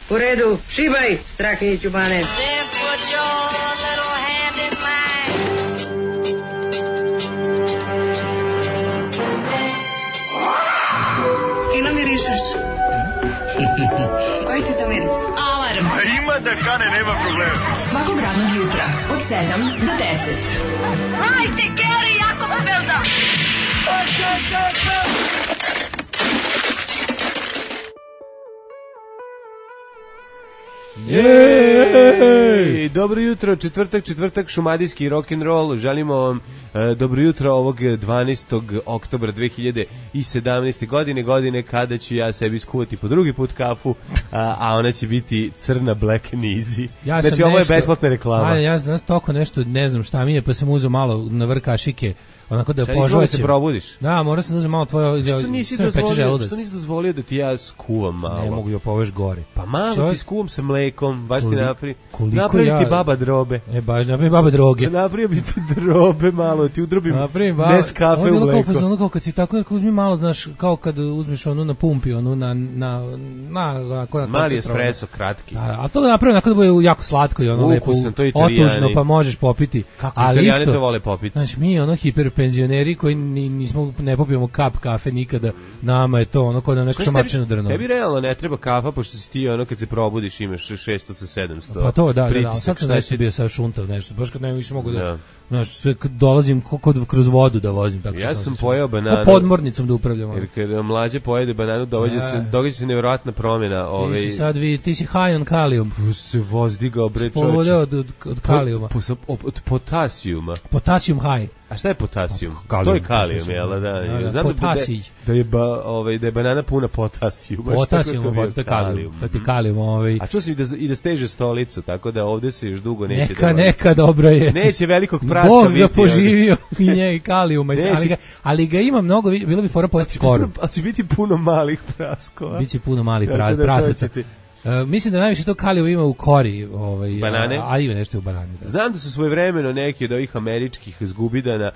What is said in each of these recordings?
U redu, šibaj, Strahinjiću Bane. Fino mirišeš. Koji ti to miris? Alarm. Ima da kane, nema problema. Svakog radnog jutra od 7 do 10. Hajde, Geri, jako se velda. Jej! Dobro jutro, četvrtak, šumadijski rock'n'roll. Želimo vam dobro jutro ovog 12. oktobra 2017. godine kada ću ja sebi skuvati po drugi put kafu, a ona će biti crna Black Nizi. Znači ovo je besplatna reklama. Ja znam toko nešto, ne znam šta mi je, pa sam uzeo malo na vrh kašike, onako da požvaćem. Šta nisi se probudiš? Da, mora sam da uzem malo tvoje, što nisi dozvolio da ti ja skuvam malo? Ne mogu, ja poveš gore. Pa malo ti skuvam sa mlekom, baš ti napravi ti baba drobe. Baš napravi baba droge. Napravi bi ti drobe malo, ti udrobim bez kafe u mleko. Ono kao kad si tako, uzmi malo, znaš, kao kad uzmiš onu na pumpi, onu na mali espresso, kratki. A to da napravi onako da bude jako slatko i ono lepo, otužno, pa možeš popiti. Kako Italijani to vole popiti? Znaš, mi ono hiperpenzioneri koji ne popijemo kap kafe nikada, nama je to ono kao da nešto šamačeno drno. Tebi realno ne treba kafa, pošto si ti ono kad se probudiš imaš 600 sa 700. Pa to, da, sad sam nešto bio sad šuntav nešto, baš kad ne više mogu da, znaš, sve dolazim kroz vodu da vozim. Tako ja sam pojeo bananu. Podmornicom da upravljam. Jer kada mlađe pojede bananu, događa se nevjerojatna promjena. Ti si high on kalijum. Se voz digao, bre čovječe. Povodeo od kalijuma. Od potasijuma. Potasium high. A šta je potasijum? To je kalijum, jel da? Znam da je banana puna potasijuma. Potasijum, to je kalijum. To je kalijum. A čuo sam i da steže stolicu, tako da ovde se još dugo neće... Neka dobro je. Neće velikog praska Bog biti. Bog ga poživio i njega kalijuma. Ali ga ima mnogo, bilo bi fora pojesti koru. Ali će biti puno malih praskova. Biće puno malih prasaca. Mislim da najviše to kalijum ima u kori, banane, a ima nešto u banani. Da. Znam da su svojevremeno neki od ovih američkih zgubidana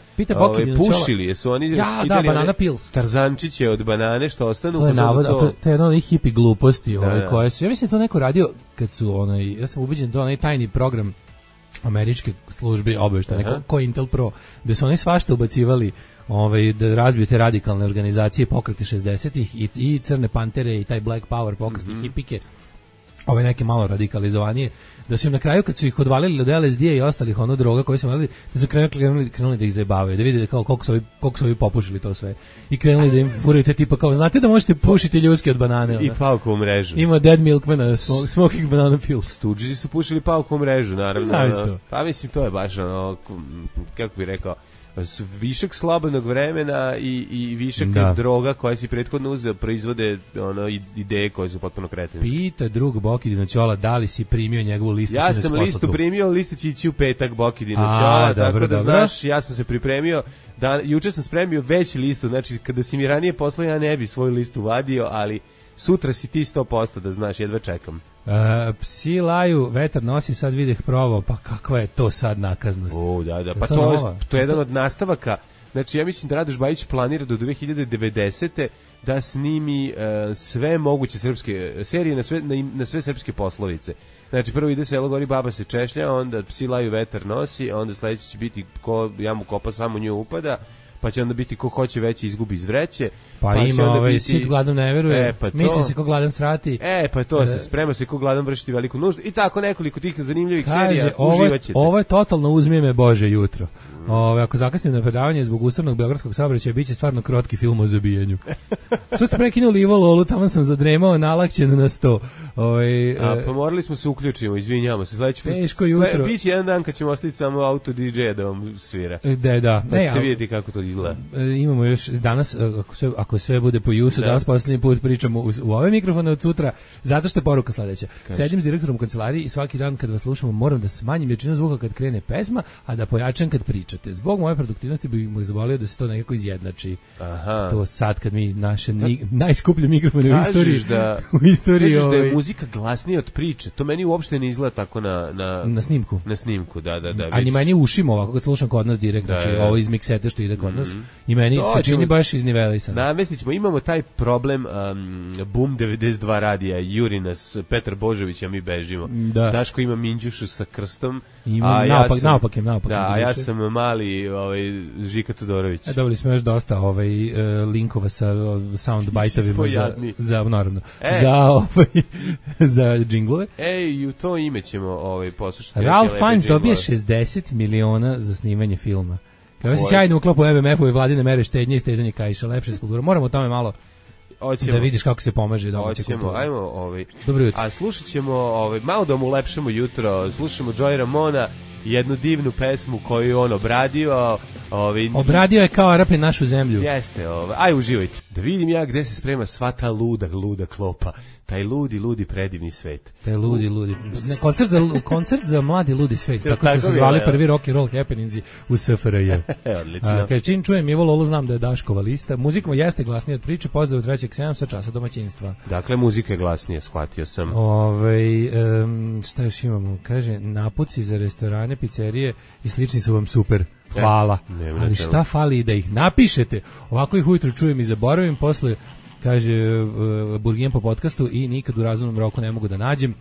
pušili, jesu oni banana pills. Tarzančiće od banane što ostanu. To je navod, to je jedno od hipi gluposti, koje su. Ja mislim da to neko radio kad su ja sam ubeđen da onaj tajni program američke službe obaveštajne, ko Intel Pro, da su oni svašta ubacivali da razbiju te radikalne organizacije, pokreti 60-ih i Crne pantere i taj Black Power pokreti hipike, ove neke malo radikalizovanije, da su im na kraju kad su ih odvalili od LSD i ostalih droga koje su imali, da su krenuli da ih zajebavaju, da vide koliko su ovi popušili to sve i krenuli da im furaju te tipa kao, znate da možete pušiti ljuske od banane. I palku u mrežu. Ima Dead Milkmana, smoking banana pills. Studži su pušili palku u mrežu, naravno. Pa mislim, to je baš kako bih rekao, višak slobodnog vremena i višak droga koja si prethodno uzeo proizvode ideje koje su potpuno kretenske. Pita drug Bokidina Ćola da li si primio njegovu listu. Ja sam listu primio, lista će ići u petak Bokidina Ćola, tako da znaš, ja sam se pripremio, juče sam spremio veći listu, znači kada si mi ranije poslao ja ne bi svoju listu vadio, ali sutra si ti 100% da znaš, jedva čekam. Psi laju, vetar nosi, sad videh provao, pa kakva je to sad nakaznost? Da, pa to je jedan od nastavaka. Znači, ja mislim da Radoš Bajić planira do 2090. da snimi sve moguće srpske serije na sve srpske poslovice. Znači, prvo ide Selo gori, baba se češlja, onda Psi laju, vetar nosi, onda sledeće će biti ko jamu kopa, samo nju upada, pa će onda biti ko hoće veće izgubi iz vreće. Pa ima sit gladan ne veruje, misli se ko gladan srati. Pa to se sprema se ko gladan vršiti veliku nuždu i tako nekoliko tih zanimljivih serija uživaćete. Ovo je totalno uzmi me Bože jutro. Ako zakasnim na predavanje zbog ustavnog beogradskog saobraćaja, biće stvarno krotki film o zabijanju. Što ste prekinuli Ivo Lolu, tamo sam zadremao, nalakćen na 100. Pa morali smo se uključimo, izvinjavamo se. Teško jutro. Biće jedan dan kad ćemo ostaviti samo auto DJ-a da vam svira. Da. Pa ćete vidjeti kako to izgleda. Imamo još danas, ako sve bude po Jusu, danas posljednji put pričamo u ove mikrofone od sutra, zato što je poruka sledeća. Sedim s direktorom kancelarije i svaki dan kad vas slušamo moram da smanjim jačinu zvuka kad krene pesma, a da pojačam kad pričate. Zbog moje produktivnosti bih mu zavolio da se to nekako izjednači. To sad kad mi naše najskuplje mikrofone u istoriji. Kažeš da je muzika glasnija od priče. To meni uopšte ne izgleda tako na snimku. Na snimku, da. A ni meni ušimo ovako kad slušam kod nas direkt, znači ovo iz miksete što ide kod nas. I meni se čini baš iznivelisan. Namestićemo, imamo taj problem Boom 92 radija, juri nas Petar Božović, a mi bežimo. Daško ima Minđušu sa krstom. Naopak. Da, a ja sam mali Žika Todorović. Dobili smo još dosta linkova sa soundbite-ovima za naravno. Za džinglove. I u to ime ćemo poslušati. Ralph Fiennes dobije 60 miliona za snimanje filma. Kao se sjajno uklapa u MMF-u i vladine mere štednje i stezanje kaiša, lepše kultura. Moramo o tome malo da vidiš kako se pomaže domaća kultura. Ajmo, dobro jutro. A slušat ćemo, malo da mu ulepšamo jutro, slušamo Joey Ramona, jednu divnu pesmu koju on obradio. Obradio je kao Arapi našu zemlju. Jeste, aj uživajte. Da vidim ja gde se sprema sva ta luda klopa. Taj ludi predivni svet. Taj ludi. Koncert za mladi ludi svet. Tako su se zvali prvi rock and roll happeningsi u SFRJ. Odlično. Kad čim čujem Ivo Lolo, znam da je Daškova lista. Muzika jeste glasnija od priče. Pozdrav 3.7 sa časa domaćinstva. Dakle, muzika je glasnija, shvatio sam. Šta još imamo? Kaže, napuci za restorane, pizzerije i slični su vam super. Hvala. Ali šta fali da ih napišete? Ovako ih ujutro čujem i zaboravim, posle kaže Burgijen po podcastu i nikad u razumnom roku ne mogu da nađem.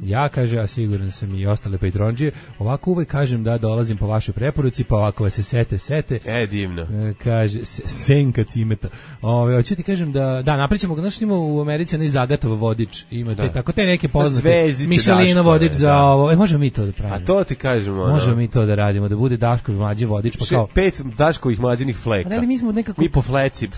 Ja, kaže, a siguran sam i ostale Patronđije, ovako uvek kažem da dolazim po vašoj preporuci, pa ovako vas se sete. Divno. Kaže, senka cimeta. Hoću ti kažem da napričamo, znaš, ima u Americi onaj Zagatov vodič, ima te neke poznate, Michelino vodič za ovo, možemo mi to da pravimo. A to ti kažemo. Možemo mi to da radimo, da bude Daškov mlađi vodič, pa kao 5 Daškovih mlađenih fleka. Ali mi smo nekako mi po fleci,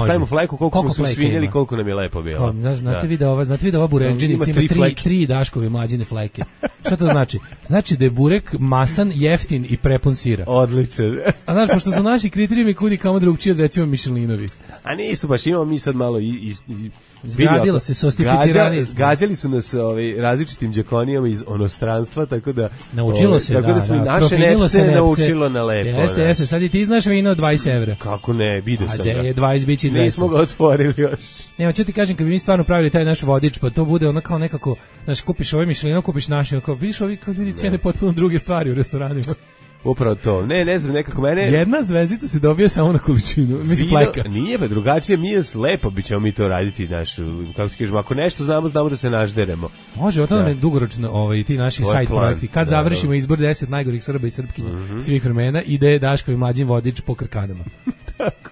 stavimo fleku koliko smo svinjeli, koliko nam je lepo bilo. Znate vi da ova burekđenica ima 3 Daškove mlađine fleke. Šta to znači? Znači da je burek masan, jeftin i prepun sira. Odličan. A znaš, pošto su naši kriterijumi kudi kamo drugčiji od recimo Michelinovi. A nisu baš, imamo mi sad malo Zgradilo se, sostificirani. Gađali su nas različitim đakonijama iz onostranstva, tako da naučilo se, tako da smo i naše nepce naučilo na lepo. Jeste, sad i ti znaš vino od 20 evra. Kako ne, vidio sam ga. A je 20 bići 200. Nismo ga otvorili još. Ne, hoću ti kažem, kad bi mi stvarno pravili taj naš vodič, pa to bude ono kao nekako, znaš, kupiš ovaj Michelino, kupiš naši, kao vidiš ovi kao ljudi cijene potpuno druge stvari u restoranima. Upravo to. Ne znam, nekako mene... Jedna zvezdica se dobija samo na količinu. Mislim, fleka. Nije, pa drugačije, mi je lepo bi ćemo mi to raditi, kako ti kažemo, ako nešto znamo da se našderemo. Može, o to nam je dugoročno ti naši sajt projekti. Kad završimo izbor 10 najgorih Srba i Srpkinja svih vremena, ide Daškovi mlađi vodič po Krkanama.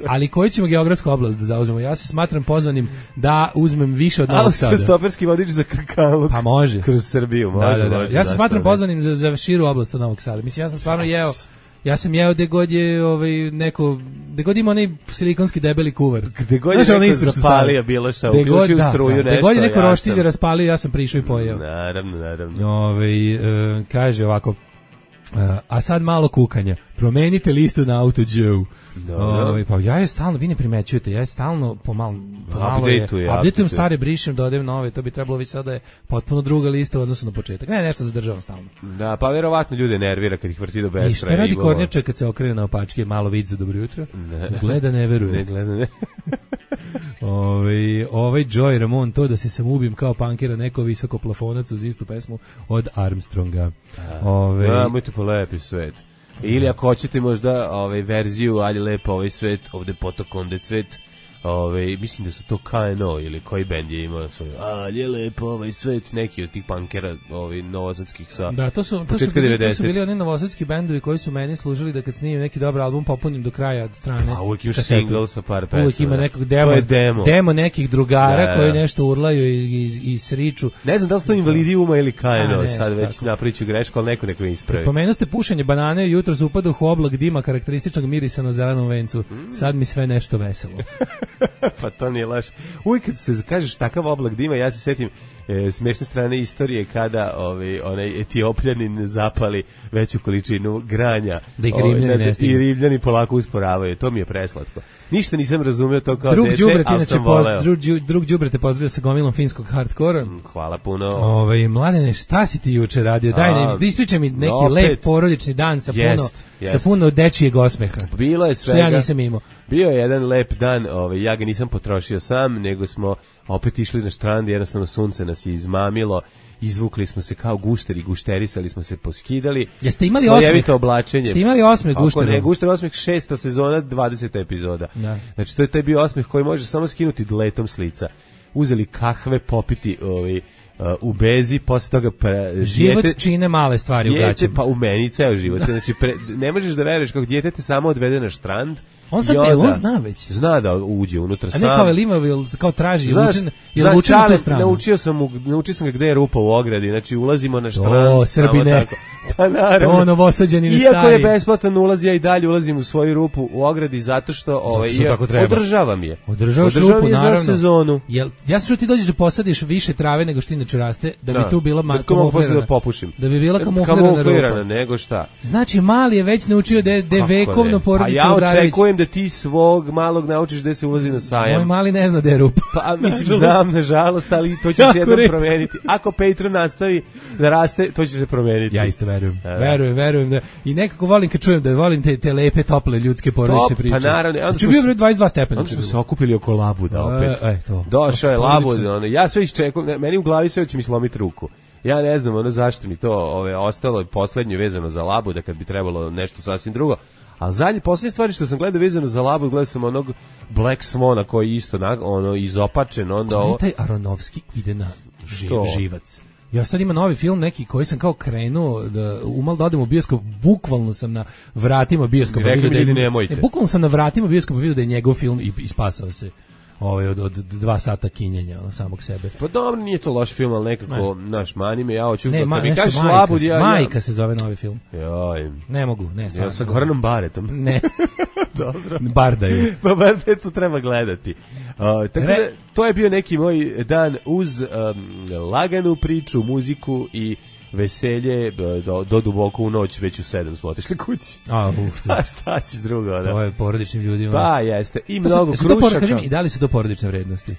Ali koju ćemo geografsku oblast da zauzmemo? Ja se smatram pozvanim da uzmem više od Novog Sada. Stoperski vodič za Krkanluk. Pa može. Kroz Srbiju, može. Ja se smatram pozvanim za širu oblast od Novog Sada. Mislim, ja sam stvarno ja sam jeo gde god je gde god ima onaj silikonski debeli kuvar. Gde god je neko zapalio bilo šta, uključio struju nešto. Gde god je neko roštilj raspalio, ja sam prišao i pojeo. Naravno. Kaže ovako, a sad malo kukanja. Promenite listu na AutoJoe. Pa ja je stalno, vi ne primećujete, ja je stalno pomalo updateujem stare, brišem, dodajem nove, to bi trebalo već sada je potpuno druga lista u odnosu na početak. Ne, nešto zadržavam stalno. Da, pa verovatno ljude nervira kad ih vrti do beskraja. I šta radi Kornjača kad se okrene na opačke, malo vid za dobro jutro? Ne gleda, ne veruje. Ovaj Joey Ramon, to da se sam ubim kao punkera, neko visoko plafonac uz istu pesmu od Armstronga. Mojte po lepi svet. Ili ako hoćete možda verziju Ali lepo ovaj svet, ovde potok onde cvet, mislim da su to KNO ili koji bend je imao svoj Ali lepo ovaj svet, neki od tih punkera novosadskih sa početka 90. To su bili oni novosadski bendovi koji su meni služili da kad snimim neki dobar album popunim do kraja od strane. A uvijek imaš single sa par pesama. Uvijek ima nekog demo nekih drugara koji nešto urlaju i sriču. Ne znam da li su to Invalidijuma ili KNO, sad već napriču grešku, ali neko mi ispravi. Pomenuo ste pušenje banane, jutro se upadao u oblak dima karakterističnog mirisa na zelenom vencu. Sad mi sve nešto veselo. Pa to nije laž. Uvijek kad se kažeš takav oblak dima, ja se sjetim smiješne strane istorije kada onaj Etiopljanin zapali veću količinu granja da ih Rimljani ne stignu. I Rimljani polako usporavaju. To mi je preslatko. Ništa nisam razumio to kao dete, ali sam voleo. Drug đubre te pozdravio sa gomilom finskog hardkora. Hvala puno. Mladene, šta si ti juče radio? Daj, ispričaj mi neki lep porodični dan sa puno dečijeg osmeha. Bilo je svega. Što ja nisam imao. Bio je jedan lep dan, ja ga nisam potrošio sam, nego smo opet išli na štrand, jednostavno sunce nas je izmamilo, izvukli smo se kao gušteri, gušterisali smo se, poskidali. Jeste imali osmeh? Oblačenje. Jeste imali osmeh guštera? Ako ne, gušter osmeh 6. sezona, 20. epizoda. Da. Znači, to je taj bio osmeh koji može samo skinuti dletom s lica. Uzeli kahve, popiti u bezi, posle toga život čine male stvari u gaćama. Pa u meni ceo život. Znači, ne možeš da veruješ kako dijete te samo odvede na štrand. On sad, on zna već. Zna da uđe unutra sam. A ne kao Elima, kao traži, je učen na tu stranu. Naučio sam ga gde je rupa u ogradi, znači ulazimo na štrand. O, Srbine. Pa naravno. To Novosađani stari. Iako je besplatan ulaz, ja i dalje ulazim u svoju rupu u ogradi zato što održavam je. Održavaš rupu, naravno. Za sezonu. Ja sam čuo ti dođeš da posadiš više trave nego što inače raste, da bi tu bila kamuflirana. Da popušim. Da bi bila kamuflirana rupa. Nego šta. Znači, mali je već naučio da je vekovno porodica Udrarević. Pa ja očekujem da ti svog malog naučiš gde se ulazi na sajam. Moj mali ne zna da je rupa. Pa mislim, znam, nažalost, ali to će se jednom promeniti. Ako Patreon nastavi da raste, to će se promeniti. Ja isto verujem da. I nekako volim kad čujem da volim te lepe, tople ljudske porodične priče. Pa naravno. Znači bio 22 stepena. Onda smo se okupili oko Labuda opet. To. Došao je Labud, ja sve iščekujem, meni u glavi sve će mi slomiti ruku. Ja ne znam zašto mi to ostalo je poslednje vezano za Labuda kad bi trebalo nešto sasvim drugo. A poslednje stvari što sam gledao vezano za Labud, gledao sam onog Black Swona koji je isto izopačen. Onda taj Aronovski ide na živac. Ja sad imam novi film neki koji sam kao krenuo da umal da odem u bioskop, bukvalno sam na vratima bioskopa bukvalno sam na vratima bioskopa vidio da je njegov film i spasao se od 2 sata kinjenja samog sebe. Pa dobro, nije to loš film, ali nekako naš mani me, ja hoću da mi kažeš Labud, Majka se zove novi film. Joj. Ne mogu, ne stvarno. Ja sa Goranom Baretom. Ne. Dobro. Bardaju. Pa to treba gledati. Tako da, to je bio neki moj dan uz laganu priču, muziku i veselje do duboko u noć, već u 7 smo otišli kući. A šta ćeš drugo, da? To je porodičnim ljudima. Pa jeste, i mnogo krušaka. I da li su to porodične vrednosti?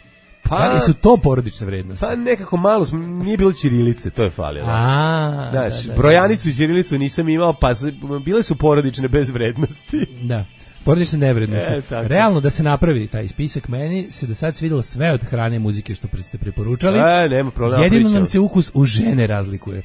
Da li su to porodične vrednosti? Pa nekako malo, nije bilo ćirilice, to je falilo. Znaš, brojanicu i ćirilicu nisam imao, pa bile su porodične bez vrednosti. Da. Porodične nevrednosti. Realno da se napravi taj spisak, meni se do sad svidelo sve od hrane i muzike što ste preporučali. Nema problema. Jedino nam se ukus u žene razlikuje.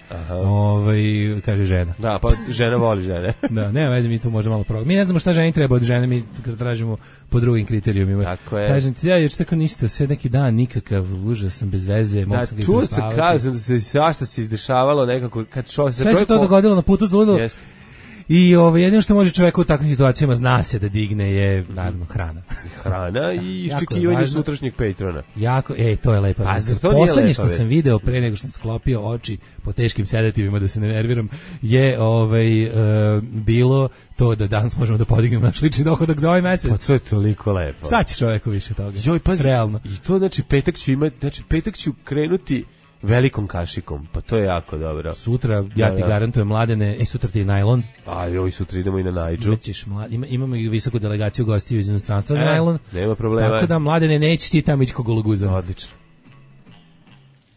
Kaže žena. Da, pa žena voli žene. Da, nema veze, mi tu možemo malo mi ne znamo šta ženi treba od žene, mi tražimo po drugim kriterijumima. Tako je. Kažem ti, jer tako ništa, sve neki dan, nikakav užas sam bez veze. Da, čuo se, kažem da se svašta se izdešavalo nekako. Sve se to dogodilo na putu za ludo. I jedino što može čovjek u takvim situacijama zna se da digne je naravno hrana. Hrana i iščekivanje sutrašnjeg Patrona. Jako, to je lepo. Poslednje što sam video pre nego što sam sklopio oči po teškim sedativima da se ne nerviram je bilo to da danas možemo da podignemo naš lični dohodak za ovaj mesec. Pa to je toliko lepo. Šta će čovjeku više toga? Joj, pazi, realno. I to znači petak ću krenuti velikom kašikom, pa to je jako dobro. Sutra, ja ti garantujem, Mladene, sutra ti je najlon. Sutra idemo i na Najdžu. Imamo i visoku delegaciju gostiju iz inostranstva za najlon. Nema problema. Tako da, Mladene, neći ti tamo ići ko gologuzan. Odlično.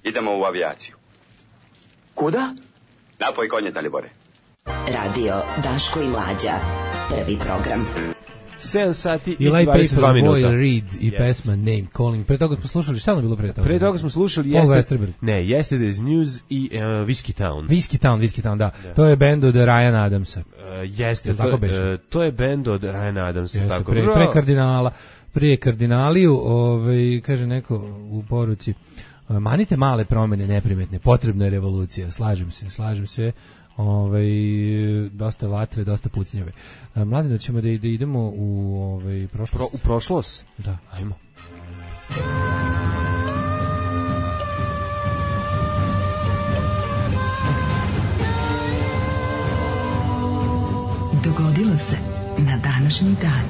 Idemo u avijaciju. Kuda? Napoj konje, Dalibore. Radio Daško i Mlađa. Prvi program. 7 sati i 22 minuta. Boy Reed i pesma Name Calling. Pre toga smo slušali, šta ono bilo pre toga? Pre toga smo slušali Yesterday's News i Whiskey Town. Whiskey Town, da. To je bend od Ryana Adamsa. Jeste, to je bend od Ryana Adamsa. Tako. Prije kardinaliju, kaže neko u poruci, manite male promene neprimetne, potrebna je revolucija. Slažem se. Dosta vatre, dosta pucnjave. Mladine, ćemo da idemo u prošlost. U prošlost? Da. Ajmo. Dogodilo se na današnji dan.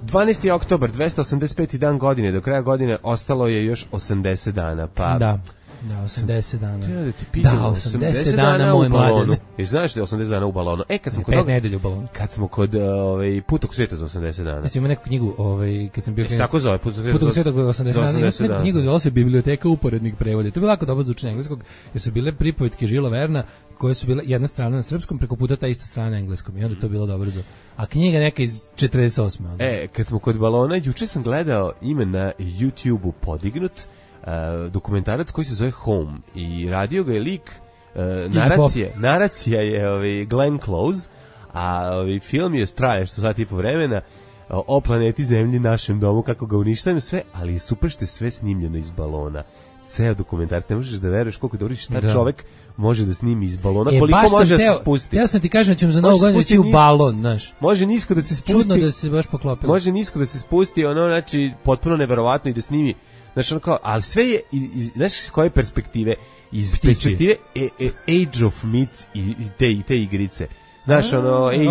12. oktobar, 285. dan godine, do kraja godine ostalo je još 80 dana, pa... Da. Da, 80 dana. Da ti pitam, Da, 80 dana moj mladene. I znaš da je 80 dana u balonu? Kad smo kod 5 nedelja u balonu. Kad smo kod Putog sveta za 80 dana. Mislim, ima neku knjigu, kad sam bio klinac. Tako zove, Putog sveta za 80 dana. Ima neku knjigu, zvala se Biblioteka uporednih prevoda. To je bilo jako dobro za učenje engleskog, jer su bile pripovetke Žila Verna, koje su bile jedna strana na srpskom, preko puta ta ista strana na engleskom. I onda je to bilo dobro za... A knjiga neka iz 48. Onda. Kad smo kod balona, juče sam gledao ime na YouTube-u podignut, dokumentarac koji se zove Home. I radio ga je lik, naracija je Glenn Close, a film je traje što sat i po vremena, o planeti Zemlji, našem domu, kako ga uništavaju sve, ali je super što je sve snimljeno iz balona. Ceo dokumentar, ne možeš da veruješ koliko dobro šta čovek može da snimi iz balona, koliko može da se spusti. Ja sam ti kažem da ćemo za Novu godinu ići u balon, znaš. Može nisko da se spusti. Čudno da se baš poklopilo. Može nisko da se spusti, znači potpuno neverovatno i da snimi. Znači kao, ali sve je znaš s koje perspektive? Iz perspektive Age of Myth i te igrice. Znaš,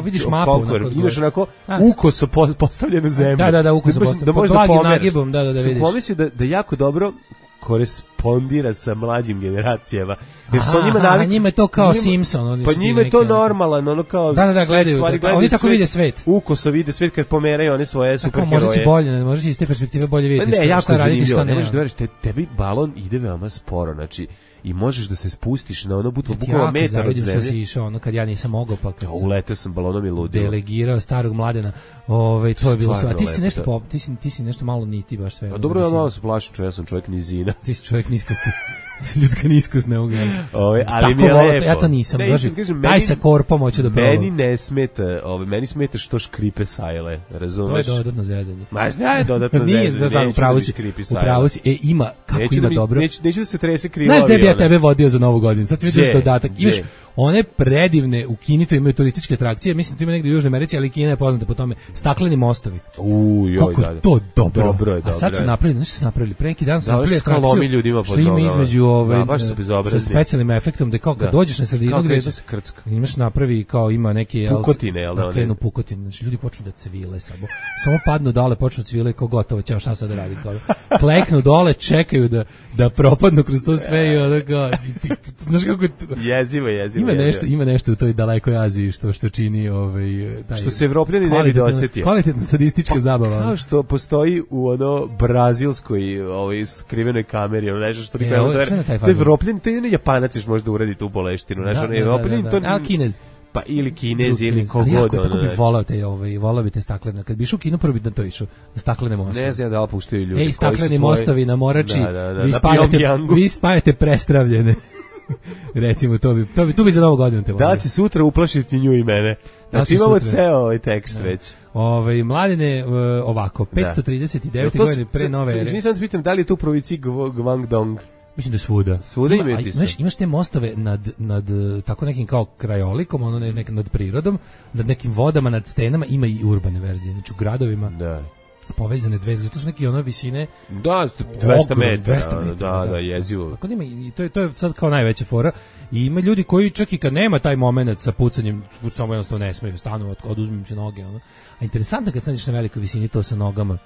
vidiš mapu, imaš onako ukoso postavljenu zemlju. Da, ukoso postavljenu. Pod blagim nagibom, da vidiš. Pomisli da jako dobro korespondira sa mlađim generacijama. Jer su njima navikli. Njima je to kao Simpson. Pa njima je to normalan, ono kao... Da, gledaju. Oni tako vide svet. Ukoso vide svet kad pomeraju one svoje superheroje. Možda će bolje, možeš iz te perspektive bolje vidjeti šta raditi, šta ne. Ne možeš da veriš, tebi balon ide veoma sporo, znači i možeš da se spustiš na ono bukvalno metar od zemlje. Ja si išao ono kad ja nisam mogao, pa kad uleteo sam balonom i ludio. Delegirao starog mladena. To je bilo sve. Ti si nešto malo niti baš sve. A dobro, ja malo se plašim, ja sam čovjek nizina. Ti si čovjek niskosti. Ljudska niskost ne mogu. Ali mi je lepo. Ja to nisam. Taj sa korpom hoću da probam. Meni ne smeta, meni smeta što škripe sajle, razumeš? To je dodatno zezanje. Ma je dodatno zezanje. Nije, upravo si. Ima, kako ima dobro. Neću da se trese krivo. Znaš da bi ja tebe vodio za Novu godinu? Sad si vidiš dodatak. Imaš one predivne, u Kini to imaju turističke atrakcije, mislim to ima negdje u Južnoj Americi, ali Kina je poznata po tome. Stakleni mostovi. Kako je to dobro. A sad su napravili, nešto su napravili. Pre neki dan su napravili atrakciju što ima između sa specijalnim efektom da kao kad dođeš na sredinu gde imaš napravi kao ima neke pukotine, da krenu pukotine, znači ljudi počnu da cvile samo padnu dole, počnu cvile kao gotovo, ćao šta sad da radi, kao kleknu dole, čekaju da propadnu kroz to sve i onda kao znaš kako jezivo ima nešto u toj dalekoj Aziji što čini taj što se Evropljani ne bi dosetio, kvalitetna sadistička zabava, kao što postoji u brazilskoj skrivenoj kameri, nešto što to je Evropljan, to je Japanac još možda uradi tu boleštinu, znaš, on je Evropljan, to ali Kinez. Pa ili Kinez ili kogod. Tako bi volao bi te staklene. Kad bi išao u kino, prvo bi na to išao. Na staklene mostovi. Ne znam da li puštaju ljudi. Stakleni mostovi na Morači, vi spajate prestravljene. Recimo, tu bi za Novu godinu te volio. Da li će sutra uplašiti nju i mene? Znači imamo ceo tekst već. Mladine, ovako, 539. godine pre nove ere. Mislim da pitam da li je tu u provinciji Guangdong. Mislim da svuda. Svuda imaju isto. Imaš te mostove nad tako nekim kao krajolikom, nad prirodom, nad nekim vodama, nad stenama, ima i urbane verzije. Znači u gradovima povezane dve, zato su neke visine. Da, 200 metara. Da, jezivo. Tako ima i to je sad kao najveća fora. I ima ljudi koji čak i kad nema taj moment sa pucanjem, samo jednostavno ne smeju, stanu, oduzmem se noge. A interesantno kad staniš na velikoj visini to sa nogama.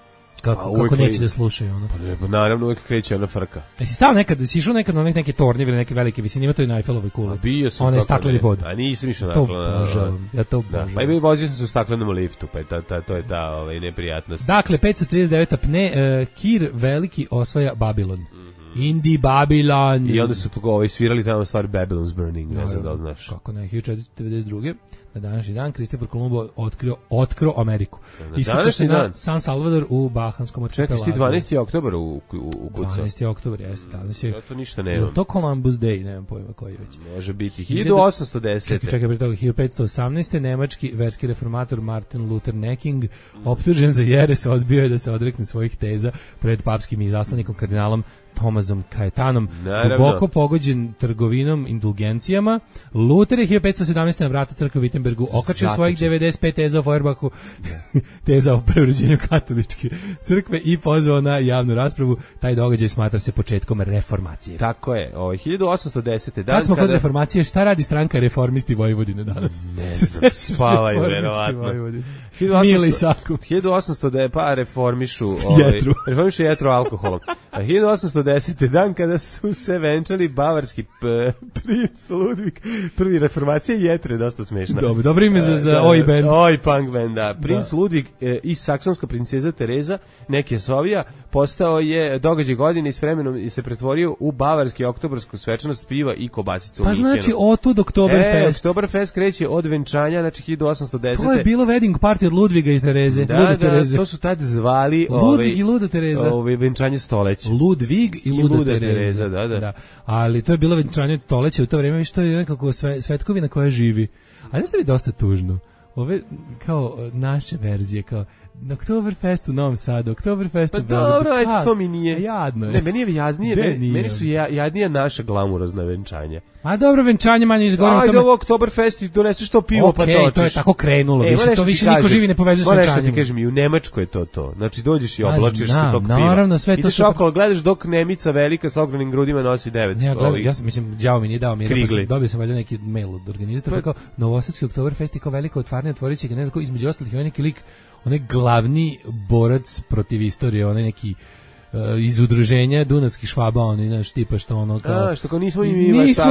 Kako neće da slušaju ono. Pa naravno uvijek kreće ona frka. Jesi stao nekad, si išao nekad na neke tornjeve ili neke velike visine, ima to i na Eiffelovoj kuli. Bio sam. Ona je stakleni pod. A nisam išao na to obožavam. Ja to obožavam. Pa i vozio sam se u staklenom liftu, pa to je ta neprijatnost. Dakle, 539 apne, Kir veliki osvaja Babilon. Indi Babylon. I onda su svirali tamo stvari Babylon's Burning, ne znam da li znaš. Kako ne, 1492. Na današnji dan Kristofor Kolumbo otkrio Ameriku. Iskucao se na San Salvador u Bahamskom arhipelagu. Čekaj, 12. oktobar u kucu. 12. oktobar, jeste. Ja to ništa nemam. Je to Columbus Day, nemam pojma koji već. Može biti 1810. Čekaj, pre toga 1518. Nemački verski reformator Martin Luther Necking, optužen za jeres, odbio je da se odrekne svojih teza pred papskim izaslanikom kardinalom Tomazom Kajetanom, duboko pogođen trgovinom indulgencijama. Luther je 1517. na vrata crkve u Wittenbergu okačio svojih 95 teza o Feuerbachu, teza o preuređenju katoličke crkve i pozvao na javnu raspravu. Taj događaj smatra se početkom reformacije. Tako je, 1810. Kad smo kod reformacije, šta radi stranka Reformisti Vojvodine danas? Ne znam, spavaju, verovatno. Mili Saku. 1800 pa reformišu jetru alkoholom. A 1810. dan kada su se venčali bavarski princ Ludvig, prvi reformacija Jetre, dosta smešna. Dobro ime za oj band. Oj punk band, da. Princ Ludvig i saksonska princeza Tereza, neke Sovija, postao je događaj godine i s vremenom se pretvorio u bavarski oktobarsku svečanost piva i kobasicu. Pa znači otud Oktoberfest. Oktoberfest kreće od venčanja, znači 1810. To je bilo wedding party od Ludviga i Tereze. Da, to su tad zvali Ludvig i Luda Tereza. Venčanje stoleća. Ludvig i Luda Tereza. Da. Ali to je bilo venčanje stoleća u to vreme, što je nekako svetkovina koja živi. A nešto je dosta tužno. Ove, kao naše verzije, kao na Oktoberfest u Novom Sadu, Oktoberfest u Beogradu. Pa dobro, ajde, to mi nije. Jadno je. Ne, meni je jaznije, meni su jadnija naša glamurozna venčanja. A dobro, venčanje manje izgovorimo tome. Ajde, ovo Oktoberfest i doneseš to pivo, pa točiš. To je tako krenulo, to više niko živi ne povezuje s venčanjem. Nešto ti kažem, i u Nemačkoj je to. Znači, dođeš i oblačiš se tog piva. Naravno, sve to ideš okolo, gledaš dok Nemica velika sa ogromnim grudima nosi 9. Ja mislim, đavo mi nije dao mir, dobio sam valjda neki mail od organizatora, kao Novosadski Oktoberfest i kao veliko otvaranje, otvorit će ga, ne znam, između ostalih je neki lik, onaj glavni borac protiv istorije, onaj neki iz udruženja Dunavskih Švaba, oni znaš tipa što ono kao što kao nismo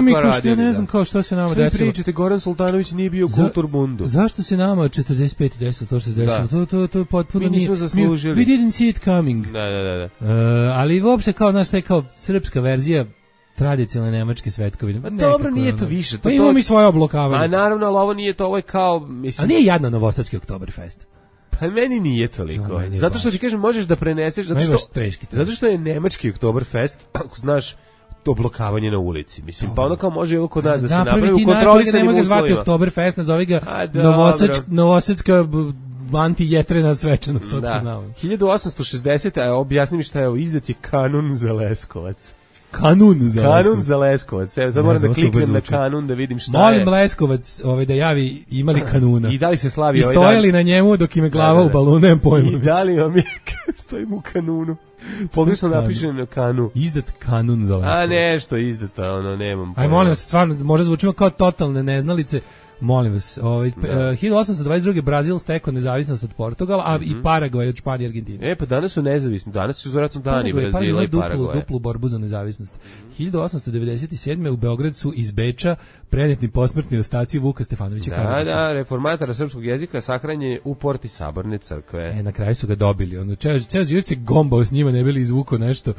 mi kao što ne znam kao što se nama desilo. Što pričate, Goran Sultanović nije bio u Kulturbundu. Zašto se nama 45 desilo to što se desilo? To je potpuno mi nismo zaslužili. We didn't see it coming. Da. Ali uopšte kao znaš taj kao srpska verzija tradicionalne nemačke svetkovine. Dobro, nije to više. Pa imamo mi svoje oblokavanje. A naravno, ali ovo nije to, ovo je kao mislim. A nije jadno Novosadski Oktoberfest. Pa meni nije toliko. Zato što ti kažem, možeš da preneseš, zato što je nemački Oktoberfest, ako znaš, to blokavanje na ulici. Mislim, pa ono kao može ovo kod nas da se napravi u kontrolisanim uslovima. Nema ga zvati Oktoberfest, nazovi ga Novosadska anti-jetrena svečanost, to znamo. 1860. Objasni mi šta je ovo, izdat je kanun za Leskovac. Kanun za Leskovac. Evo, sad moram da kliknem na kanun da vidim šta je. Molim Leskovac da javi imali kanuna. I da li se slavi ovaj dan? I stojali na njemu dok im je glava u balonu, nemam pojma. I da li vam je stojim u kanunu? Pogrešno napišem na kanu. Izdat kanun za Leskovac. A nešto izdato, ono, nemam pojma. Aj, molim vas, stvarno, možda zvučimo kao totalne neznalice. Molim vas, 1822. Brazil stekao nezavisnost od Portugala, a i Paragvaj od Španije i Argentine. Pa danas su nezavisni, danas su vjerojatno dani Brazila i Paragvaja. Duplu borbu za nezavisnost. 1897. u Beograd su iz Beča prenetni posmrtni ostaci Vuka Stefanovića Karadžića. Da, reformatora srpskog jezika sahranjen je u porti Saborne crkve. Na kraju su ga dobili. Ceo život se gombao s njima, ne bili izvukao nešto.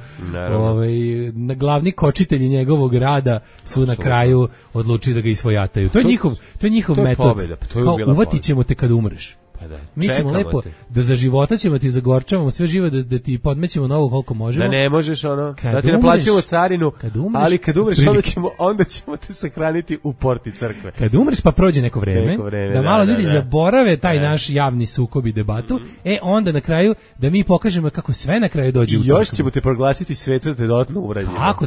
Na glavni kočitelji njegovog rada su na kraju odlučili da ga isvojataju. To je njihov metod. Kao, uvatit ćemo te kad umreš. Mi ćemo lepo, da za života ćemo ti zagorčavamo sve živo, da ti podmećemo novo koliko možemo. Da ne možeš da ti naplaćujemo carinu, ali kad umreš onda ćemo te sahraniti u porti crkve. Kad umreš pa prođe neko vreme da malo ljudi zaborave taj naš javni sukob i debatu, onda na kraju da mi pokažemo kako sve na kraju dođe u crkvu. Još ćemo te proglasiti sveca da te dodatno uvredimo. Tako,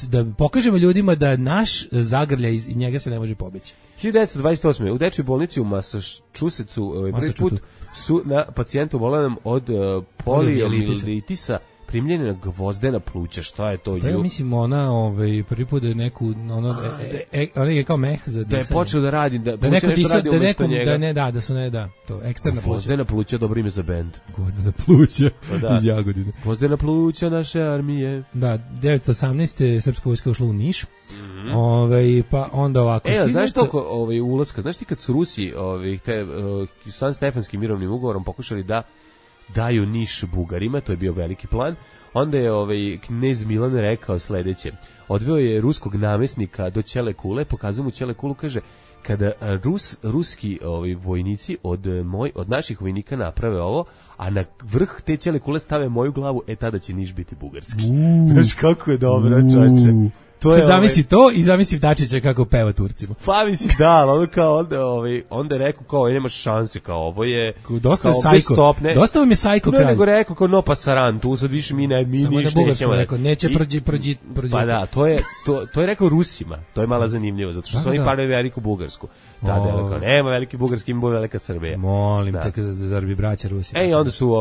da pokažemo ljudima da naš zagrljaj iz njega se ne može pobeći. 1928. u dečjoj bolnici u Massachusettsu prvi put su na pacijentu obolelom od poliomijelitisa primljena gvozdena pluća. Šta je to? To je, mislim, ona prvi put da je neku ona je kao meh za disanje. Da je počeo da radi, da neko radi umjesto njega. Da su to eksterna pluća. Gvozdena pluća, dobro ime za bend. Gvozdena pluća iz Jagodine. Gvozdena pluća naše armije. Da, 1918. srpska vojska ušla u Niš. Pa onda ovako. Znaš toliko ulaska, znaš ti kad su Rusi San Stefanskim mirovnim ugovorom pokušali da daju Niš Bugarima, to je bio veliki plan, onda je knez Milan rekao sledeće: odveo je ruskog namesnika do Ćele kule, pokazao mu Ćele kulu, kaže: kada ruski vojnici od naših vojnika naprave ovo, a na vrh te Ćele kule stave moju glavu, tada će Niš biti bugarski. Znaš kako je dobro, čoveče. Sad zamisli to i zamisli Dačića kako peva Turcima. Pa misli da, ono kao onda je rekao kao nemaš šanse, kao ovo je dosta sajko. Dosta vam je sajko kralj. Nego rekao kao no pasaran, tu sad više mi nećemo. Neće prođi. Pa da, to je rekao Rusima. To je malo zanimljivo, zato što su oni pali veliku Bugarsku. Da, kao nema veliki bugarski, ima velika Srbija. Molim te, zar bi braća Rusi. Onda su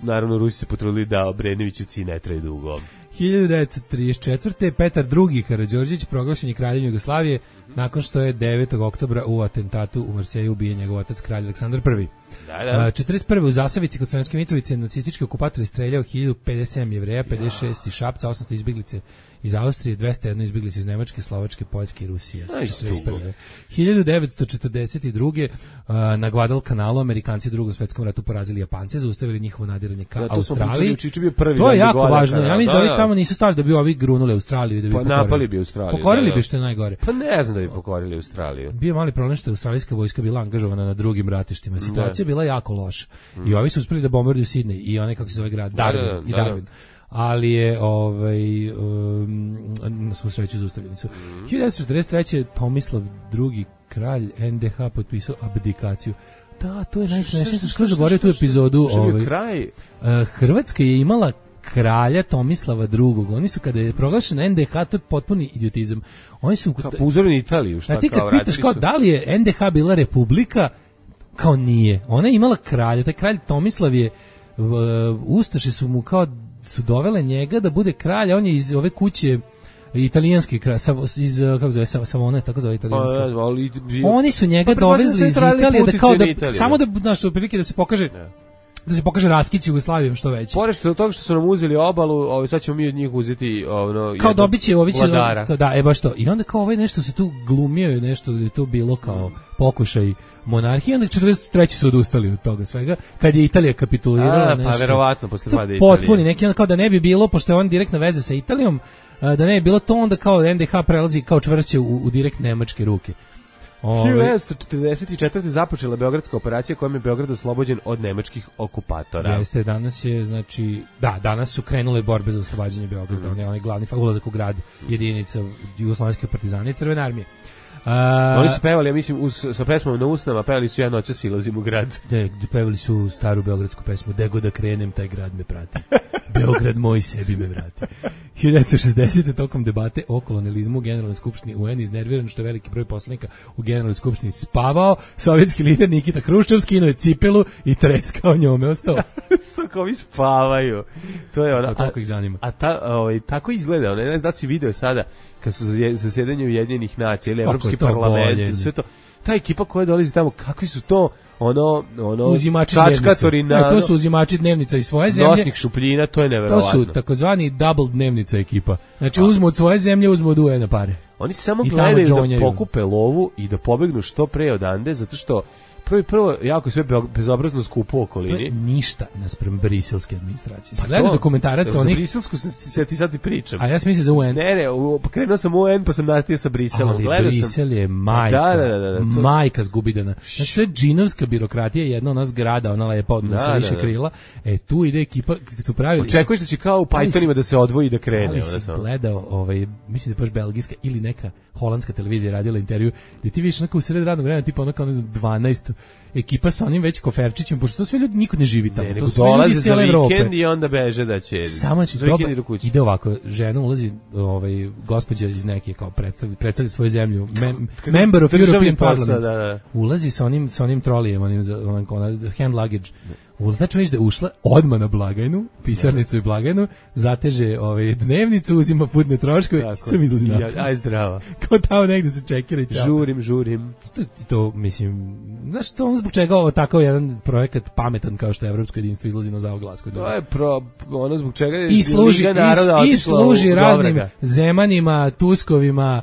naravno Rusi se potrudili da Obrenovićevci ne traju dugo. 1934. Petar II. Karađorđević proglašen je kraljem Jugoslavije nakon što je 9. oktobra u atentatu u Marseju ubijen njegov otac kralj Aleksandar I. 41. u Zasavici kod Sremske Mitrovice nacistički okupator je streljao 1057 Jevreja, 56 iz Šapca, 800 izbjeglice iz Austrije, 201 izbjeglice iz Nemačke, Slovačke, Poljske i Rusije. 1942. Na Guadalcanalu Amerikanci u Drugom svetskom ratu porazili Japance, zaustavili njihovo nadiranje ka Australiji. To je jako važno. Ja mislim da ovi tamo nisu stali da bi ovi grunuli Australiju i da bi pokorili. Napali bi Australiju. Pokorili bi što je najgore. Pa ne znam da bi pokorili Australiju. Bio mali problem što je australijska vojska bila angažovana na drugim ratištima. Situacija je bila jako loša. I ovi su uspeli da bombarduju Sidney i onaj kako se zove grad Darwin. Ali je na svu sreću zaustavljeni su. 1943. Tomislav II. Kralj NDH potpisao abdikaciju. Da, to je najsmešnije. Sam skroz zaboravio tu epizodu. Hrvatska je imala kralja Tomislava II. Oni su, kada je proglašena NDH, to je potpuni idiotizam. Oni su kao uzorni Italiju, šta ti kad pitaš kao da li je NDH bila republika, kao nije. Ona je imala kralja, taj kralj Tomislav je ustaše su mu kao su dovele njega da bude kralj, on je iz ove kuće italijanski kralj, iz kako zove Savona, tako zove italijanski. Oni su njega dovezli iz Italije da kao da samo da naš otprilike da se pokaže da se pokaže raskid Jugoslavijom što veći. Pored toga što su nam uzeli obalu, sad ćemo mi od njih uzeti kao dobiće ovi će da baš to. I onda kao ovaj nešto se tu glumio i nešto je to bilo kao pokušaj monarhije, onda 43. su odustali od toga svega kad je Italija kapitulirala nešto. Pa verovatno posle pada Italije. Potpuni neki onda kao da ne bi bilo, pošto je on direktna veza sa Italijom, da ne bi bilo to, onda kao NDH prelazi kao čvršće u direkt nemačke ruke. 1944. započela beogradska operacija kojom je Beograd oslobođen od nemačkih okupatora. Jeste, danas je, znači, danas su krenule borbe za oslobađanje Beograda, onaj glavni ulazak u grad jedinica Jugoslovenske partizane i Crvene armije. Oni su pevali, ja mislim, sa pesmom na usnama, pevali su "Ja noćas silazim u grad". Pevali su staru beogradsku pesmu "Gde god da krenem, taj grad me prati. Beograd moj sebi me vrati". 1960. tokom debate o kolonijalizmu u Generalnoj skupštini UN iznerviran što je veliki broj poslanika u Generalnoj skupštini spavao, sovjetski lider Nikita Hruščov skinuo je cipelu i treskao njome ostao. Kako vi spavaju. To je ona. Tako ih zanima. Tako izgleda. Ne znam da si video sada kad su zasedanje Ujedinjenih nacija ili Evropski parlament, sve to. Ta ekipa koja dolazi tamo, kakvi su to čačkatori na... to su uzimači dnevnica iz svoje zemlje. Nosnik šupljina, to je neverovatno. To su takozvani double dnevnica ekipa. Znači uzmu od svoje zemlje, uzmu od UN pare. Oni samo gledaju da pokupe lovu i da pobegnu što pre odande, zato što prvo jako sve bezobrazno skupo u okolini. To je ništa naspram briselske administracije. Pa gledam dokumentarac onih... Za briselsku se ti sad i pričam. A ja sam mislio za UN. Ne, krenuo sam u UN pa sam natio sa Briselom. Ali Brisel je majka. Majka zgubidana. Znači to je džinovska birokratija, jedna ona zgrada, ona lepa odnosno sa više krila. Tu ide ekipa, kad su pravili... Očekuješ da će kao u Pythonima da se odvoji i da krene. Ali si gledao, mislim da je baš belgijska ili neka holandska televizija radila intervju, gdje ti vidiš onako u sred radnog vremena, tipa onako 12 ekipa sa onim već koferčićem, pošto to sve ljudi, niko ne živi tamo. To su ljudi iz cijele Evrope. I onda beže da će... Samo ide ovako, žena ulazi, gospođa iz neke, kao predstavlja svoju zemlju, member of European Parliament, ulazi sa onim trolijem, hand luggage. Znači već da je ušla odmah na blagajnu, pisarnicu i blagajnu, zateže dnevnicu, uzima putne troškove i sam izlazi napad. Aj zdrava. Kao tamo negde se čekira i čao. Žurim. To mislim, znaš to on zbog čega ovo takav jedan projekat pametan kao što je Evropsko jedinstvo izlazi na zaoglas. To je ono zbog čega je i služi raznim Zemanima, Tuskovima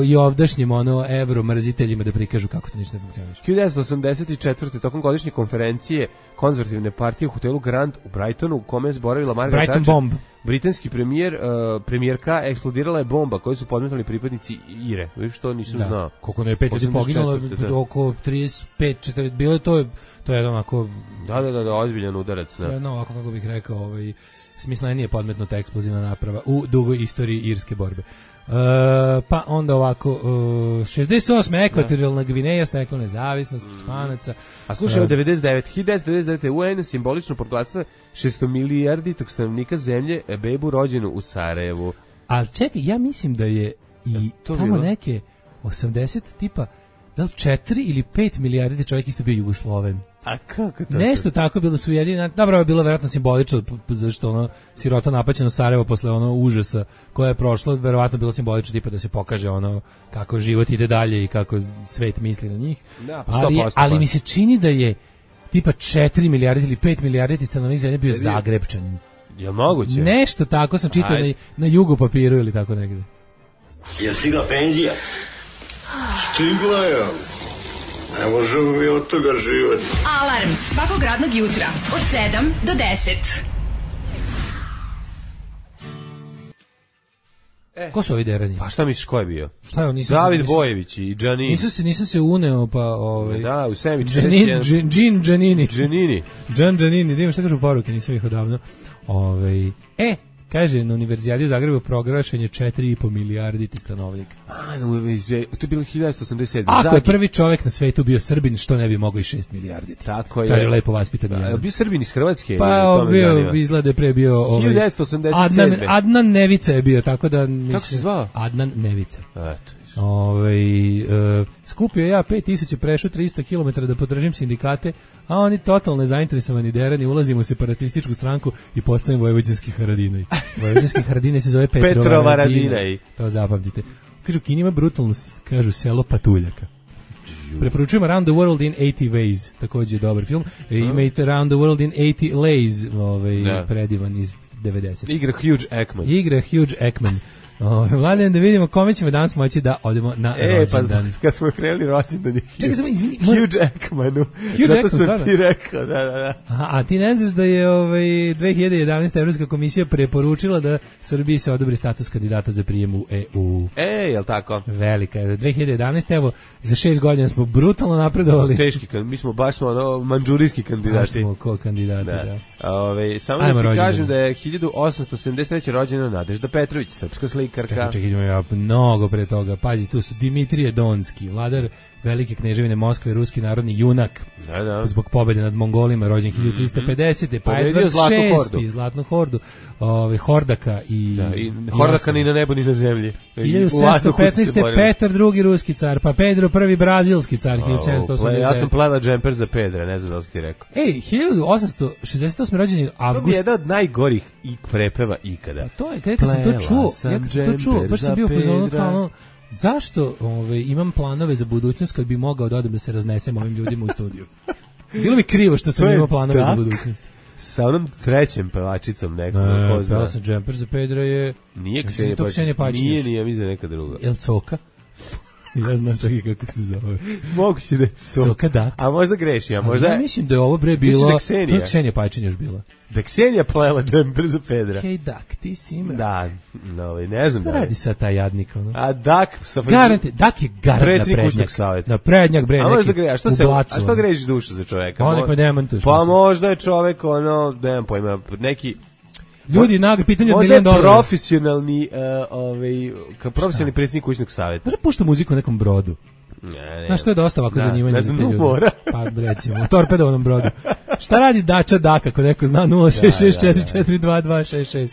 i ovdašnjim evromrziteljima da prikažu kako to ništa ne funkcioniše. 1984. tokom godišnje konferencije konzervativne partije u hotelu Grand u Brightonu, u kome je zboravila Margaret Thatcher, britanski premijerka, eksplodirala je bomba koju su podmetali pripadnici IRE. Viš što nisam znao. Koliko ne je 5 ljudi poginulo, oko 35-40, bilo je to je onako... Da, ozbiljan udarac. Ovako kako bih rekao, smislenije podmetnuta eksplozivna naprava u dugoj istoriji irske borbe. Pa onda ovako 68. ekvatorijalna Gvineja stekla nezavisnost Španaca. A slušaj, od 1999. UN simbolično proglasila 600 milijarditog stanovnika zemlje bebu rođenu u Sarajevu. Ali čekaj, ja mislim da je i tamo neke 80 tipa, da li 4 ili 5 milijardi čovjek isto bio Jugosloven. A kako to? Nešto tako bilo su jedini. Dobro, je bilo verovatno simbolično zašto ono sirota napaćeno Sarajevo posle ono užasa koje je prošlo, verovatno bilo simbolično tipa da se pokaže ono kako život ide dalje i kako svet misli na njih. Da, ali mi se čini da je tipa 4 milijarde ili 5 milijardi stanovnika zemlje bio Zagrebčanin. Je moguće? Nešto tako sam čitao na jugo papiru ili tako negde. Je stigla penzija? Stigla je. Ne možemo mi od toga živjeti. Alarm svakog radnog jutra od 7 do 10. Ko su ovi derani? Pa šta misliš ko je bio? Šta je on? David Bojević i Džanini. Nisam se uneo pa Da, u Semi Džanini. Džan Džanini, da imam šta kažu poruke, nisam ih odavno. Kaže, na Univerzijadi u Zagrebu proglašen je 4,5 milijardi stanovnika. To je bilo 1987. Ako je prvi čovjek na svetu bio Srbin, što ne bi mogao i 6 milijardi? Tako je. Kaže, lepo vaspitan jedan. Bio Srbin iz Hrvatske? Pa, izgleda pre bio... 1987. Adnan Nevica je bio, tako da... Kako se zvao? Adnan Nevica. Eto. Skupio ja 5000, prešao 300 km da podržim sindikate, a oni totalno nezainteresovani derani, ulazimo u separatističku stranku i postavimo vojvođanski Haradinaj. Vojvođanski Haradinaj se zove Petrova Radinaj. To zapamtite. Kažu, Kini ima brutalno, kažu, selo patuljaka. Preporučujem Around the World in 80 Ways, također je dobar film. Imate Around the World in 80 Lays, predivan iz 90. Igra Hugh Jackman. Mladen, da vidimo kome ćemo danas moći da odemo na rođendan. Kad smo krenuli rođendan Čekaj, Hugh Jackmanu. Zato sam ti rekao, da. A ti ne znaš da je 2011. Evropska komisija preporučila da Srbiji se odobri status kandidata za prijem u EU. Jel tako? Velika je. 2011. Evo, za 6 godina smo brutalno napredovali. Teški, mi smo baš manđurijski kandidati. Baš smo kandidati, da. Samo da ti kažem da je 1873. rođena Nadežda Petrović, srpska slikarka. Čekaj, idemo ja mnogo pre toga. Pazi, tu su Dimitrije Donski, vladar Velike kneževine Moskve, ruski narodni junak. Da. Zbog pobede nad Mongolima, rođen 1350. Pa Edvard VI, Zlatnu hordu. Hordaka i... Hordaka ni na nebu, ni na zemlji. 1715. Petar II, ruski car, pa Pedro I, brazilski car, 1789. Ja sam pleva džemper za Pedra, ne znam da li si ti rekao. 1868. rođeni Avgust. To je jedan od najgorih prepeva ikada. To je, kad sam to čuo, baš sam bio fazonu kao ono, zašto imam planove za budućnost kad bi mogao da odem da se raznesem ovim ljudima u studiju? Bilo mi krivo što sam imao planove za budućnost. Sa onom trećem pevačicom nekom. Pela sam džemper za Pedra je... Nije Ksenija Pačinješ. Nije, mislim da neka druga. Jel Coka? Ja znam čak i kako se zove. Moguće da je Coka, da. A možda greši, a možda... Ja mislim da je ovo bre bilo... Mislim da je Ksenija Pačinješ bila. Da Ksenija plela džemper za Pedra. Hej, Dak, ti si ima. Da, ne znam da je. Radi sa taj jadnik, ono. A Dak... Dak je garant na prednjak. Na prednjak, bre, neki a što grešiš dušu za čoveka? On nek me demantuješ. Pa možda je čovek, nemam pojma, neki... Ljudi, pitanje od $1 milion. Možda je profesionalni, profesionalni predsjednik kućnog savjeta. Možda pušta muziku na nekom brodu. Znaš, to je dosta ovako zanimanje za te ljudi. Pa recimo, u torpedovanom brodu. Šta radi Dača Daka, ako neko zna, 066442266.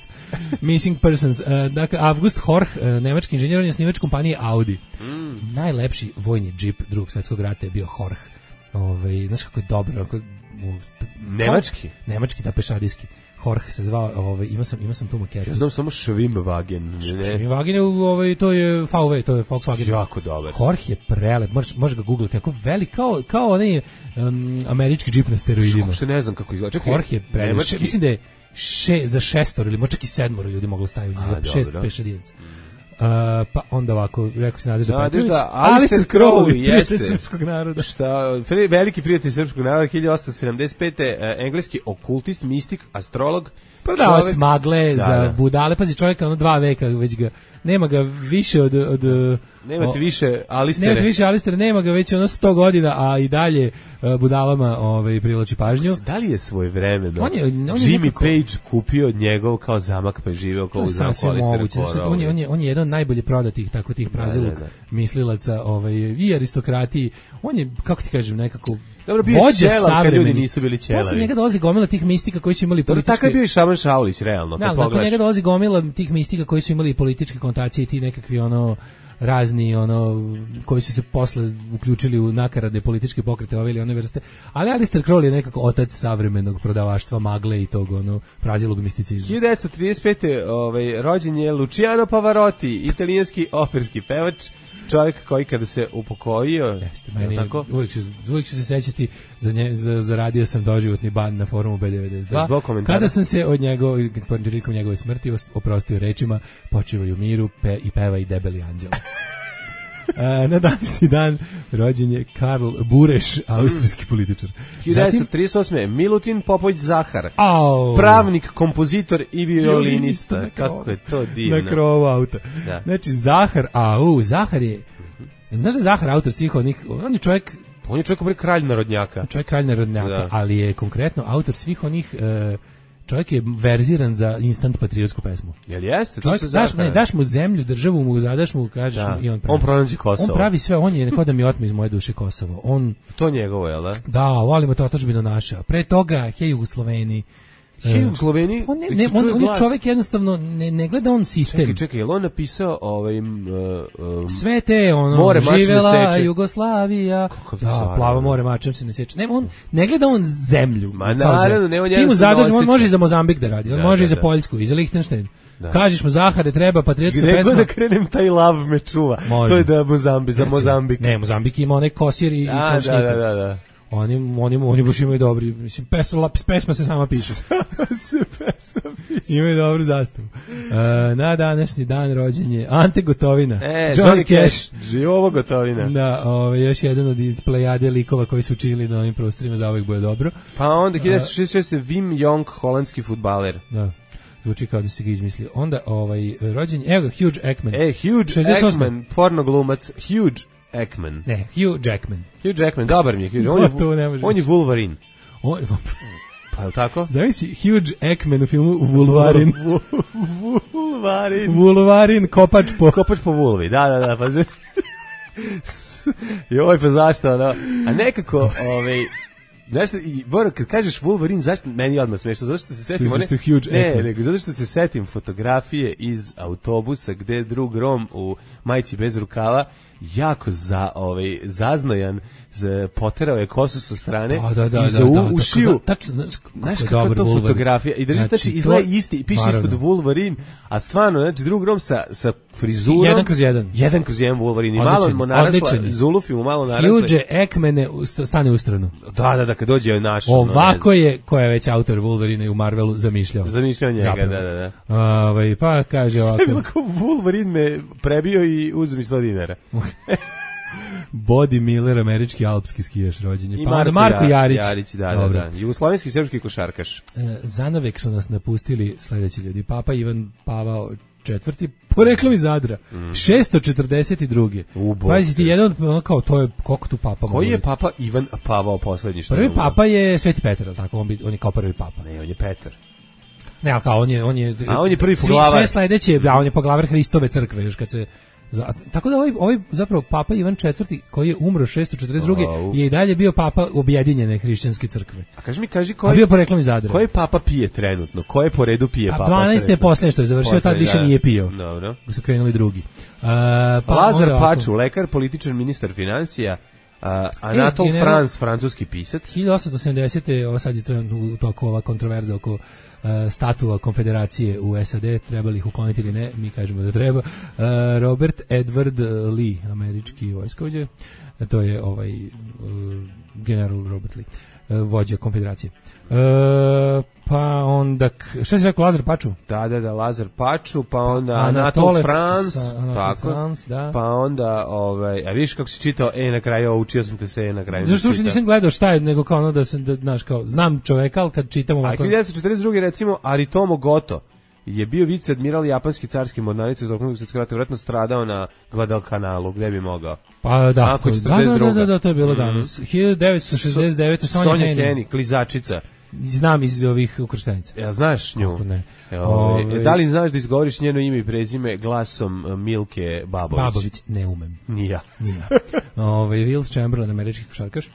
Missing persons. Dakle, August Horch, nemački inženjer, on je snimač kompanije Audi. Najlepši vojni džip Drugog svjetskog rata je bio Horch. Znaš kako je dobro. Nemački, da, pešadijski. Horch se zvao, imao sam tu maketu. Ja znam samo Schwimmwagen. Schwimmwagen, to je VW, to je Volkswagen. Jako dobar. Horch je prelep, možeš ga googlati, tako velik, kao onaj američki džip na steroidima. Što ne znam kako izgleda. Horch je prelep, mislim da je za 6 ili možda čak i 7 ljudi moglo staviti u njega, 6 pešadinaca. Pa onda ovako, rekao se Nadežda Petrović, Alistair Crowley, prijatelj srpskog naroda. Veliki prijatelj srpskog naroda, 1875. Engleski okultist, mistik, astrolog, prodavac magle za budale, pazi čovjeka, 2 veka već ga, nema ga više od Nemate više Alistera, nema ga već 100 godina, a i dalje budalama privlači pažnju. Da li je svojevremeno Jimmy Page kupio njegov kao zamak pa je živeo kao u zamku Alistera? On je jedan najbolje prodatih tako tih praziluk mislilaca i aristokratiji. On je, kako ti kažem, nekako dobro, bio je čelav kad ljudi nisu bili čelavi. Posle njega dolazi gomila tih mistika koji su imali političke... Tako je bio i Šaban Šaulić, realno. Nakon njega dolazi gomila tih mistika koji su imali političke konotacije i ti nekakvi razni koji su se posle uključili u nakaradne političke pokrete ove ili one vrste, ali Alistair Crowley je nekako otac savremenog prodavaštva magle i tog prazilog misticizma. 1935. Rođen je Luciano Pavarotti, italijanski operski pevač, čovjek koji kada se upokojio, tako? Uvijek ću se sećati, zaradio sam doživotni ban na forumu B92, kada sam se od njegove smrti oprostio rečima počivaju u miru i peva i debeli anđela. Na današnji dan rođen je Karl Bureš, austrijski političar. 1938. Milutin Popović Zahar, pravnik, kompozitor i violinista. Kako je to divno. Na krovu auta. Da. Znači, Zahar je... Znaš da Zahar autor svih onih... On je čovjek kralj narodnjaka. Ali je konkretno autor svih onih... čovjek je verziran za instant patriotsku pesmu. Jel jeste? Daš mu zemlju, državu mu zadaš mu, kažeš mu i on pravi. On pronađe Kosovo. On pravi sve, on je kao da mi otme iz moje duše Kosovo. To njegovo, jel da? Da, volimo to otadžbinu naša. Pre toga, hej Jugosloveni. Jugosloveni? On je čovjek jednostavno, ne gleda on sistem. Čekaj, je li on napisao sve te, živela Jugoslavija, plava more mačem se ne sjeća. Ne, ne gleda on zemlju. Ma naravno, ne on ti mu zadaš, on može i za Mozambik da radi, on može i za Poljsku, i za Lichtenstein. Kažeš mu Zahare, treba patriotska pesma. Gdje da krenem, taj lav me čuva. To je da za Mozambik. Ne, Mozambik ima onaj kosir i komšnika. Da. Oni baš imaju dobri, mislim, pesma se sama piše. Imaju dobru zastavu. Na današnji dan rođen je Ante Gotovina. Johnny Cash. Živovo Gotovina. Da, još jedan od iz plejade likova koji su učili na ovim prostorima, za uvijek bude dobro. Pa onda 1966. Wim Jong, holandski fudbaler. Da. Zvuči kao da se ga izmislio. Onda rođen, evo ga, Hugh Jackman. Hugh 68. Jackman, pornoglumac, Hugh Jackman. Ne, Hugh Jackman. Hugh Jackman, dobar mi je Hugh. On je Wolverine. Pa je tako? Zavisi Hugh Jackman u filmu Wolverine. Wolverine, kopač po vulvi, da, pa joj, pa zašto, a nekako, znaš, kad kažeš Wolverine, zašto meni odmah smešno? Zato što se setim zato što se setim fotografije iz autobusa gde drug Rom u majici bez rukava jako zaznojan, poterao je kosu sa strane i za ušiju. Znaš kakva je to fotografija? I znači, izgleda isti i piše ispod Wolverine, a stvarno, znači, drug Rom sa frizurom. 1/1. 1/1 Wolverine. I malo mu narasla, Zulufi mu malo narasla. Hugh Jackman stane u stranu. Da, kad dođe naš. Ovako je, ko je već autor Wolverine u Marvelu, zamišljao njega, da. Pa kaže ovako. Što je bilo Wolverine me prebio i uzeo mi $100. Body Miller, američki alpski skijaš, rođen je. I Marko Jarić, da. Jugoslovenski i srpski košarkaš. Zanavek su nas napustili sledeći ljudi. Papa Ivan Pavao IV, poreklom iz Zadra, 642. Pazi ti, jedan kao to je, koliko tu papa koji je papa Ivan Pavao poslednji? Prvi papa je Sveti Petar, tako? On je kao prvi papa. Ne, on je Petar. Ne, ali kao on je prvi poglavar. Sve sledeće, on je poglavar Hristove crkve, još kad se... Tako da ovaj zapravo papa Ivan IV, koji je umro 642. je i dalje bio papa objedinjene hrišćanske crkve. A kaži koji... A bio poreklom iz Zadra. Koji papa pije trenutno? Koje po redu pije papa? 12. je posljednje što je završio, tad više nije pio. Dobro. Su krenuli drugi. Lazar Paču, lekar, političar, ministar finansija, Anatol France, francuski pisac. 1870. Ovo sad je trenutno u toku ova kontroverza oko statua konfederacije u SAD, treba li ih ukloniti ili ne, mi kažemo da treba. Robert Edward Lee, američki vojskovođa, to je general Robert Lee, vođa konfederacije. Pa onda, šta si rekao, Lazar Paču? Da, Lazar Paču, pa onda Anatole France, tako, da. Pa onda, a vidiš kako si čitao, na kraju, učio sam te se na kraju. Zašto uopšte nisam gledao šta je, nego kao ono da sam, znaš, kao, znam čoveka, ali kad čitam ovako... A 1942. recimo, Aritomo Goto je bio viceadmiral japanski carski mornarice zbog drugog svjetskog rata, vjerojatno stradao na Guadalcanalu, gde bi mogao. Pa da, to je bilo danas. 1969. Sonja Heni, klizačica. Znam iz ovih ukrštenica. Ja, znaš nju? Kako ne. Da li znaš da izgovoriš njeno ime i prezime glasom Milke Babović? Babović, ne umem. Ni ja. Will Chamberlain, američki košarkaš.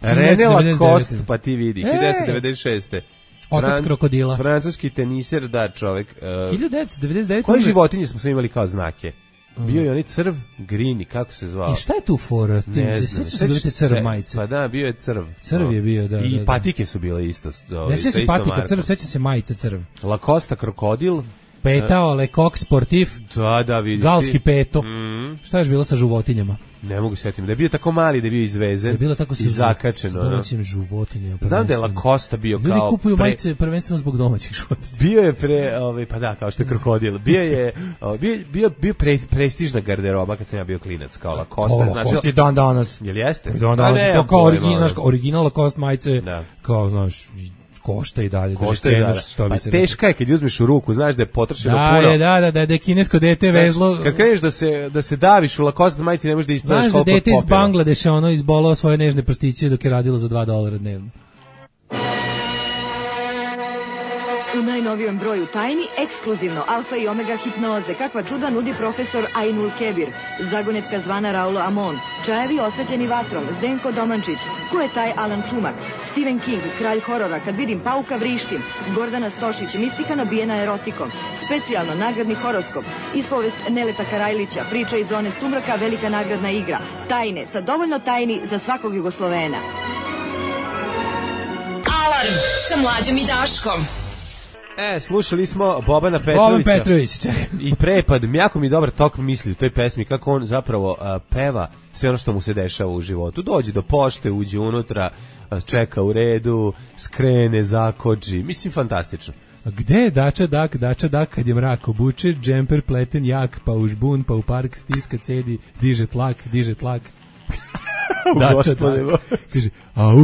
René Lacoste, pa ti vidi, 1996. Otac krokodila. Francuski teniser, da, čovjek. 1999. Koje životinje smo sve imali kao znake? Bio je onaj crv, Grini, kako se zvao? I šta je tu fora? Ne znam. Sećaš se bili te crv majice? Pa da, bio je crv. Crv je bio, da. I da. patike su bile isto. Ne sećam se patika crv, sećam se majica crv. Lacoste krokodil. Petao, Le Coq Sportif. Da, vidiš. Galski peto. Šta je bilo sa životinjama? Ne mogu setim. Da je bio tako mali, da je bio izvezen. Da je bilo tako i zakačeno. S domaćim životinjama. Znam da je Lacoste bio ljudi kao... Ljudi kupuju majice prvenstveno zbog domaćih životinja. Bio je pa da, kao što je krokodil. Bio prestižna garderoba kad sam ja bio klinac, kao Lacoste. Lacoste je dan danas. Jel jeste? Dan danas je to kao original Lacoste majice. Kao, znaš... Košta i dalje. Pa teška je kad uzmeš u ruku, znaš da je potrošeno puno. Da je kinesko dete vezlo. Kad kreneš da se daviš u Lacoste majici, ne možeš da ispraveš koliko popila. Znaš da dete iz Bangladeša izbolao svoje nežne prstiće dok je radilo za $2 dnevno. U najnovijem broju Tajni, ekskluzivno alfa i omega hipnoze, kakva čuda nudi profesor Ainul Kebir, zagonetka zvana Raulo Amon, čajevi osvetljeni vatrom, Zdenko Domančić, ko je taj Alan Čumak, Stephen King, kralj horora, kad vidim pauka vrištim, Gordana Stošić, mistika nabijena erotikom, specijalno nagradni horoskop, ispovest Neleta Karajlića, priča iz zone sumraka, velika nagradna igra, Tajne, sa dovoljno tajni za svakog Jugoslovena. Alarm sa Mlađom i Daškom. Slušali smo Bobana Petrovića. Boban Petrović, čekaj. I prepad, jako mi dobar tok misli u toj pesmi, kako on zapravo peva sve ono što mu se dešava u životu. Dođe do pošte, uđe unutra, čeka u redu, skrene, zakoči. Mislim, fantastično. A gde je Dača Dak, kad je mrak obuče, džemper pleten jak, pa u žbun, pa u park stiska cedi, diže tlak. Dača Dak. Kaže,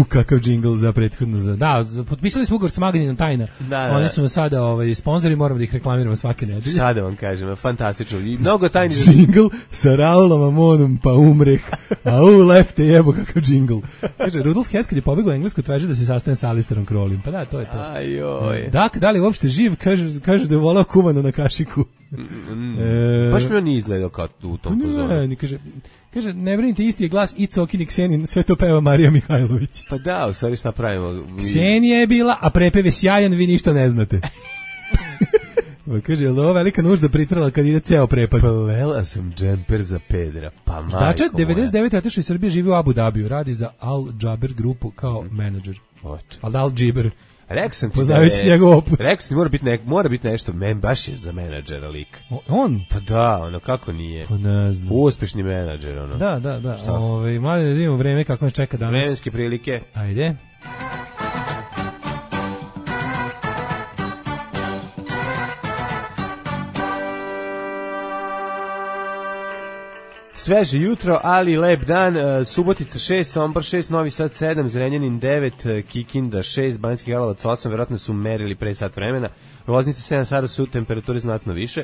kakav džingl za prethodno. Da, potpisali smo ugovor sa magazinom Tajna. Da. Oni su sada sponzori, moramo da ih reklamiramo svake nedelje. Šta da vam kažem, fantastično. I mnogo tajni. Džingl sa Raulom Amonom, pa umreh. Lefte jebo, kakav džingl. Kaže, Rudolf Hess kad je pobegao u Englesku, traži da se sastane sa Alisterom Crowleym. Pa da, to je to. Ajoj. Dak, da li uopšte živ? Kaže da je volao kumano na kašiku. Baš mi on nije izgledao kao u tom fazonu. Kaže, ne brinite, isti je glas i Cokin i Ksenin, sve to peva Marija Mihajlović. Pa da, u stvari šta pravimo? Ksenija je bila, a prepev je sjajan, vi ništa ne znate. Kaže, je li ovo velika nužda pritrala kad ide ceo prepad? Plela sam džemper za pedra, pa majko moja. Dača, 99. otišao iz Srbije, živi u Abu Dhabiju, radi za Al Jaber grupu kao menadžer. Al Jaber. Rekao sam ti poznajući njegov opus. Rekao sam ti mora biti nešto, baš je za menadžera lik. On? Pa da, kako nije. Pa ne znam. Uspešni menadžer, Da. Mlade da vidimo vreme kako nas čeka danas. Vremenske prilike. Ajde. Sveže jutro, ali lep dan. Subotica 6, Sombor 6, Novi Sad 7, Zrenjanin 9, Kikinda 6, Banjski Karlovac 8, verovatno su merili pre sat vremena. Loznica 7, sada su temperature znatno više.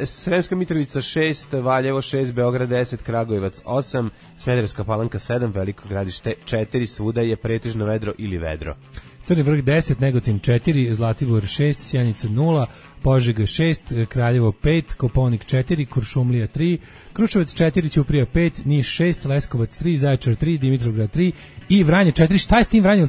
Sremska Mitrovica 6, Valjevo 6, Beograd 10, Kragujevac 8, Smederevska Palanka 7, Veliko Gradište 4, svuda je pretežno vedro ili vedro. Crni vrh 10, Negotin 4, Zlatibor 6, Sjenica 0, Požega 6, Kraljevo 5, Koponik 4, Kuršumlija 3, Kruševac 4, Ćuprija 5, Niš 6, Leskovac 3, Zaječar 3, Dimitrovgrad 3 i Vranje 4. Šta je s tim Vranjem?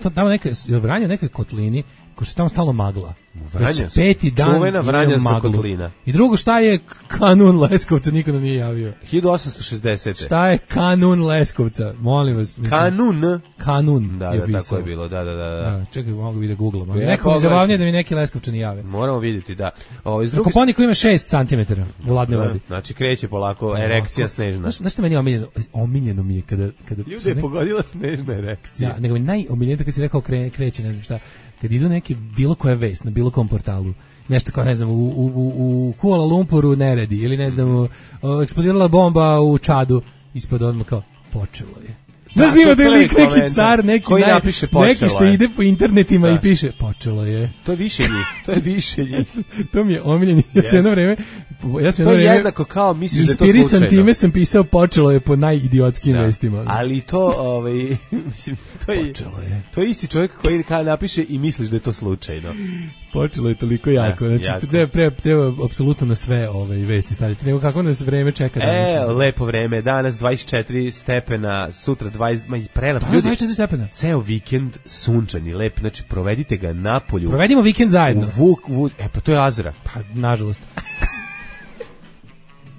Vranje neke kotlini, ko se tamo stalo magla. Već peti dan čuvena Vranjanska kotlina. I drugo, šta je kanun Leskovca? Niko nam nije javio. 1860. Šta je kanun Leskovca? Molim vas. Kanun. Da, tako je bilo. Da. Čekaj, mogu bi da googlam. Neko mi zabavnije da mi neki Leskovčani jave. Moramo vidjeti, da. Koponiku ima 6 cm u ladne vodi. Znači kreće polako, erekcija snežna. Znaš što meni je omiljeno mi je kada ljude je pogodila snežna erekcija. Da, nego mi najomiljenije kad si rekao kreće, ne znam šta. Kad idu neki bilo koja vest na bilo kom portalu, nešto kao, ne znam, u Kuala Lumpuru neredi, ili ne znam, eksplodirala bomba u Čadu, ispod odmah kao, počelo je. Znaš li ima da je lik neki car, neki što ide po internetima i piše, počelo je. To je više njih. To mi je omiljeni. Ja sam jedno vreme to je jednako kao misliš da je to slučajno. Inspirisan time sam pisao počelo je po najidiotskijim vestima. Ali to, mislim, počelo je. To je isti čovjek koji napiše i misliš da je to slučajno. Počelo je toliko jako. Znači, treba apsolutno na sve vesti staviti. Nego kako nas vreme čeka danas. Lepo vreme. Danas 24 stepena, sutra 20, prelep. Danas 24 stepena. Ceo vikend sunčani, lep. Znači, provedite ga napolju. Provedimo vikend zajedno. Pa to je Azra. Pa, nažalost.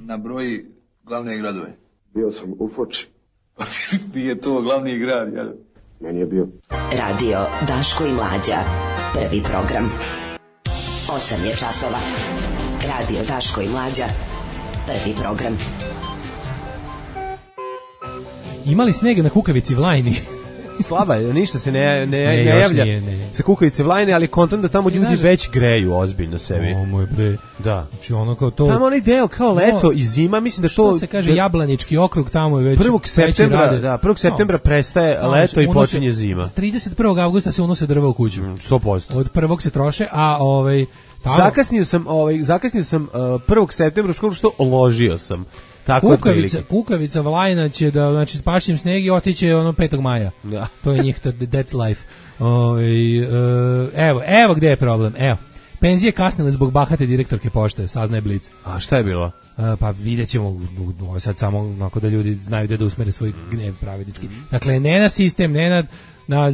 Na broj Glavne gradove. Bio sam u Foči. Nije to glavni grad, jel? Meni je bio. Radio Daško i Mlađa. Prvi program. 8 je časova. Radio Daško i Mlađa. Prvi program. Imali snega na Kukavici Vlajni. Slaba je, ništa se ne javlja sa Kukavice Vlajne, ali kontent da tamo ljudi već greju ozbiljno sebi. O moj bre. Da. Znači ono kao to. Tamo onaj deo kao leto i zima, mislim da to... Što se kaže Jablanički okrug, tamo je već... 1. septembra, da, 1. septembra prestaje leto i počinje zima. 31. avgusta se unose drva u kuću. 100%. Od 1. se troše, a tamo... Zakasnio sam 1. septembra u školu što ložio sam. Kukavica Vlajna će da, znači, pašćem sneg i otiće 5. maja. Da. To je njih, that's life. Evo gde je problem. Evo, penzije kasnile zbog bahate direktorke pošte, saznaje Blic. A šta je bilo? Pa vidjet ćemo sad samo onako da ljudi znaju da usmere svoj gnev pravednički. Dakle, ne na sistem, ne na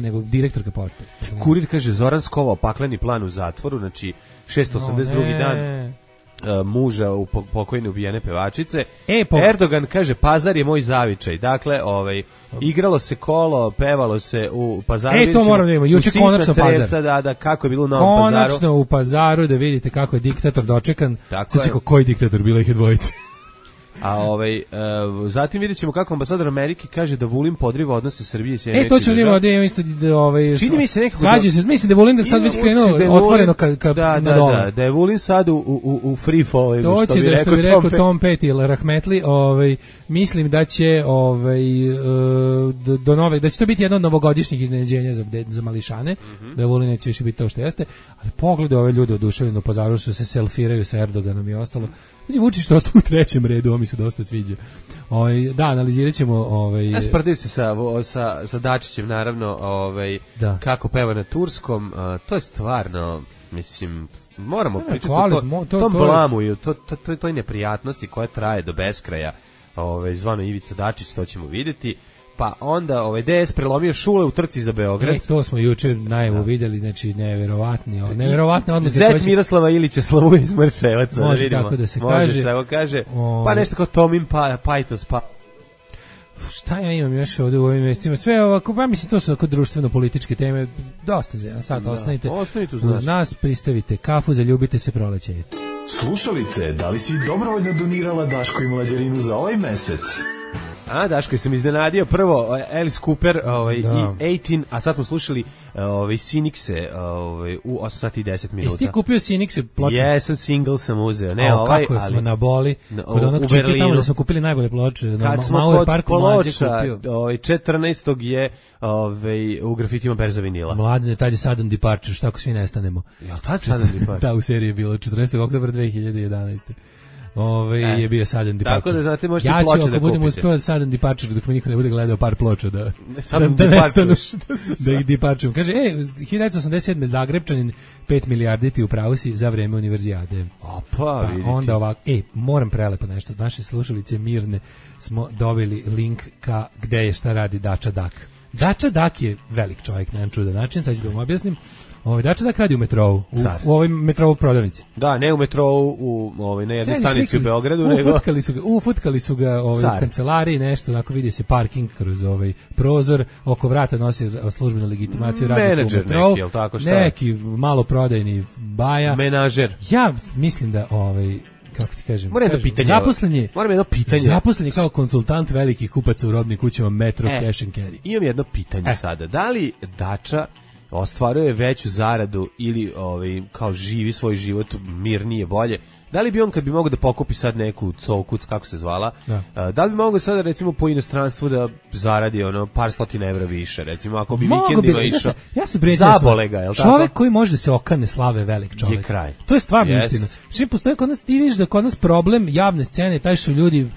nego direktorka pošte. Kurir kaže, Zoran skovao pakleni plan u zatvoru, znači 682. dan muža u pokojne ubijene pevačice. Erdogan kaže, Pazar je moj zavičaj. Dakle, igralo se kolo, pevalo se u Pazaru. To moramo da vidimo, juče konačno Pazar. Da, kako je bilo u Novom Pazaru. Konačno u Pazaru da vidite kako je diktator dočekan. Sad si koji diktator, bila ih je dvojice. A zatim vidjet ćemo kako ambasador Amerike kaže da Vulin podriva odnose Srbije i Sjedinjenih to ćemo da imamo isto čini mi se nekako mislim da Vulin da sad već krenuo otvoreno na dole. Da je Vulin sad u free fall, to će što bi rekao Tom Petty ili Rahmetli, mislim da će do nove, da će to biti jedno od novogodišnjih iznenađenja za mališane, da Vulin neće više biti to što jeste, ali pogledaj ove ljude oduševljeno u Pazaru što se selfiraju sa Erdoganom i ostalo. Znači, Vučić što ostao u 3. redu, ovo mi se dosta sviđa. Da, analizirat ćemo... Ja sprdaju se sa Dačićem, naravno, kako peva na turskom. To je stvarno, mislim, moramo pričati o tom blamu i toj neprijatnosti koja traje do beskraja. Zvano Ivica Dačić, to ćemo vidjeti. Pa onda DS prelomio Šule u trci za Beograd. To smo juče najavu vidjeli, znači neverovatne odluke. Zet Miroslava Ilića slavuje iz Mrčevaca. Može tako da se kaže. Može tako kaže. Pa nešto kao Tomin Pajtos. Šta ja imam još ovdje u ovim vestima? Sve ovako, pa mislim to su ovako društveno-političke teme. Dosta za sad ostanite uz nas, pristavite kafu, zaljubite se, proleće. Slušalice, da li si dobrovoljno donirala Daško i Mlađarinu za ovaj mesec? Daško, sam iznenadio prvo Alice Cooper i 18, a sad smo slušali Cynixe u 8 sati i 10 minuta. Jesi ti kupio Cynixe ploče? Jesam, single sam uzeo. Kako smo na boli kod onog čika tamo da smo kupili najbolje ploče. Kad smo kod ploča, 14. je u grafitima berza vinila. Mladine, tad je Sudden Departure, šta ako svi nestanemo? Jel tad Sudden Departure? Da, u seriji je bilo 14. oktobra 2011. Je bio Sudden Departure. Tako da znate, možete ploče da kupite. Ja ću, ako budemo uspjevati Sudden Departure, dok mi niko ne bude gledao par ploča da nestanu, da ih deparčujem. Kaže, 1987. Zagrebčanin 5 milijarditi u pravu si za vreme univerzijade. Pa vidite. Onda ovako, moram prelepo nešto. Naše slušalice mirne smo dobili link ka gde je šta radi Dača Dak. Dača Dak je velik čovjek na jedan čudan način, sad ću da vam objasnim. Dača Dak radi u metrou, u ovoj metrou prodavnici. Da, ne u metrou, na jednoj stanici u Beogradu, nego... Ufutkali su ga u kancelariji, nešto, onako vidi se parking kroz prozor, oko vrata nosi službenu legitimaciju, radi u metrou. Neki, jel tako šta? Neki malo prodajni baja. Menažer. Ja mislim da, kako ti kažem, moram jedno pitanje. Zaposlen je kao konsultant velikih kupaca u robnim kućama Metro Cash and Carry. Imam jedno pitanje sada. Da li Dača ostvaruje veću zaradu ili kao živi svoj život mirnije, bolje? Da li bi on, kad bi mogao da pokupi sad neku covkuc, kako se zvala, da li bi mogao sada recimo po inostranstvu da zaradi par stotina evra više, recimo ako bi vikendima išao, zabole ga, jel tako? Čovek koji može da se okane slave, velik čovek. Je kraj. To je stvarno istina. Što postoji kod nas, ti vidiš da kod nas problem javne scene, taj su ljudi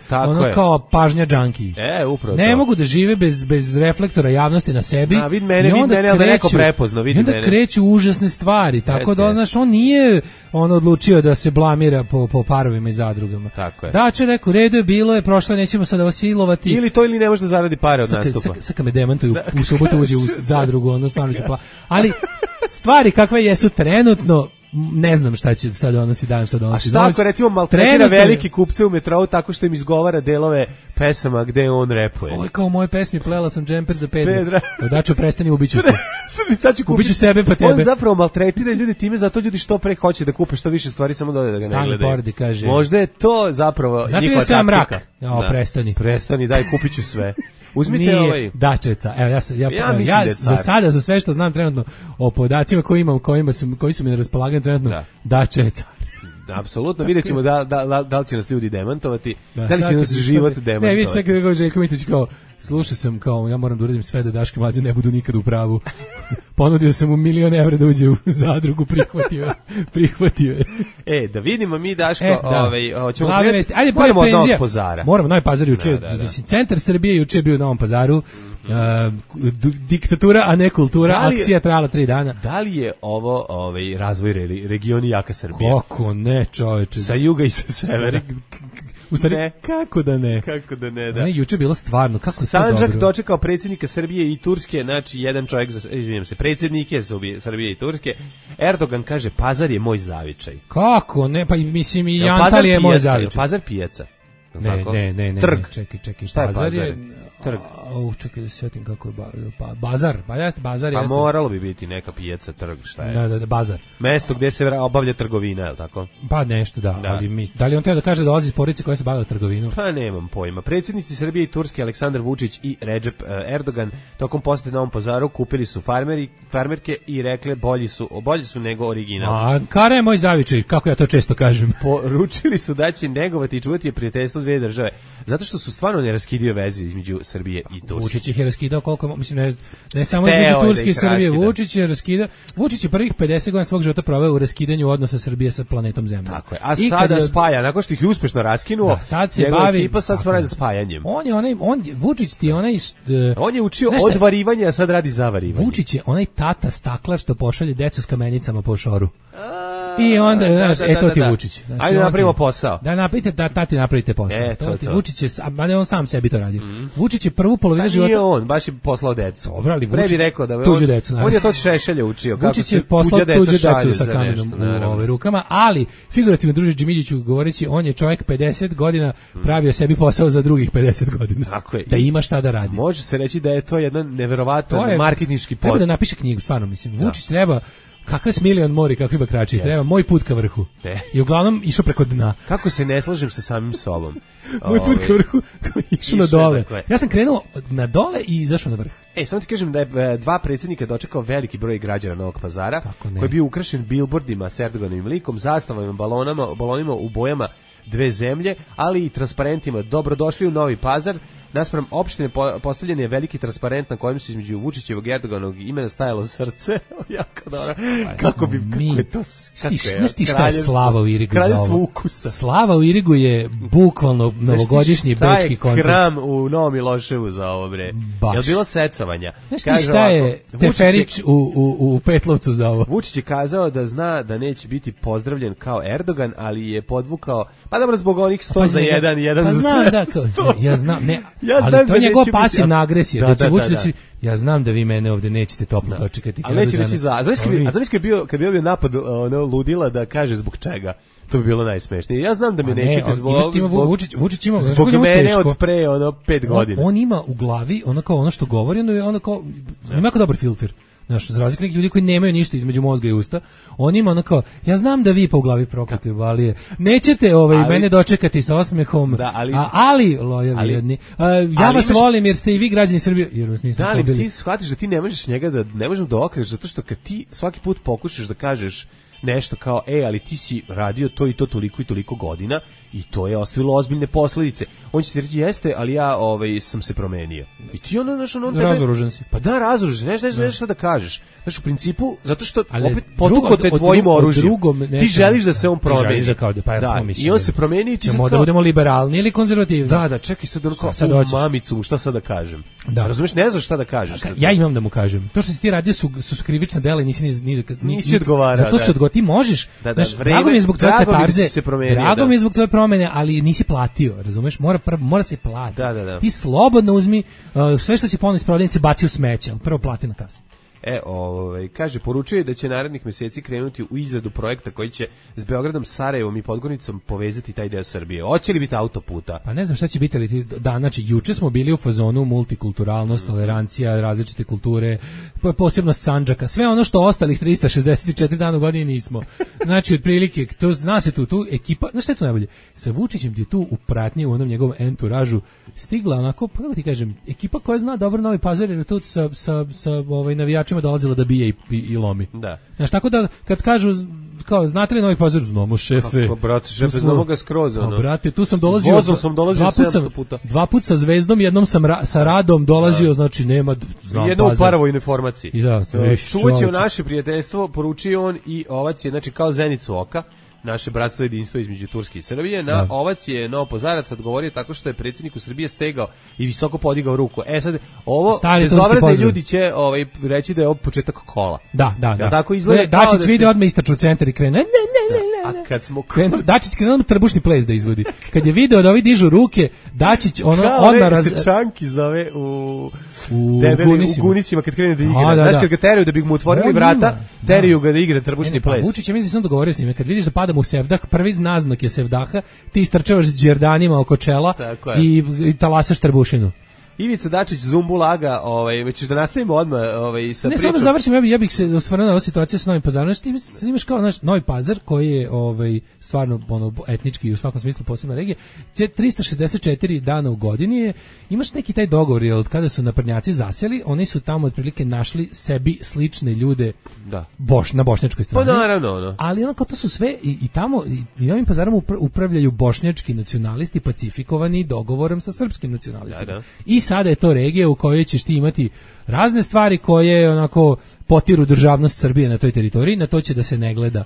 kao pažnja džanki. Upravo ne mogu da žive bez reflektora javnosti na sebi. Vid mene, ali da neko prepozno, vidi mene. I onda kreću užasne stvari, tako da on nije odlučio da se blamira po parovima i zadrugama. Tako je. Dače rekao, redu je bilo, je prošlo, nećemo sada osilovati. Ili to ili ne može da zaradi pare od nastupa. Sad kad me demantuju, u subotu uđe u zadrugu, stvarno ću ali stvari kakve jesu trenutno, ne znam šta će sad donosi dan, šta donosi. A šta ako recimo maltretira veliki kupce u metrou tako što im izgovara delove pesama gde on repuje? Ovo je kao u mojoj pesmi Plela sam džemper za Pedra. Dačo, prestani, ubiću se. Ubiću sebe pa tebe. On zapravo maltretira ljude time, zato ljudi što pre hoće da kupe što više stvari, samo da ga ne gledaju. Kaže, možda je to zapravo njihova taktika. Mrak. Prestani. Prestani, daj, kupit ću sve. Uzmite nije ovaj Dačeca. Evo ja za sada, za sve što znam trenutno o podacima koji su mi na raspolaganju trenutno, Dačeca. Apsolutno, vidjet ćemo da li će nas ljudi demantovati, da li će nas život demantovati. Ne, vidite sve kada ga Željko Mitrović kao, slušao sam kao, ja moram da uradim sve da Daško i Mlađa ne budu nikad u pravu. Ponudio sam mu 1.000.000 evra da uđe u zadrugu, prihvatio je. Da vidimo mi, Daško, hoćemo moramo od Novog Pazara. Moramo, Novi Pazar juče, centar Srbije juče je bio u Novom Pazaru, diktatura, a ne kultura, akcija trajala 3 dana. Da li je ovo razvoj regioni jaka Srbije? Kako ne, čoveče. Sa juga i sa severa. U stvari, kako da ne? Da. Juče je bilo stvarno, kako je to dobro. Sandžak dočekao predsjednika Srbije i Turske, znači jedan čovjek, predsjednike Srbije i Turske. Erdogan kaže, Pazar je moj zavičaj. Kako ne? Pa mislim i Jantal je moj zavičaj. Pazar pijaca. Ne. Trg. Čekaj. Šta je Pazar? Trg. Čekaj da se sjetim kako je bazar. Bazar jeste. Moralo bi biti neka pijaca, trg, šta je? Da, bazar. Mesto gdje se obavlja trgovina, je li tako? Pa nešto, da. Ali da li on treba da kaže da dolazi iz porodice koja se bavila trgovinom? Pa nemam pojma. Predsjednici Srbije i Turske Aleksandar Vučić i Recep Erdogan tokom posete Novom Pazaru kupili su farmerke i rekle bolji su nego original. A kara je moj zavičaj, kako ja to često kažem. Poručili su da će negovati i čuvati prijateljstvo dvije države, zato što su stvarno neraskidive veze između Srbije i Turske. Vučić ih je raskidao koliko, mislim, ne samo između Turske i Srbije. Vučić je prvih 50 godina svog života proveo u raskidanju odnosa Srbije sa planetom Zemljom. Tako je. A sada spaja, nakon što ih je uspešno raskinuo, sad se bavi ekipa sad radi spajanjem. Vučić ti je onaj on je učio odvarivanje, a sad radi zavarivanje. Vučić je onaj tata staklar što pošalje decu s kamenicama po šoru. I onda, to ti je Vučić. Znači, ajde napravimo posao. Da napravite, tati napravite posao. Vučić je, ali on sam sebi to radi. Vučić je prvu polovinu života. Nije on, baš je poslao decu. Dobro, ali Vučić rekao da tuđu decu. On je to Šešelja učio. Vučić je poslao tuđu decu sa kamenom u rukama, ali figurativno druže Džimidžiću govoreći, on je čovjek 50 godina pravio sebi posao za drugih 50 godina. Tako je. Da ima šta da radi. Može se reći da je to jedan neverovatan marketinški Treba da napiše knjigu, stvarno mislim. Vučić treba kakav Smiljan mori, kakvi bakrači, treba moj put ka vrhu. I uglavnom išao preko dna. Kako se ne slažem sa samim sobom. Moj put ka vrhu, išao na dole. Ja sam krenuo na dole i izašao na vrh. Samo ti kažem da je dva predsjednika dočekao veliki broj građana Novog Pazara, koji je bio ukrašen bilbordima s Erdoganovim likom, zastavama, balonima u bojama dve zemlje, ali i transparentima. Dobrodošli u Novi Pazar. Naspram opštine postavljen je veliki transparent na kojem su između Vučićevog i Erdoganovog imena stajalo srce. Jako dobro. Kako je to? Znaš ti šta je slava u Irigu za ovo? Kraljevstvo ukusa. Slava u Irigu je bukvalno novogodišnji bečki koncert. Šta je kram u Novom Miloševu za ovo, bre? Je li bilo secovanja? Znaš ti šta je Teferić u Petlovcu za ovo? Vučić je kazao da zna da neće biti pozdravljen kao Erdogan, ali je podvukao, pa dobro, zbog onih 100 za 1 i 1 za sve. Ja znam, ne. Ali to je njegova pasivna agresija. Da će Vučić, ja znam da vi mene ovdje nećete toplo dočekati. Ali neće reći za. A znaš kad bi bio napad ludila da kaže zbog čega? To bi bilo najsmešnije. Ja znam da me nećete zbog Vučić ima zbog mene od pre 5 godina. On ima u glavi ono što govori, ono kao ima jako dobar filter. Znaš, za razliku nekih ljudi koji nemaju ništa između mozga i usta, on ima ono kao, ja znam da vi po glavi prokleti valije, nećete mene dočekati sa osmehom, ali lojalni jedni, ja vas volim jer ste i vi građani Srbije, jer vas nisam pobili. Da, ali ti shvatiš da ti ne možeš njega ne možeš da okreneš, zato što kad ti svaki put pokušaš da kažeš nešto kao, ali ti si radio to i to toliko i toliko godina i to je ostavilo ozbiljne posljedice. On će ti reći, jeste, ali ja sam se promenio. I ti razoružen si. Pa da, razoružen, nešto šta da kažeš. Znaš, u principu, zato što opet potuko te tvojim oružjem. Ti želiš da se on promeni. I on se promeni i ti ćemo da budemo liberalni ili konzervativni. Da, čekaj sad ono mamicu, šta sad da kažem. Razumiješ, ne znaš šta da kažeš. Ja imam da mu kažem. To što si ti radio su krivična dela i nisi odgovarao. Zato se ti možeš, drago mi je zbog tvoje katarze, drago mi je zbog tvoje promene, ali nisi platio, razumeš, mora se platiti. Da. Ti slobodno uzmi sve što si ponudio iz prodavnice, baci u smeće, prvo plati na kasi. Kaže, poručuje je da će narednih meseci krenuti u izradu projekta koji će s Beogradom, Sarajevom i Podgornicom povezati taj deo Srbije. Hoće li biti autoputa? Pa ne znam šta će biti, ali znači, juče smo bili u fazonu multikulturalnost, tolerancija, različite kulture, posebno Sandžaka, sve ono što ostalih 364 dana u godini nismo. Znači, otprilike, zna se tu ekipa, znaš šta je to najbolje? Sa Vučićem ti je tu u pratnji, u onom njegovom enturažu, stigla onako, kako ti kažem, ekipa koja zna dobro Novi Pazar, jer je tu sa navijačima dolazila da bije i lomi. Da. Znaš, tako da, kad kažu, kao, znate li Novi Pazar? Znamo, šefe. Kako, brate, šefe, znamo ga skroz, ono. Brate, tu sam dolazio. Vozom sam dolazio 700 puta. 2 puta sa Zvezdom, jednom sam sa Radom dolazio, znači nema, znam, jednom u paravojnoj formaciji. I da, čuvaće u naše prijateljstvo, poručio on i ovac je, znači, kao zenicu oka, naše bratstvo i jedinstvo između Turske i Srbije. Na ovac je Novopazarac odgovorio tako što je predsjedniku Srbije stegao i visoko podigao ruku. Sad, ovo, bezobrazne ljudi će reći da je ovo početak kola. Da. Tako izgleda. Dačić vidi odmah istraču u centar i krene. A kad smo Dačić krenuo trbušni ples da izvodi. Kad je video da ovi dižu ruke, Dačić odmah se Čanki zove u Gunisima kad krene da igra. Znaš, kad ga teraju da bi mu otvorili vrata, teraju ga da igra trbušni ples. Vučić je, mislim, sam dogovorio s njime, kad vidiš da padamo u sevdah, prvi naznak je sevdaha, ti istrčavaš s đerdanima oko čela i talasaš trbušinu. Ivica Dačić Zumbulaga, ćeš da nastavimo odmah sa pričom. Ne, samo da završim, ja bih se osvrnuo na ovu situaciju sa Novim Pazarom. Znači, ti imaš kao naš Novi Pazar, koji je stvarno etnički i u svakom smislu posebna regija. 364 dana u godini imaš neki taj dogovor, jer od kada su naprednjaci zasjeli, oni su tamo otprilike našli sebi slične ljude na bošnjačkoj strani. Pa naravno. Ali onako to su sve i tamo, i Novim Pazarom upravljaju bošnjački nacionalisti pacifikovani dogovorom sa srpskim nacionalistima. I sada je to regija u kojoj ćeš ti imati razne stvari koje onako potiru državnost Srbije na toj teritoriji, na to će da se ne gleda.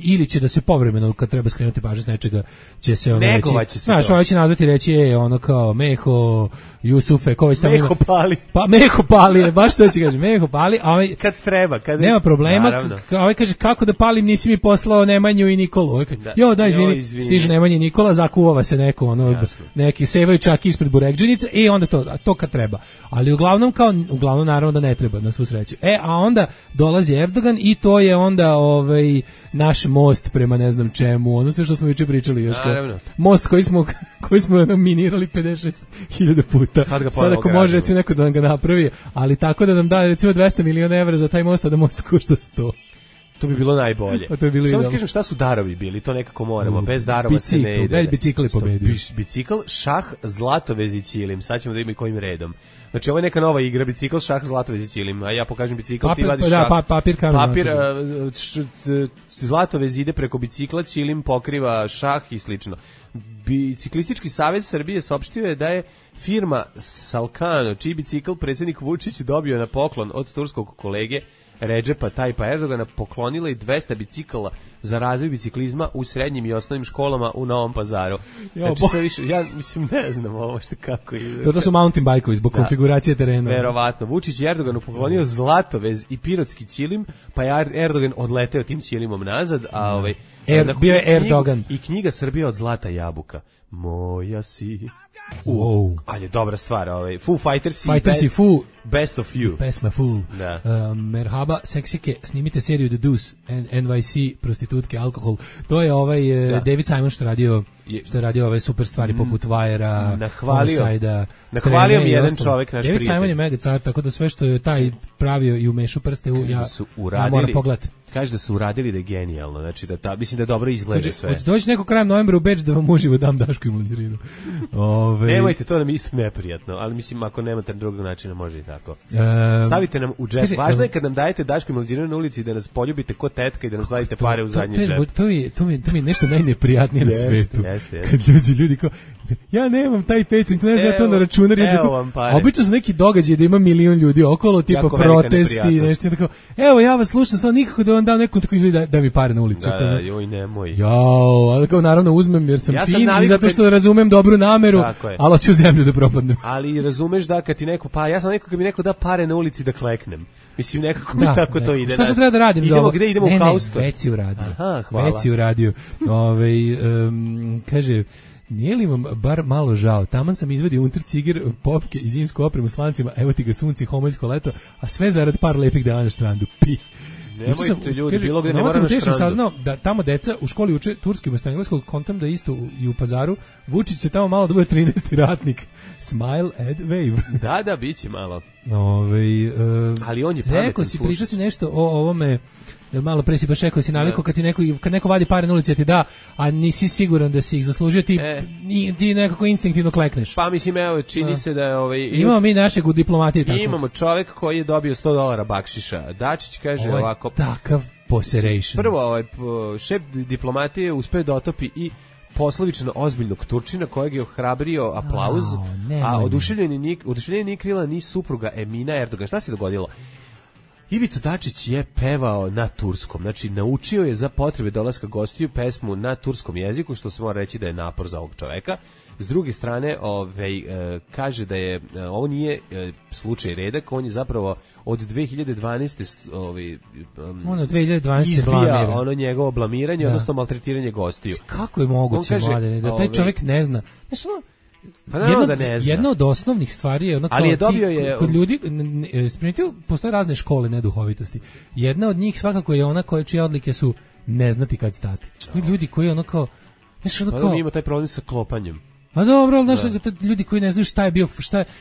Ili će da se povremeno kad treba skrenuti pažnju s nečega će se reći. Znaš, ovo će nazvati reći ono kao Meho, Jusufe, ko već tamo Meho pali. Pa Meho pali, baš to će kaže, Meho pali, a kad treba, kad nema problema, kaže kako da palim, nisi mi poslao Nemanju i Nikolu. Izvini, stiže Nemanja i Nikola, zakuvava se neko neki sevaju čak ispred burekdžinice i onda to kad treba. Ali uglavnom naravno da ne treba, na svu sreću. A onda dolazi Erdogan i to je onda naš most prema ne znam čemu, ono sve što smo juče pričali još. Most koji smo minirali 56.000 puta. Sad ako može recimo neko da nam ga napravi, ali tako da nam da recimo 200 miliona evra za taj most, a da most košta 100. To bi bilo najbolje. Samo kažem šta su darovi bili, to nekako moramo. Bez darova se ne ide. Bicikl je pobedio. Bicikl, šah, zlatovez i ćilim. Sad ćemo da vidimo kojim redom. Znači ovo je neka nova igra, bicikl, šah, zlatovez i ćilim. A ja pokažem bicikl, ti vadiš šah. Papir, zlatovez ide preko bicikla, ćilim pokriva šah i slično. Biciklistički savez Srbije saopštio je da je firma Salkano, čiji bicikl predsjednik Vučić dobio na poklon od turskog kolege Redžepa Tajpa Erdogana, poklonila i 200 bicikala za razvoj biciklizma u srednjim i osnovnim školama u Novom Pazaru. Znači sve više, ja mislim ne znam ovo što kako ide. To su mountain bajkovi zbog konfiguracije terena. Verovatno. Vučić je Erdoganu poklonio zlatovez i pirotski ćilim, pa je Erdogan odleteo tim ćilimom nazad, a bio je Erdogan. I knjiga Srbija od zlata jabuka. Moja si. Ali dobra stvar, Foo Fighters i Foo Best of You. Pesma Fool. Merhaba, seksike, snimite seriju The Deuce, NYC, prostitutke, alkohol. To je David Simon što je radio ove super stvari poput Wire-a, Homicide-a. Nahvalio mi jedan čovek, naš prijatelj. David Simon je mega car, tako da sve što je taj pravio i umešao prste, ja moram pogledati. Kaže da su uradili da je genijalno, znači mislim da dobro izgleda sve. Hoće doći neko krajem novembra u Beč da vam uživo dam Daško i Mlađerinu. Nemojte, to nam isto neprijatno, ali mislim ako nemate drugog načina može i tako. Stavite nam u džep. Važno je kad nam dajete Daško i Mlađerinu na ulici da nas poljubite ko tetka i da nas stavite pare u zadnji džep. To mi je nešto najneprijatnije na svetu. Kad ljudi kao, ja nemam taj Patreon, to ne znam, ja to na računar. Obično su neki događaji da ima milion ljudi okolo, tipa protesti, nešto tako. Evo, ja vas slušam, samo nikako da vam dam nekom tako izgleda da mi pare na ulicu. Joj, nemoj. Ali kao naravno uzmem jer sam fin i zato što razumem dobru nameru, ali hoću zemlju da propadnem. Ali razumeš da kad ti neko, ja sam neko kad mi neko da pare na ulici da kleknem. Mislim, nekako mi tako to ide. Šta se treba da radim za ovo? Gde idemo u Kausto? Već si uradio. Kaže, nije li vam bar malo žao? Taman sam izvadio unterciger, popke i zimsku opremu s lancima, evo ti ga sunci, homoljsko leto, a sve zarad par lepih dana na strandu. Pi. Nemojte ljudi, bilo gde ne mora na strandu. Saznao da tamo deca u školi uče turski umesto engleskog, kontam da isto i u Pazaru. Vučić se tamo malo da bude 13. ratnik. Smile, add, wave. Da, biće malo. Ali on je pametan. Rekao si, pričao si nešto o ovome, malo pre si baš rekao si navikao kad neko vadi pare na ulici ti da, a nisi siguran da si ih zaslužio, ti nekako instinktivno klekneš. Pa mislim, evo, čini se da imamo mi našeg u diplomatiji tako. Imamo čovjek koji je dobio $100 bakšiša. Dačić kaže ovako. Takav poseration. Prvo, šef diplomatije uspeo da otopi i poslovično ozbiljnog Turčina kojeg je ohrabrio aplauz, a oduševljeni nije krila ni supruga Emina Erdogan. Šta se dogodilo? Ivica Dačić je pevao na turskom, znači naučio je za potrebe dolaska gostiju pesmu na turskom jeziku, što se mora reći da je napor za ovog čoveka. S druge strane, kaže da je ovo nije slučaj redak, on je zapravo od 2012. On od 2012 izbija ono njegovo blamiranje, odnosno maltretiranje gostiju. Kako je moguće, Mladene, da taj čovjek ne zna? Znači, jedna od osnovnih stvari je ali je dobio kod ljudi postoje razne škole neduhovitosti. Jedna od njih svakako je ona čije odlike su ne znati kad stati. Ljudi koji ono kao mi imamo taj problem sa klopanjem. A dobro, znaš, ljudi koji ne znaju šta je bio,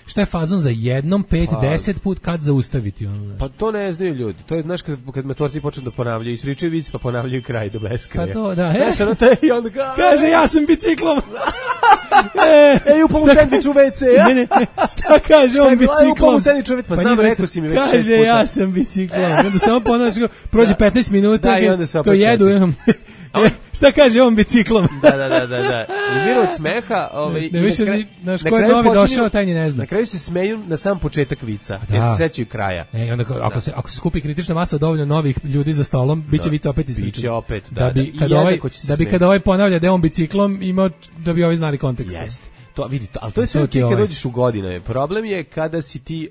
šta je fazon za jednom, 5-10 put kad zaustaviti. Ono, pa to ne znaju ljudi. To je, znaš, kad matorci počnu da ponavljaju, ispričaju vic pa ponavljaju kraj do beskraja. Pa to, da. Znaš, ono te i onda kaže, ja sam biciklom. Upao u sendvič u WC. Šta kaže on biciklom? Upao u sendvič u WC, pa znam, rekao si mi već 6 puta. Kaže, ja sam biciklom. Onda samo ponavljaš, prođe 15 minuta, to jedu, šta kaže on biciklom? Da. Umiru od smeha. Ne više, znaš, ko je novi došao, taj ni ne zna. Na kraju se smeju na sam početak vica, jer se sećaju kraja. Onda ako se skupi kritična masa dovoljno novih ljudi za stolom, biće vica opet ispričan. Biće opet, da bi kada ovaj ponavlja da je on biciklom, imao da bi ovi znali kontekst. Jeste. To vidite, ali to je sve kad dođeš u godine. Problem je kada si ti,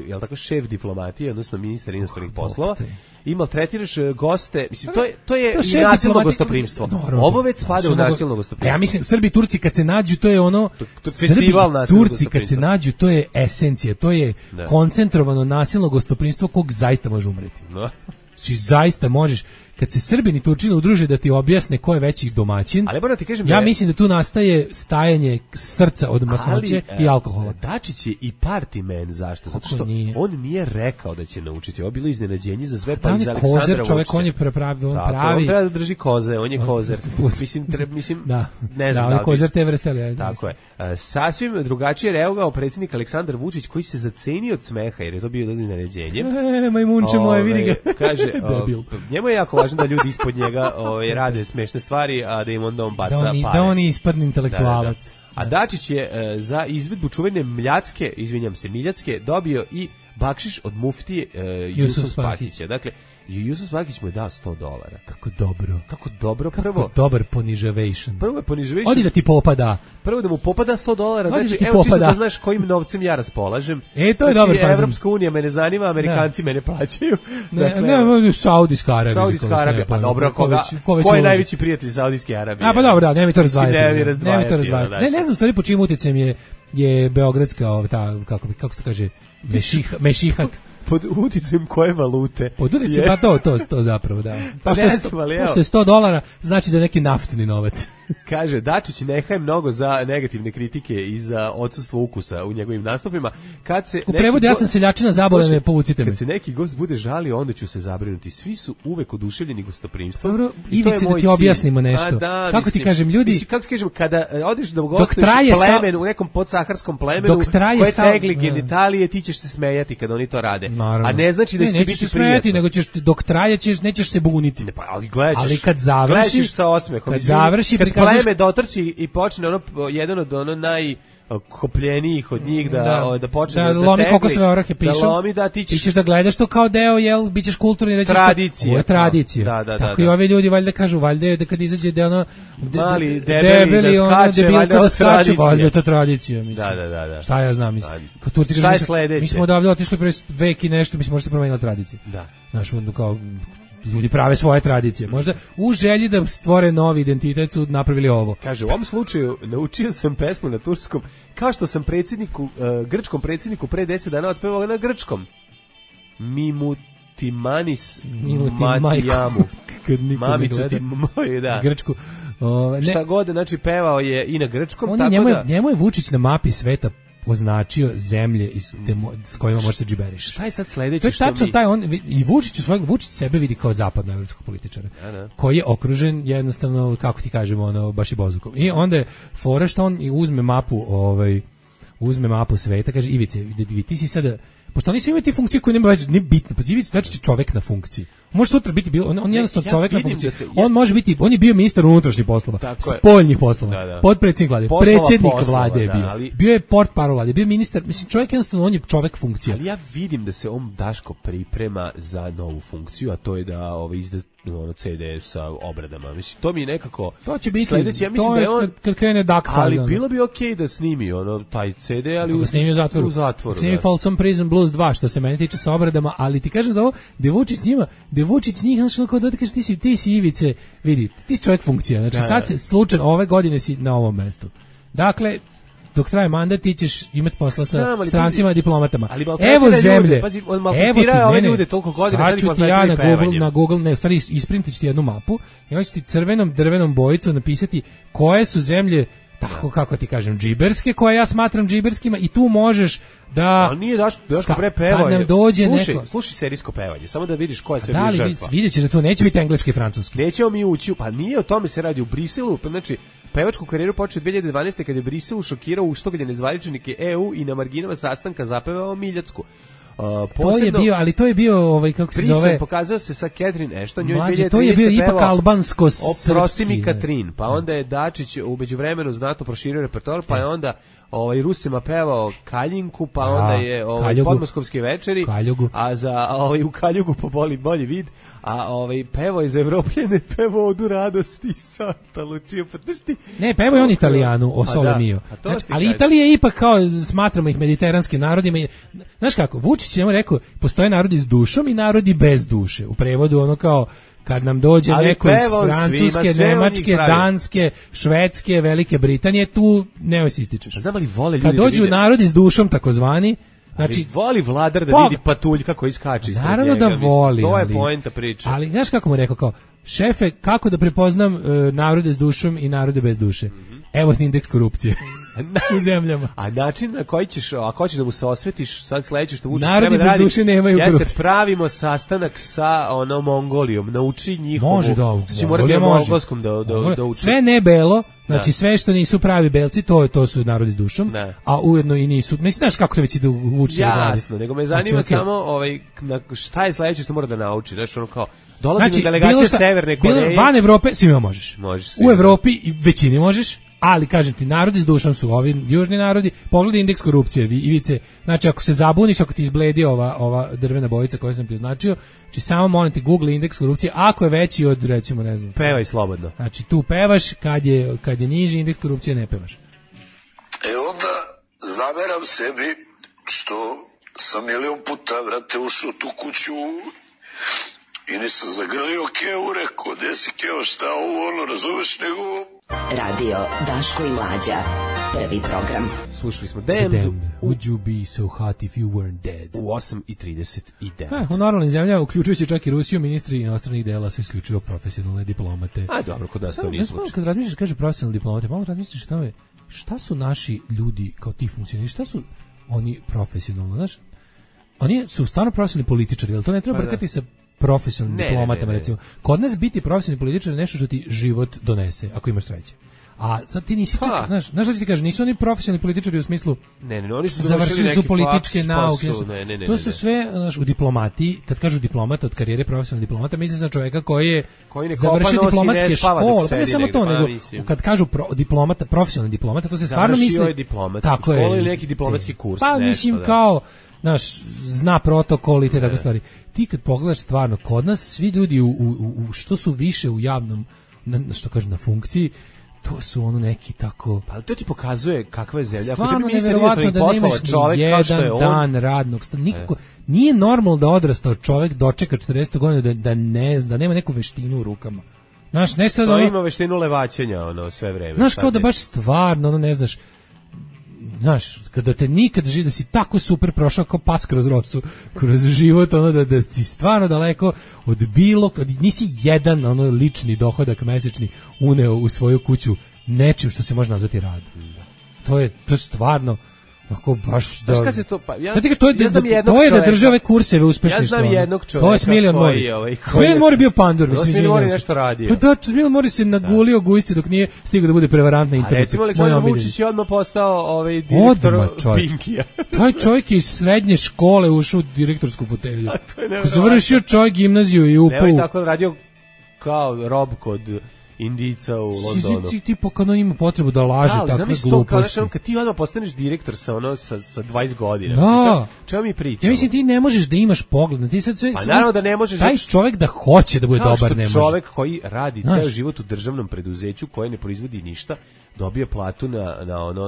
jel tako, šef diplomatije, odnosno ministar inostranih poslova, i maltretiraš goste, mislim, to je i nasilno gostoprimstvo. Ovo već spada u nasilno gostoprimstvo. Ja mislim, Srbi i Turci kad se nađu, to je ono, festival nasilno gostoprimstva. Turci kad se nađu, to je esencija, to je koncentrovano nasilno gostoprimstvo kog zaista može umreti. Znači, zaista možeš. Kad se Srbini i Turčini udruže da ti objasne ko je veći domaćin, ali ti kažem, ja mislim da tu nastaje stajanje srca od masnoće i alkohola. Dačić je i party man, zašto? Zato što on nije rekao da će naučiti. Ovo je bilo iznenađenje za sve, pa iz Aleksandra Vučića. Kozer, čovjek, on je pravi. On treba da drži koze, on je kozer. Mislim, ne znam. Da, kozer te vrste, ali tako je. Sasvim drugačije reagovao predsjednik Aleksandar Vučić, koji se zacenio od smeha, jer je to bio iznenađenje. Majmunče moje, vidi ga. Kaže, njemu je jako važno da ljudi ispod njega rade smešne stvari, a da im onda on baca pare. Da on ispadne intelektualac. A Dačić je za izvedbu čuvene Miljacke dobio i bakšiš od muftije Jusuf Spahića. Dakle, Jusuf Spahić mu je dao $100. Kako dobro. Prvo dobar ponižavation. Prvo je ponižavation. Odi da ti popada. Prvo da mu popada $100. Znači, evo čisto da znaš kojim novcem ja raspolažem. To je dobar fazon. Evropska unija me ne zanima, Amerikanci mene plaćaju. Ne, Saudijska Arabija. Saudijska Arabija, pa dobro, ko je najveći prijatelj Saudijske Arabije? Pa dobro, nemoj to razdvajati. Ne znam stvari po čim utjecajem je beogradska, kako se to kaže, mešihat. Pod uticajem koje valute? Pod uticajem, pa to zapravo, da. Pošto je $100, znači da je neki naftni novac. Kaže, Dačić ne haje mnogo za negativne kritike i za odsustvo ukusa u njegovim nastupima. U prevodu, ja sam seljačina, zabole me, povucite me. Kad se neki gost bude žalio, onda ću se zabrinuti. Svi su uvek oduševljeni gostoprimstvom. Dobro, Ivice, da ti objasnimo nešto. Kako ti kažem, ljudi... Kako ti kažem, kada odeš da gostuješ u nekom podsaharskom plemenu koje tegli genitalije, ti ćeš se smejati kada oni to rade. Naravno. A ne znači da će ti biti prijatno. Nego ćeš dok trajećeš, nećeš se buniti. Ne, pa ali gledaš. Ali kad završiš sa osmehom, kad završi kad pleme dotrči i počne jedan od najkopljenijih od njih da počne da lomi kokosove orahe pišu. Da lomi, da ti ćeš da gledaš to kao deo, jel, bićeš kulturni i rećeš tradicija. Ovo je tradicija. Tako i ovi ljudi valjda kažu, valjda je da kad izađe da ono mali debeli da skače, valjda je to tradicija, mislim. Da. Šta ja znam, mislim. Mi smo odavde otišli pre vek i nešto, mislim, možda se promenila tradicija. Da. Znaš, kao ljudi prave svoje tradicije. Možda u želji da stvore novi identitet su napravili ovo. Kaže, u ovom slučaju naučio sam pesmu na turskom, kao što sam grčkom predsjedniku pre 10 dana otpevao na grčkom. Mimutimanis Matijamu. Mamicu ti moj, da. Grčku. Šta god, znači pevao je i na grčkom, tako njemu je Vučić na mapi sveta označio zemlje s kojima može se džiberiš. Šta je sad sledeće? To je tačno taj i Vučić sebe vidi kao zapadnoevropskog političara, koji je okružen jednostavno, kako ti kažemo, baš i bozukom. I onda je fora što on uzme mapu sveta, kaže Ivice, ti si sada, pošto oni svi imaju te funkcije koje nema veze, nije bitno, pa Ivice znači čovek na funkciji. Može sutra biti on jednostavno čovek na funkciji. On može biti, on je bio ministar unutrašnjih poslova, spoljnih poslova, potpredsjednik vlade, predsjednik vlade je bio. Bio je portparol vlade, bio ministar, mislim čovjek jednostavno on je čovek funkcija. Ali ja vidim da se on Daško priprema za novu funkciju, a to je da izda CD sa obradama. Mislim to mi je nekako to će biti sledeće, ja mislim da je on kad krene dak faza. Ali bilo bi okej da snimi taj CD, ali u zatvoru. Snimi Folsom Prison Blues 2 što se mene tiče sa obradama, ali ti kažem za ovo, Vučić njih, znači kao da ti kaže ti si Ivice, vidi, ti si čovjek funkcija, znači sad se slučajno ove godine si na ovom mestu. Dakle, dok traje mandat ti ćeš imati posla sa strancima i diplomatama. Evo zemlje, evo ti ove ljude toliko godina, sad ću ti ja na Google, ne, u stvari isprintit ću ti jednu mapu i onda ću ti crvenom drvenom bojicom napisati koje su zemlje tako kako ti kažem džiberske, koje ja smatram džiberskima i tu možeš da ali nije Daško pre pevao. Nam dođe slušaj serijsko pevanje, samo da vidiš ko je sve bio žrtva. Vidjet ćeš da to neće biti engleski i francuski. Nećemo mi ući, pa nije o tome se radi u Briselu, znači pevačku karijeru počeo 2012. kad je Briselu šokirao uštogljene zvaničnike EU i na marginama sastanka zapevao Miljacku. To je bio kako se zove. Brisel pokazao se sa Catherine Ashton, njoj 2013. To je bio ipak albansko-srpski. Oprosti mi Katrin, pa onda je Dačić u međuvremenu znatno proširio repertoar, pa je onda Rusima pevao Kaljinku, pa onda je podmoskovske večeri, Kaljugu. a za u Kaljugu po bolji vid, a pevao je za Evropljene, pevao Odu radosti Santa Lucia, pa ti. Ne, pevao je on Italijanu, o Sole Mio. Ali Italija je ipak kao, smatramo ih mediteranskim narodima. Znaš kako, Vučić je rekao, postoje narodi s dušom i narodi bez duše. U prevodu ono kao, kad nam dođe neko iz Francuske, Nemačke, Danske, Švedske, Velike Britanije, tu nemoj se ističeš. Znam li vole ljudi kad dođu narodi s dušom, takozvani, znači voli vladar da vidi patuljka kako iskače ispred njega. Naravno da voli. To je poenta priče. Ali znaš kako mu rekao, kao, šefe, kako da prepoznam narode s dušom i narode bez duše? Evo ti indeks korupcije u zemljama. A način na koji ćeš, ako hoćeš da mu se osvetiš, sad sledeće što Vučić narodi bez duše nemaju korupcije. Jeste, pravimo sastanak sa Mongolijom, nauči njihovu. Može da, znači morate na mongolskom da uči. Sve ne belo, znači sve što nisu pravi belci, to su narodi s dušom, a ujedno i nisu. Mislim, znaš kako to već ide u Vučiću. Jasno, nego me zanima samo šta je sledeće što mora da nauči, znači ono kao dolazi delegacija Severne Koreje. Van Evrope svima možeš. U Evropi većini možeš. Ali, kažem ti, narodi s dušom su ovi južni narodi. Pogledaj indeks korupcije, Ivice. Znači, ako se zabuniš, ako ti izbledi ova drvena bojica koju sam ti označio, znači samo molim ti Google indeks korupcije, ako je veći od, recimo, ne znam. Pevaj slobodno. Znači, tu pevaš, kad je niži indeks korupcije ne pevaš. Onda zameram sebi što sam milion puta, vrate, ušao tu kuću i nisam zagrlio Keo, rekao, gde si Keo, šta ovo, razumeš, nego... Radio Daško i Mlađa, prvi program. Slušali smo Damned. Would you be so hot if you weren't dead? U 8:39. U normalnim zemljama, uključujući čak i Rusiju, ministri inostranih dela su isključivo profesionalne diplomate. A dobro, kod nas to nije slučaj. Kad razmišljaš, kaže profesionalne diplomate, malo razmišljaš o tome, šta su naši ljudi kao ti funkcioneri, šta su oni profesionalno, znaš? Oni su stvarno profesionalni političari, jel to ne treba brkati sa profesionalnim diplomatama, recimo. Kod nas biti profesionalni političar je nešto što ti život donese, ako imaš sreće. A sad ti nisi čak, znaš što ti kažeš, nisu oni profesionalni političari u smislu oni su završili su političke nauke. To su sve, znaš, u diplomatiji, kad kažu diplomata od karijere profesionalni diplomata, misli na čovjeka koji je završio diplomatske škole, pa ne samo to, nego kad kažu diplomata, profesionalni diplomata, to se stvarno misli. Tako je. Ili neki diplomatski kurs. Pa mislim kao naš zna protokol i te takve stvari. Ti kad pogledaš stvarno, kod nas svi ljudi što su više u javnom, što kažu, na funkciji, to su ono neki tako... Pa to ti pokazuje kakva je zemlja. Stvarno neverovatno da nemaš ni jedan dan radnog staža. Nikako, nije normalno da odrastao čovek dočeka 40 godina da ne zna, da nema neku veštinu u rukama. Znaš, ne sad... To ima veštinu levaćenja, sve vreme. Znaš, kao da baš stvarno, ne znaš, kada te nikad živi, da si tako super prošao kao pas kroz rosu, kroz život, da si stvarno daleko od nisi jedan lični dohodak mesečni uneo u svoju kuću nečim što se može nazvati rad. To je stvarno ako baš da... Kad se to, to je da države kurseve uspešni. Ja znam jednog čoveka. To je Smiljan Mori. Smiljan Mori bio pandur. Smiljan Mori nešto radio. Pa da, Smiljan Mori se nagulio gujsci dok nije stigao da bude prevarant na internetu. A recimo Aleksandar Vučić je odmah postao direktor Pinkija. Taj čovjek je iz srednje škole ušao u direktorsku fotelju. Ko završio čovjek gimnaziju i upao. Nemoj tako radio kao rob kod Indica u Londonu. Ti pokano ima potrebu da laže takve gluposti. Kad ti odmah postaneš direktor sa 20 godina. Da. Čemu mi pričamo? Ja mislim ti ne možeš da imaš pogled. Ti sad sve, pa naravno da ne možeš. Taj čovjek da hoće da bude dobar ne može. Čovjek koji radi ceo život u državnom preduzeću koje ne proizvodi ništa, dobije platu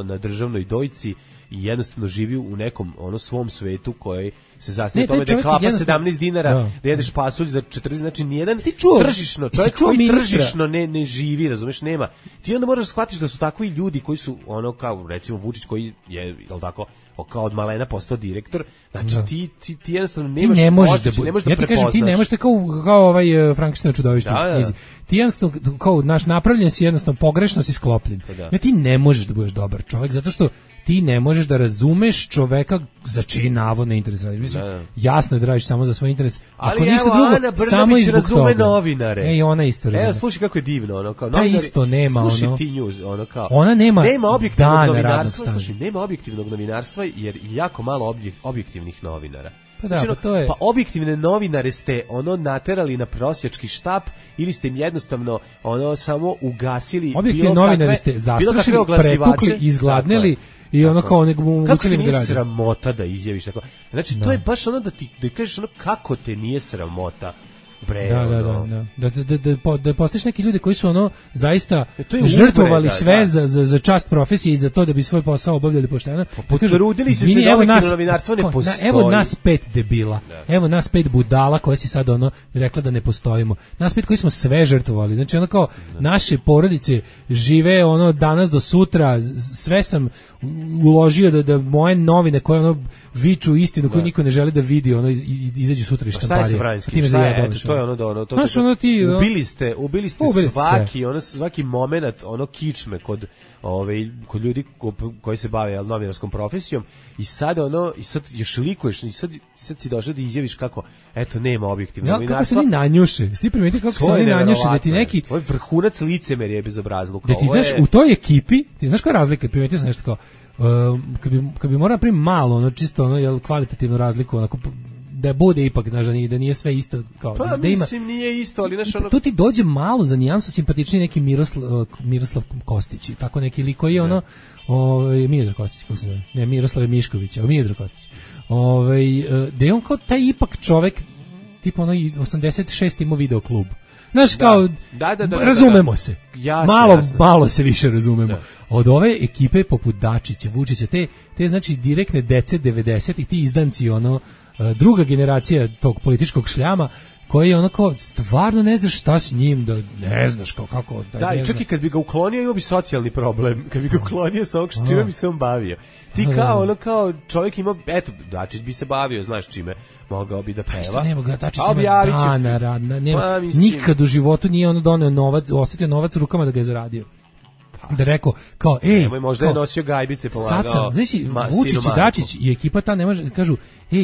na državnoj dojci i jednostavno živi u nekom svom svetu koji se zasniva tome da je klapa 17 dinara, da jedeš pasulj za 40, znači nijedan tržišno, čovjek koji tržišno ne živi, razumeš, nema. Ti onda moraš shvatiti da su takvi ljudi koji su kao recimo Vučić koji je, jel tako, kao od malena postao direktor, znači ti jednostavno nemaš osjećaj, ne možeš da prepoznaš. Ja ti kažem, ti ne možeš kao ovaj Frankenstein čudovište u knjizi. Ti jednostavno, kao napravljen si jednostavno, pogrešno si sklopljen. Ja ti ne možeš da budeš dobar čovjek, zato što ti ne možeš da razumeš čoveka za čiji navodno interes radiš. Mislim, jasno je da radiš samo za svoj interes. Ali evo, Ana Brnabić razume novinare. I ona isto razume. Evo, slušaj kako je divno. Kao novinari, isto nema. Slušaj ti news. Kao, ona nema objektivnog novinarstva. Slušaj, nema objektivnog novinarstva jer jako malo objektivnih novinara. Pa da, to je. Pa objektivne novinare ste naterali na prosjački štap ili ste im jednostavno samo ugasili. Objektivne novinare ste zastrašili, pretukli, izgladneli. I kao nego mu kako ti nije sramota da izjaviš tako. Znači to je baš da kažeš kako te nije sramota. Bre, da postojiš neki ljudi koji su zaista žrtvovali sve za čast profesije i za to da bi svoj posao obavljali pošteno. Potrudili se da objektivno novinarstvo ne postoji. Evo nas 5 debila. Evo nas 5 budala koje si sad rekla da ne postojimo. Nas 5 koji smo sve žrtvovali. Znači kao naše porodice žive danas do sutra, sve sam uložio da moje novine koje viču istinu koju niko ne želi da vidi, izađu sutra iz štamparije. To je ubili ste svaki moment kičme kod ljudi koji se bave novinarskom profesijom i sad još likuješ i sad si došao da izjaviš kako eto nema objektivnog novinarstva. Kako se oni nanjuše? Ti primeti kako se oni nanjuše da ti neki ovo je vrhunac licemerja bezobrazluka. Da ti znaš u toj ekipi, ti znaš koja je razlika? Primetio sam nešto kao kad bi morao napraviti malo čisto kvalitativnu razliku da bude ipak, znaš, da nije sve isto kao pa, da ima. Mislim, nije isto, ali znaš tu ti dođe malo za nijansu simpatičniji neki Miroslav Kostić, tako neki lik koji je Miodrag Kostić, kako se zove? Ne, Miroslav Mišković, Miodrag Kostić. Da je on kao taj ipak čovek, tipa 86 ima video klub. Znaš, kao, razumemo se. Malo se više razumemo. Da. Od ove ekipe poput Dačića, Vučića, te znači direktne dece 90-ih, ti izdanci, druga generacija tog političkog šljama, koji je kao, stvarno ne znaš šta s njim, da ne znaš kako. Da, i čak i kad bi ga uklonio, imao bi socijalni problem. Kad bi ga uklonio sa ovog čime bi se on bavio. Ti kao čovjek ima, eto, Dačić bi se bavio, znaš čime, mogao bi da peva. Nema ga, Dačić nema dana radna, nikad u životu nije doneo novac, osetio novac rukama da ga je zaradio. Da rekao, kao, možda je nosio gajbice, pomagao. Sad sam, znači, Vučić i Dačić i ekipa ta ne može, kažu,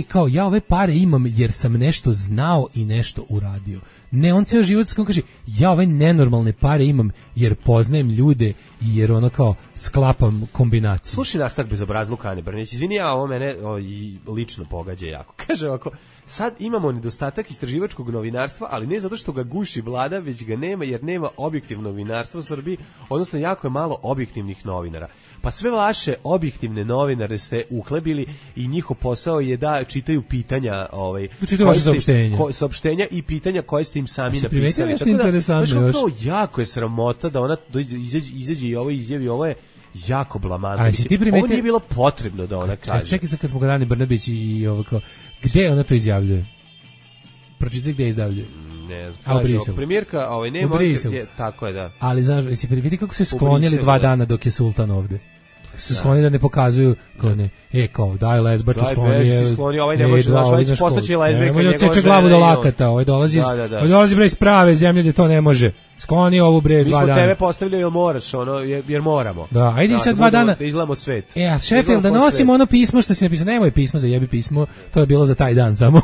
kao, ja ove pare imam jer sam nešto znao i nešto uradio. Ne, on ceo život kaže, ja ove nenormalne pare imam jer poznajem ljude i jer kao sklapam kombinaciju. Slušaj nastavak bezobrazluka Ane Brnabić, izvini, ovo mene lično pogađa jako. Kaže ovako, sad imamo nedostatak istraživačkog novinarstva, ali ne zato što ga guši vlada, već ga nema jer nema objektivnog novinarstva u Srbiji, odnosno jako je malo objektivnih novinara. Pa sve vaše objektivne novinare ste uhlebili i njihov posao je da čitaju pitanja, čitaju vaše saopštenja i pitanja koje ste im sami napisali. Nešto interesantno još. Jako je sramota da ona izađe i ovo izjavi, ovo je jako blamantno. Ovo nije bilo potrebno da ona kaže. Čekaj sad kad smo kod Ane Brnabić i ovo kao, gde ona to izjavljuje? Pročitaj gde izjavljuje. Ne znam, premijerka, nema, tako je, da. Ali znaš, jesi vidi kako su sklonili 2 dana dok je sultan ovde. Su skloni da ne pokazuju kao ne, kao daj lezbaču skloni, ovaj ne može naš postaći lezbijka, njegov ceče glavu do lakata, ovaj dolazi bre iz prave zemlje gde to ne može. Skloni ovu bre 2 dana. Mi smo tebe postavili jer moraš, jer moramo. Da, ajde sad 2 dana. Da izgledamo svet. A Sheffield da nosimo ono pismo što si napisao, nemoj pismo, zajebi pismo, to je bilo za taj dan samo.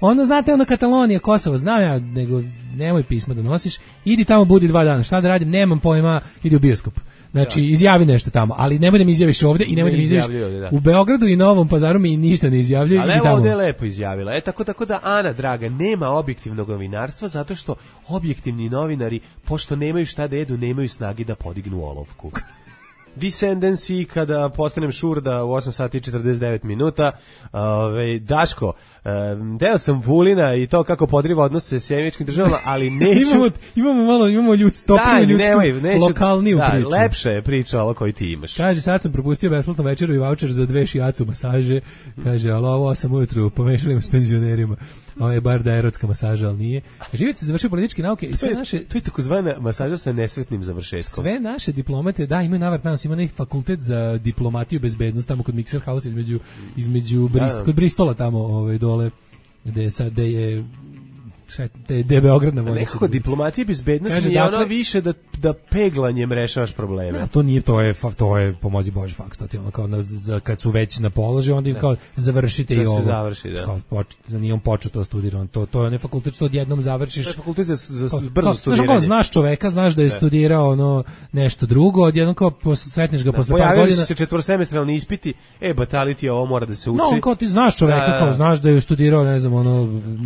Ono znate, ono Katalonija, Kosovo, znam ja, nego nemoj pismo da nosiš, idi tamo budi 2 dana, šta da radim, nemam pojma, idi u bioskop. Znači, izjavi nešto tamo, ali nemoj da mi izjaviš ovde i nemoj da mi izjaviš u Beogradu i Novom Pazaru mi ništa ne izjavljuje. Ali evo ovde je lepo izjavila. Tako da, Ana, draga, nema objektivnog novinarstva zato što objektivni novinari, pošto nemaju šta da jedu, nemaju snagi da podignu olovku. Descendancy, kada postanem šurda u 8 sati i 49 minuta. Daško, deo sam Vulina i to kako podriva odnose s Sjemičkim državama, ali neću... imamo topliju ljudsku, lokalniju priču. Lepša je priča ovo koju ti imaš. Kaže, sad sam propustio besplatno večeru i voucher za 2 šijacu masaže. Kaže, ali ovo 8 ujutru pomešali s penzionerima. Ovo je bar da je erotska masaža, ali nije. Živić se završio političke nauke i sve naše... To je takozvana masaža sa nesretnim završetkom. Sve naše diplomate, da, imaju navrat nas, ima neki fakultet za diplomatiju i bezbednost tamo kod Mixer House između kod Bristola tamo dole, gde je Beograd na vojnici. Nekako diplomatija i bezbednost je ono više da peglanjem rešavaš probleme. To nije, to je pomozi Bože faks, to ti ono kao kad su već na položaju, onda im kao završite i ovo. Završi, da. Kao, nije on počeo to studirao, to je ne fakultet što odjednom završiš. To je fakultet za brzo studiranje. Znaš čoveka, znaš da je studirao nešto drugo, odjednom kao sretneš ga posle par godina. Pojavili su se četvorosemestralni ispiti, bataliti ovo mora da se uči. No, kao ti znaš čoveka, kao znaš da je studirao, ne znam,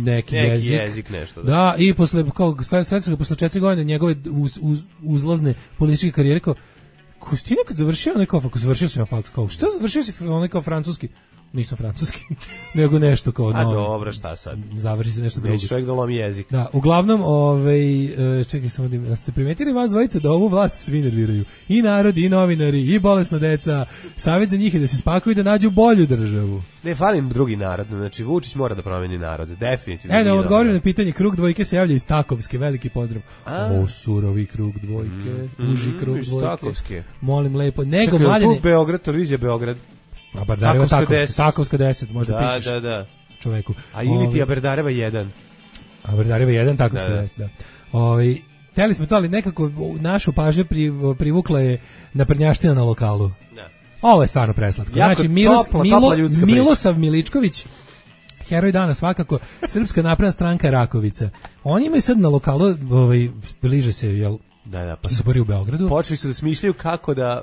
neki jezik. Nešto, da, i posle 4 godine njegove uzlazne političke karijere, kao si ti nekad završio završio sam ja faks, kao što završio si kao francuski? Nisam francuski, nego nešto kao dobro, šta sad? Završi se nešto drugo. Čovjek da lomi jezik. Da, uglavnom, čekaj samo da ste primetili vas dvojica da ovu vlast svi nerviraju. I narodi, i novinari, i bolesna deca. Savjet za njih je da se spakuju i da nađu bolju državu. Ne, falim drugi narod, znači Vučić mora da promeni narod, definitivno. Da odgovorim na pitanje, krug dvojke se javlja iz Takovske, veliki pozdrav. Surovi krug dvojke, uži krug dvojke. Takovske. Molim lepo, nego mladine. Beograd, televizija Beograd. A Bardareva Takovska 10, možda pišeš čoveku. A ili ti Bardareva 1. A Bardareva 1, Takovska 10, da. Hteli smo to, ali nekako našu pažnju privukla je naprednjaština na lokalu. Da. Ovo je stvarno preslatko. Znači, Milosav Miličković, heroj dana svakako, Srpska napredna stranka Rakovica. Oni imaju sad na lokalu, bliže se, jel, pa izbori u Beogradu. Počeli su da smišljaju kako da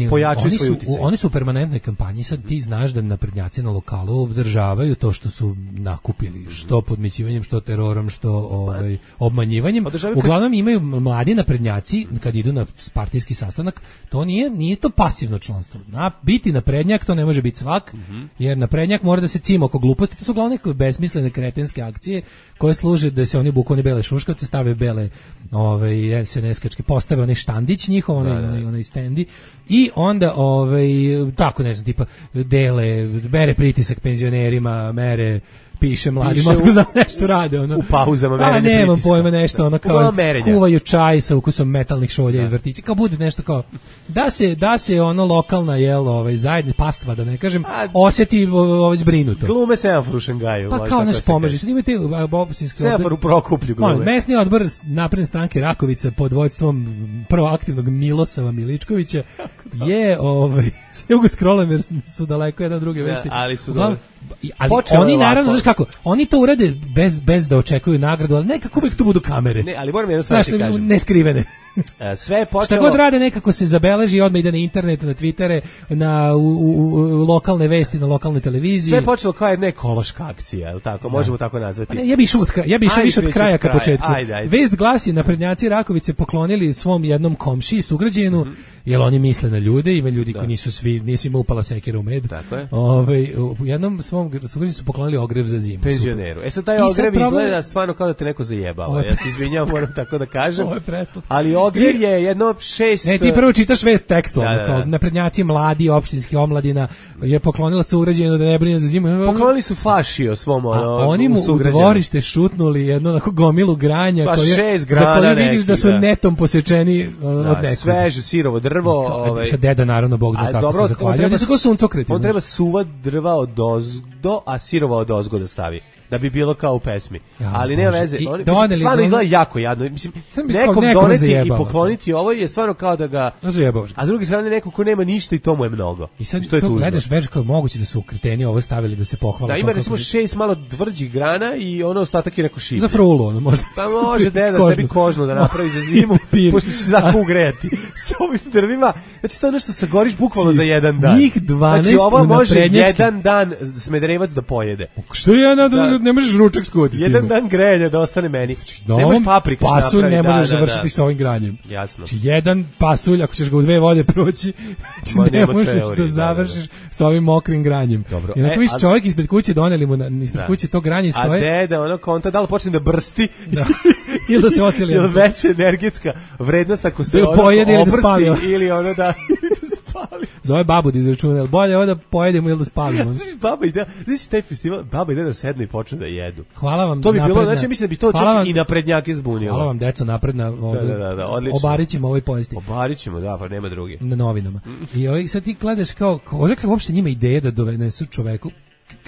pojačaju svoj uticaj. Oni su u permanentnoj kampanji, sad ti znaš da naprednjaci na lokalu obdržavaju to što su nakupili, što podmićivanjem, što terorom, što obmanjivanjem. Uglavnom imaju mladi naprednjaci kad idu na partijski sastanak, to nije to pasivno članstvo. Biti naprednjak to ne može biti svak, jer naprednjak mora da se cima oko gluposti, to su uglavnom neke besmislene kretenske akcije koje služe da se oni buku one bele šuškavce, stave bele SNS-kačke, postave onaj štandić njihov, onaj stendi, i onda tako, ne znam, tipa mere pritisak penzionerima, piše mladima, otko znam nešto rade, u pauzama merenje pritiska. Nemam pojma, nešto, kao kuvaju čaj sa ukusom metalnih šolja iz vrtića, kao bude nešto kao, da se lokalna, zajedni pastva, da ne kažem, osjeti zbrinuto. Glume semafor u Šangaju. Pa kao nešto pomaže, sad imate semafor u Prokuplju glume. Mesni odbor napredne stranke Rakovica pod vođstvom proaktivnog Milosava Miličkovića je, sve ga scrollam jer su daleko jedan druge vesti. Ali su ali oni naravno, znaš kako, oni to urade bez da očekuju nagradu, ali nekako uvijek tu budu kamere. Ne, ali moram jedno stvar ti kažem. Neskrivene. Sve je počelo... Šta god rade nekako se zabeleži, odmah ide na internet, na Twittere, u lokalne vesti, na lokalne televizije. Sve je počelo kao jedna ekološka akcija, je li tako? Možemo tako nazvati. Ja bih išao više od kraja ka početku. Ajde. Vest glasi, naprednjaci Rakovice poklonili svom jednom komšiji, sugrađenu, jer oni misle na ljude, ima ljudi koji nisu ima upala sekira u med. Tako je. U jednom svom sugrađenu su poklonili ogrev za zimu. Penzioneru. Sad taj ogrev izgleda stvarno kao da te neko zajebava. Ja se izvinjavam, moram tako da kažem. Ali ogrev je jedno 6... Ne, ti prvo čitaš vest tekstualno, kao naprednjaci mladi, opštinski omladina je poklonila sugrađenu da ne brine za zimu. Poklonili su fašio svom oni mu u dvorište šutnuli jednu onako gomilu granja pa za koje vidiš da su netom posečeni od nekog. Sveže sirovo drvo. Sa deda naravno Bog zna kako se zahvaljuje. Oni su kao suncokreti. On treba suva drva od ozdo, a sirova od ozgo da stavi. Da bi bilo kao u pesmi. Ali nema veze. Stvarno izgleda jako jadno. Mislim, nekom doneti i pokloniti ovo je stvarno kao da ga... A s druge strane neko ko nema ništa i to mu je mnogo. I sad to gledaš već kao moguće da su kreteni ovo stavili da se pohvale. Da, ima recimo 6 malo tvrđih grana i ono ostatak je neko šivlje. Za frulu ono možda. Pa može deda sebi kožno da napravi za zimu, pošto će se tako ugrejati s ovim drvima. Znači to je nešto sagoriš bukvalno za jedan dan. Njih 12 znači ovo može jedan dan Smederevac da pojede. Što je ne možeš ručak skuvati s jedan dan grejanja da ostane meni. Ne možeš paprikaš napraviti. Pasulj ne možeš završiti sa ovim granjem. Jasno. Znači jedan pasulj, ako ćeš ga u 2 vode proći, ne možeš da završiš sa ovim mokrim granjem. Dobro. I onako viš čovjek ispred kuće, doneli mu ispred kuće to granje stoje. A deda, ono konta, da li počne da brsti? Ili da se oceli. Ili veća energetska vrednost ako se obrsti ili ono da spali. Zove babu da izračuna, bolje ovo da pojedemo ili da spalimo. Baba ide, znači taj festival, baba ide da sednu i počnu da jedu. Hvala vam. To bi bilo, znači mislim da bi to čak i naprednjake zbunilo. Hvala vam, deco, napredna. Da, odlično. Obarićemo ovoj povesti. Obarićemo, da, pa nema druge. Na novinama. I sad ti gledaš kao, odakle uopšte njima ideje da donesu čoveku,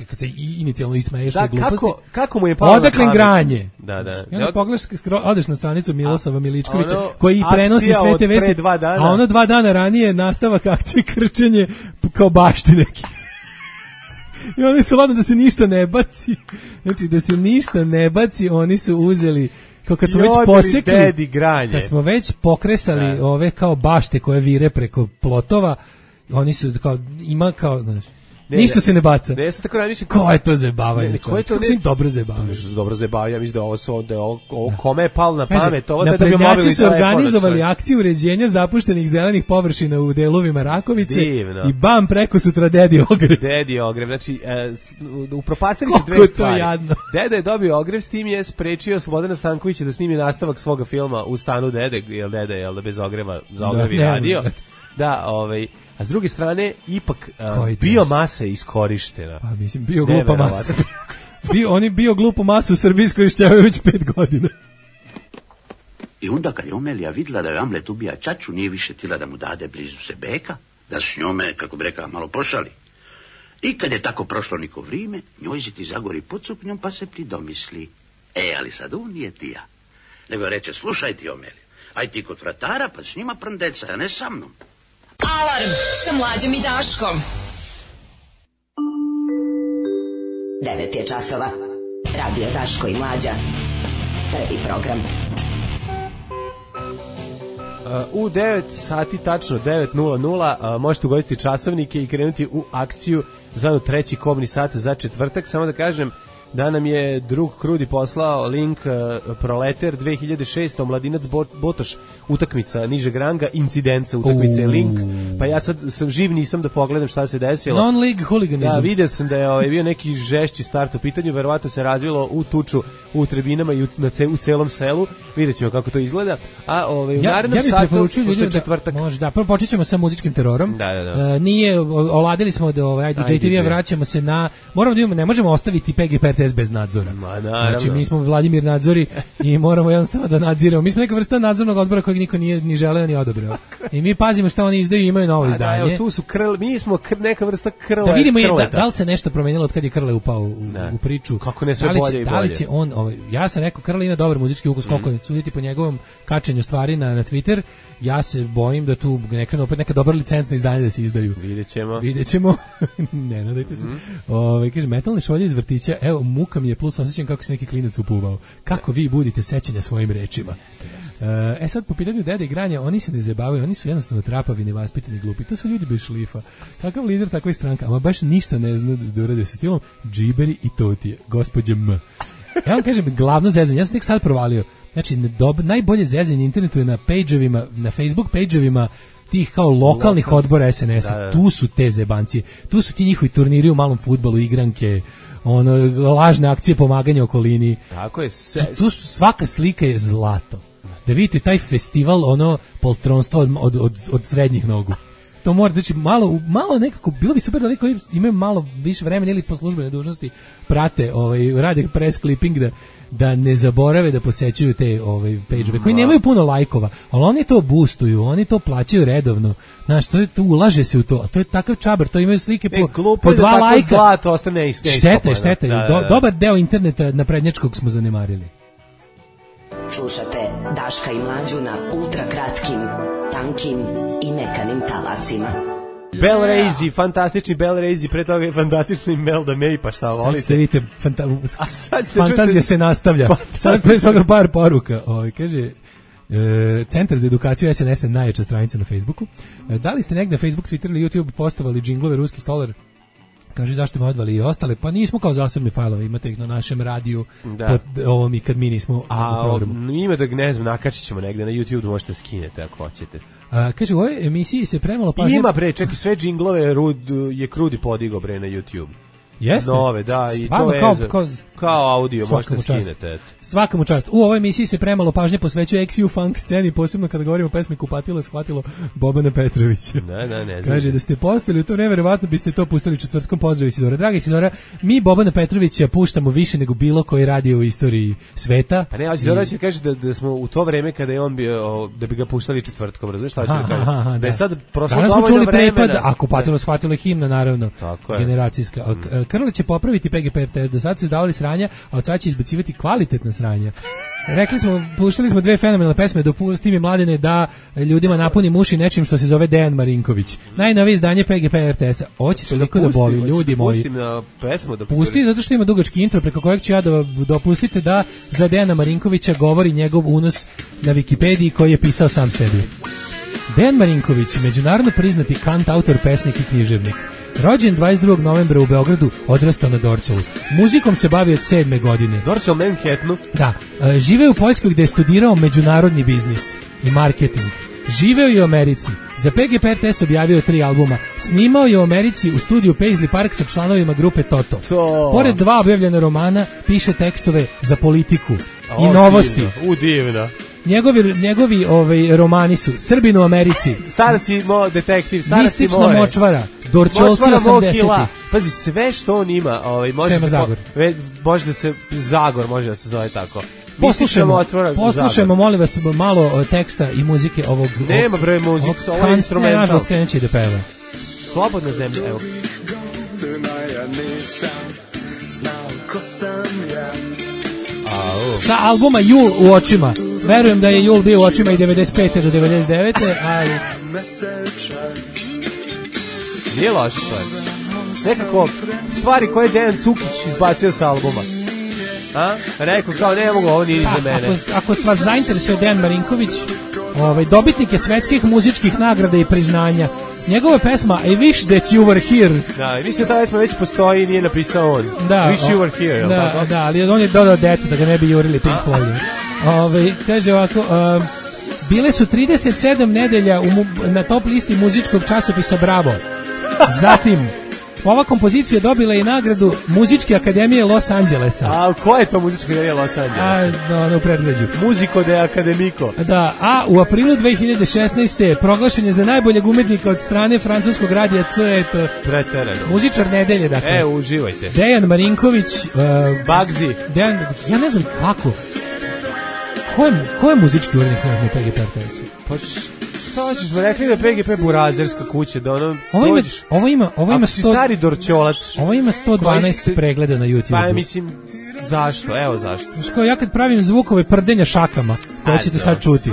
kad se inicijalno ismeješ te gluposti. Kako mu je palo odakle na pamet? Granje. Da. I onda pogledaš, odeš na stranicu Milosava Miličkovića, koji prenosi sve te vesti, a ono 2 dana ranije nastavak akcije krčenje kao bašti neki. I oni su ladno da se ništa ne baci. Znači, da se ništa ne baci, oni su uzeli, kao kad smo već posekli, kad smo već pokresali ove kao bašte koje vire preko plotova, oni su kao, ima kao, znaš, ništa se ne baca. Ne, tako razmišljam. Ko je to zajebavanje? Kako se im dobro zajebavaju? Dobro zajebavaju, ja mislim da ovo kome je palo na pamet. Naprednjaci su organizovali akciju uređenja zapuštenih zelenih površina u delovima Rakovice. Divno. I bam, preko sutra Dedi ogrev. Dedi ogrev, znači upropastili su dve stvari. Jadno. Deda je dobio ogrev, s tim je sprečio Slobodana Stankovića da snimi nastavak svoga filma U stanu Dede, jer Dede je bez ogreva za ogrev i radio. Da, a s druge strane, ipak biomasa je iskorištena. Pa mislim, bio glupa masa. Oni bio glupu masu u Srbiji iskorišćavaju već 5 godina. I onda kad je Omelija vidjela da je Amlet ubija čaču, nije više tila da mu dade blizu se beka, da s njome, kako bi rekao, malo pošali. I kad je tako prošlo niko vrijeme, njoj se ti zagori pod suknjom pa se pridomisli. Ali sad on nije tija. Nego reče, slušaj ti Omelija, aj ti kod vratara pa s njima prndeca, a ne sa mnom. Alarm sa Mlađom i Daškom. 9 je časova. Radio Daško i Mlađa. Prvi program. U 9 sati, tačno 9:00, možete ugoditi časovnike i krenuti u akciju zvanu treći kobni sat za četvrtak. Samo da kažem da nam je drug Krudi poslao link Proleter 2006, Mladinac Botoš, utakmica nižeg ranga, incidenca utakmice, link, pa ja sad sam živ, nisam da pogledam šta se desilo. Non-league huliganizam. Da, vidio sam da je bio neki žešći start u pitanju, verovatno se razvilo u tuču u tribinama i u celom selu, vidjet ćemo kako to izgleda, a u narednom satu, pošto je četvrtak. Može, da, prvo počet ćemo sa muzičkim terorom. Da. Nije, oladili smo od IDJ-TV, vraćamo se na, moramo da imamo, ne možemo ostaviti PGP bez nadzora. Znači, mi smo Vladimir Nadzori i moramo jednostavno da nadziramo. Mi smo neka vrsta nadzornog odbora kojeg niko nije ni želeo ni odabrao. I mi pazimo šta oni izdaju i imaju novo izdanje. Da, tu su mi smo neka vrsta krle. Da vidimo da li se nešto promenilo od kad je Krle upao u priču. Kako ne sve bolje i bolje. Da li će on, ja sam rekao, Krle ima dobar muzički ukus, koliko suditi po njegovom kačenju stvari na Twitter, ja se bojim da tu neka dobra licencna izdanja da se izdaju. Vidjet ćemo. Ne nadajte se. Kaže, metalne šolje iz vrtića, evo, muka mi je plus osjećam kako se neki klinac upuvao. Kako vi budite sećanja svojim rečima. Sad po pitanju Dede i Granja, oni se ne zabavaju, oni su jednostavno trapavi, nevaspitani, glupi. To su ljudi bez šlifa. Kakav lider, takva je stranka, ama baš ništa ne zna da urade sa stilom. Džiberi i Totije, gospođa M. Ja vam kažem, glavno zezanje, ja sam tek sad provalio. Znači, najbolje zezanje na internetu je na page-ovima, na Facebook page-ovima tih kao lokalnih odbora SNS-a. Tu su te zebancije. Tu su ti njihovi turniri u malom fudbalu, igranke, lažne akcije pomaganja okolini. Tako je. Tu su, svaka slika je zlato. Da vidite taj festival, poltronstva od srednjih nogu. To mora, znači malo nekako, bilo bi super da vi koji imaju malo više vremena ili po službenoj dužnosti prate, rade press clipping da ne zaborave da posećuju te page-ove koji nemaju puno lajkova, ali oni to boostuju, oni to plaćaju redovno. Znaš, to ulaže se u to, a to je takav čabar, to imaju slike po 2 lajka. Zlato ostane isto. Šteta. Dobar deo interneta naprednjačkog smo zanemarili. Slušate Daška i Mlađu na ultrakratkim, tankim i mekanim talasima. Bellraizi, fantastični Bellraizi, pre toga je fantastični Melda May, pa šta volite? Sad ste vidite, fantazija se nastavlja. Sad pre toga par poruka. Kaže, Centar za edukaciju SNS-a najjača stranica na Facebooku. Da li ste negde na Facebook, Twitter ili YouTube postovali džinglove Ruski stolar? Kaže, zašto me odvali i ostale? Pa nismo kao zasebni fajlove, imate ih na našem radiju pod ovom i kad mi nismo u programu. Ima da, ne znam, nakačit ćemo negde na YouTube, možete skinete ako hoćete. Kaže, u ovoj emisiji se premalo pažnje... Ima čekaj, sve džinglove je Krudi podigo na YouTube. Jeste? Nove, da, i to je kao audio, možete skinete. Svakamu čast. U ovoj emisiji se premalo pažnje posvećuje XU funk sceni, posebno kada govorimo o pesmi Kupatilo shvatilo Bobana Petrovića. Ne. Kaže, da ste postali u to vreme, verovatno biste to pustili četvrtkom. Pozdrav Isidora. Dragi Isidora, mi Bobana Petrovića puštamo više nego bilo koji radio u istoriji sveta. Pa ne, Isidora će kaže da smo u to vreme kada je on bio, da bi ga puštali četvrtkom, razumiješ šta će da kaže? Da je sad prošlo dovoljno vremena. A Kupatilo shvatilo himna, naravno, generacijska. Krlić će popraviti PGP RTS, do sad su izdavali sranja, a od sada će izbacivati kvalitetna sranja. Rekli smo, puštali smo 2 fenomenalne pesme, dopusti mi Mladene da ljudima napuni uši nečim što se zove Dejan Marinković. Najnovije izdanje PGP RTS-a. Hoće toliko da boli, ljudi moji. Pusti, zato što ima dugački intro preko kojeg ću ja da dopustite da za Dejana Marinkovića govori njegov unos na Wikipediji koji je pisao sam sebi. Dejan Marinković, međunarodno priznati kant, autor, pesnik i književnik. Rođen 22. novembra u Beogradu, odrastao na Dorćolu. Muzikom se bavio od 7. godine. Dorćol Manhattanu? Da. Živeo u Poljskoj gde je studirao međunarodni biznis i marketing. Živeo je u Americi. Za PGP RTS objavio 3 albuma. Snimao je u Americi u studiju Paisley Park sa članovima grupe Toto. Pored 2 objavljena romana, piše tekstove za politiku i novosti. Divno. Njegovi romani su Srbin u Americi, Staraci detektiv, Staraci Mistična močvara, Dorčolci 80. Pazi, sve što on ima, može da se Zagor može da se zove tako. Poslušajmo, molim vas, malo teksta i muzike ovog... Nema bre muzike, ovo je instrumental. Nažalost, krenući da peva. Slobodna zemlja, evo. Sa albuma Jul u očima. Verujem da je Jul bio u očima i 95. do 99. ali... Nije loš to je. Nekako stvari koje je Dejan Cukić izbacio sa albuma. Rekao kao ne mogu, ovo nije za mene. Ako vas zainteresuje Dejan Marinković, dobitnik je svetskih muzičkih nagrada i priznanja. Njegova pesma I Wish That You Were Here. Da, i mislim da ta pesma već postoji i nije napisao on. Wish You Were Here. Da, ali on je dodao dete da ga ne bi jurili Pink Floyd. Kaže ovako, bile su 37 nedelja na top listi muzičkog časopisa Bravo. Zatim, ova kompozicija dobila i nagradu Muzičke akademije Los Angelesa. A koja je to Muzička akademija Los Angelesa? U predgrađu. Musico de Academico. Da, a u aprilu 2016. proglašen je za najboljeg umetnika od strane francuskog radija CET. Preterano. Muzičar nedelje, dakle. Uživajte. Dejan Marinković. Bagzi. Ja ne znam kako. Ko je muzički urednik na PGP RTS-u? Pa šta hoćeš, smo rekli da PGP burazerska kuća, da ovo ima ako si stari Dorčolac. Ovo ima 112 pregleda na YouTube. Pa mislim, zašto? Evo zašto. Ja kad pravim zvukove prdenja šakama, koje ćete sad čuti.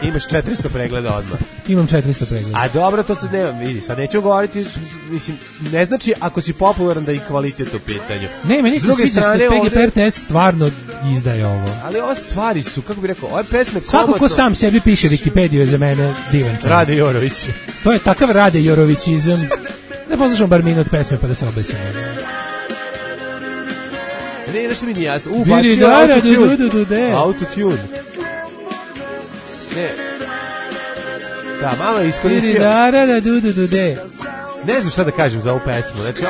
Imaš 400 pregleda odmah. Imam 400 pregleda. A dobro, to sad nema, vidi, sad neću govoriti, mislim, ne znači ako si popularan da i kvalitet u pitanju. Ne, meni se sviđa što PGP RTS stvarno izdaje ovo. Ali ove stvari su, kako bih rekao, ove pesme svako ko sam sebi piše Wikipediju je za mene divan čovjek. Rade Jorović. To je takav Rade Jorovićizam. Da poslušamo bar minut pesme pa da se obesimo. Ne, nešto mi nije jasno. Bačio autotune. Autotune. Ne. Da, malo je iskoristio. Ne znam šta da kažem za ovu pesmu. Znači,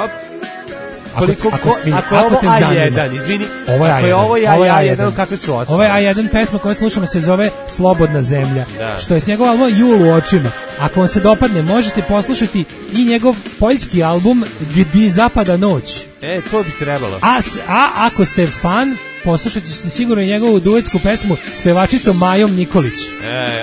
ako je ovo A1, izvini, ako je ovo A1, kakve su ostale? Ovo je A1 pesma koju slušamo se zove Slobodna zemlja, što je s njegov album Jul u očima. Ako vam se dopadne, možete poslušati i njegov poljski album Gdje zapada noć. To bi trebalo. A ako ste fan, poslušajte sigurno i njegovu duetsku pesmu s pevačicom Majom Nikolić.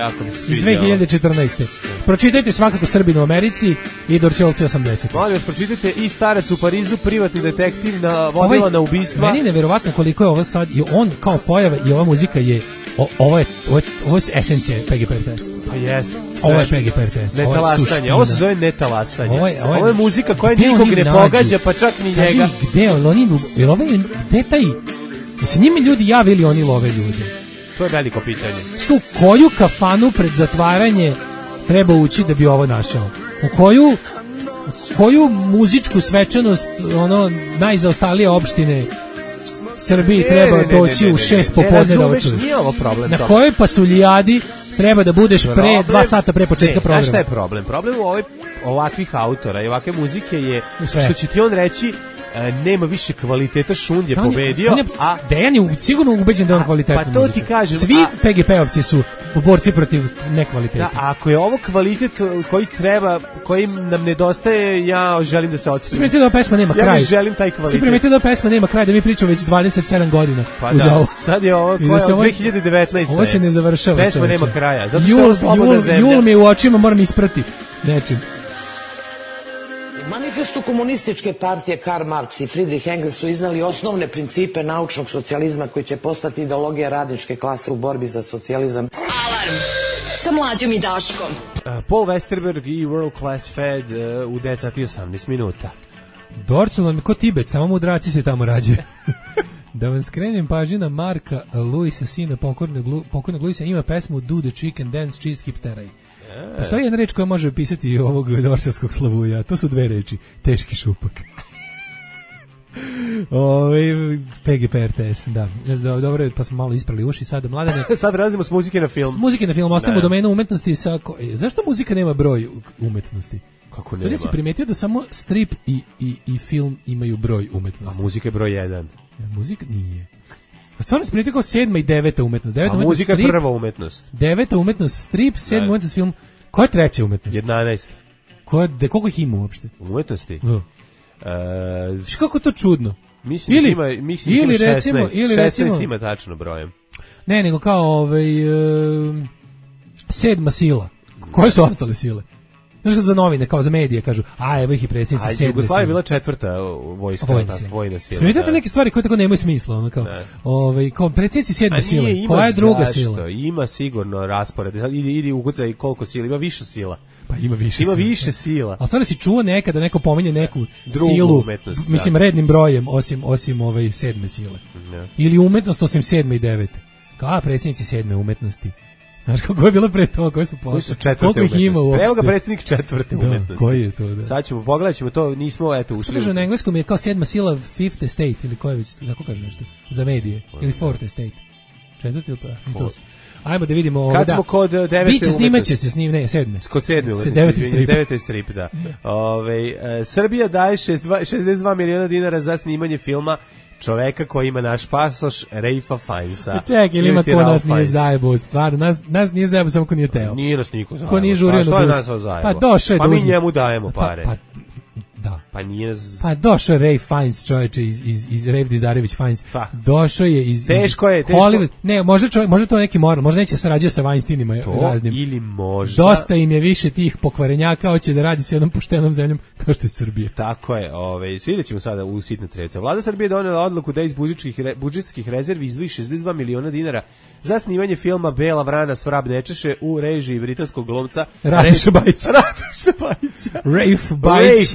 Ako mi se iz 2014. Pročitajte svakako Srbin u Americi i Dorčelci 80. Molim vas, pročitajte i Starac u Parizu, privatni detektiv vodila na ubistva. Meni je neverovatno koliko je ovo sad, i on kao pojava i ova muzika je, ovo je esencija PGP RTS. Pa jes. Ovo je PGP RTS. Netalasanje, ovo se zove netalasanje. Ovo je muzika koja nikog ne pogađa, pa čak ni njega. Kaži, gde taj... Da se njima ljudi javili, oni love ljude. To je veliko pitanje. U koju kafanu pred zatvaranje treba ući da bi ovo našao? U koju muzičku svečanost najzaostalije opštine Srbiji treba doći u 6 popodne da očuješ? Nije ovo problem. Na kojoj pasuljadi treba da budeš 2 sata pre početka programa? Znaš šta je problem? Problem u ovakvih autora i ovakve muzike je što će ti on reći nema više kvaliteta, Šund je pobedio. Dejan je sigurno ubeđen da je on kvalitetan. Pa to ti kažem. Svi PGP-ovci su borci protiv nekvaliteta. Da, ako je ovo kvalitet koji treba, koji nam nedostaje, ja želim da se odsvim. Svi primetio da pesma nema kraj. Ja želim taj kvalitet. Svi primetio da pesma nema kraj, da mi pričamo već 27 godina. Pa da, sad je ovo, od 2019. Ovo se ne završava. Pesma nema kraja. Zato što Jul mi u očima moram isprati nečim. U manifestu komunističke partije Karl Marx i Friedrich Engels su iznali osnovne principe naučnog socijalizma koji će postati ideologija radničke klase u borbi za socijalizam. Alarm sa Mlađom i Daškom. Paul Westerberg i World Class Fed u 10 sati 18 minuta. Dorcel vam je ko Tibet, samo mudraci se tamo rađe. Da vam skrenem pažnju Marka Luisa, sina pokojnog Luisa, ima pesmu Do the Chicken Dance, Cheese Keep Teraj. Postoji jedna reč koja može opisati ovog dorselskog slavuja, to su 2 reči, teški šupak. PGP RTS, da. Dobro, pa smo malo isprali uši sada, Mladene. Sad prelazimo s muzike na film. Muzike na film, ostavimo domenu umetnosti. Zašto muzika nema broj umetnosti? Kako nema? Sada si primetio da samo strip i film imaju broj umetnosti. A muzika je broj 1. Muzika nije. A stvarno se primetio kao 7. i 9. umetnost. 9. A muzika je prva umetnost. 9. umetnost strip, 7. umetnost film. Koja je 3. umetnost? 11. Koliko ih ima uopšte? Umetnosti? Kako to čudno? Mislim ili, ima 16. Ili 16 ima tačno brojem. Ne, nego kao 7. sila. Koje su ostale sile? Znaš za novine, kao za medije, kažu, evo ih i predsjednici 7. sile. Jugoslavija je bila 4. vojna sila. Smijetate neke stvari koje tako nemaju smisla, kao predsjednici 7. sile. Koja je druga sila? Ima sigurno raspored. Idi ukucaj koliko sila, ima više sila. Pa ima više sila. Ali stvarno si čuo nekada neko pominje neku drugu silu, umetnost, mislim rednim brojem, osim 7. sile. Ili umetnost osim 7. i 9. Kao predsjednici 7. umetnosti. Znaš kako je bilo pre toga, koji su 4. umetnosti? Evo ga predsjednik 4. umetnosti. Koji je to, da? Sad ćemo, pogledat ćemo to, nismo, ušli. Što na engleskom je kao 7. sila, 5th estate, ili koje već, tako kaže nešto, za medije, ili 4th estate. 4. ili pa? Ajmo da vidimo. Kad smo kod 9. umetnosti. Snimaće se, 7. Kod 7. umetnosti, 9. strip, da. Srbija daje 62 miliona dinara za snimanje filma čoveka koji ima naš pasoš, Rejfa Fajnsa. Čekaj, ili ima ko nas nije zajebo, stvarno, nas nije zajebo samo ko nije teo. Nije nas niko zajebo. Ko nije žurio na bus. Što je nas zajebo? Pa došao je pa mi njemu dajemo pare. Da. Pa nije... Pa došao je Ray Fiennes, čovječe, iz Rafe Dizdarević Fiennes. Došao je iz teško je. Hollywood. Ne, može to neki moral, možda neće sarađuje sa Weinsteinima raznim. Ili možda... Dosta im je više tih pokvarenjaka, hoće da radi s jednom poštenom zemljom kao što je Srbija. Tako je, svidjet ćemo sada u sitne trece. Vlada Srbije donela odluku da iz budžetskih rezervi izdvoji 62 miliona dinara za snimanje filma Bela vrana s vrab nečeše u režiji britanskog glumca Radoša Bajića. Rafe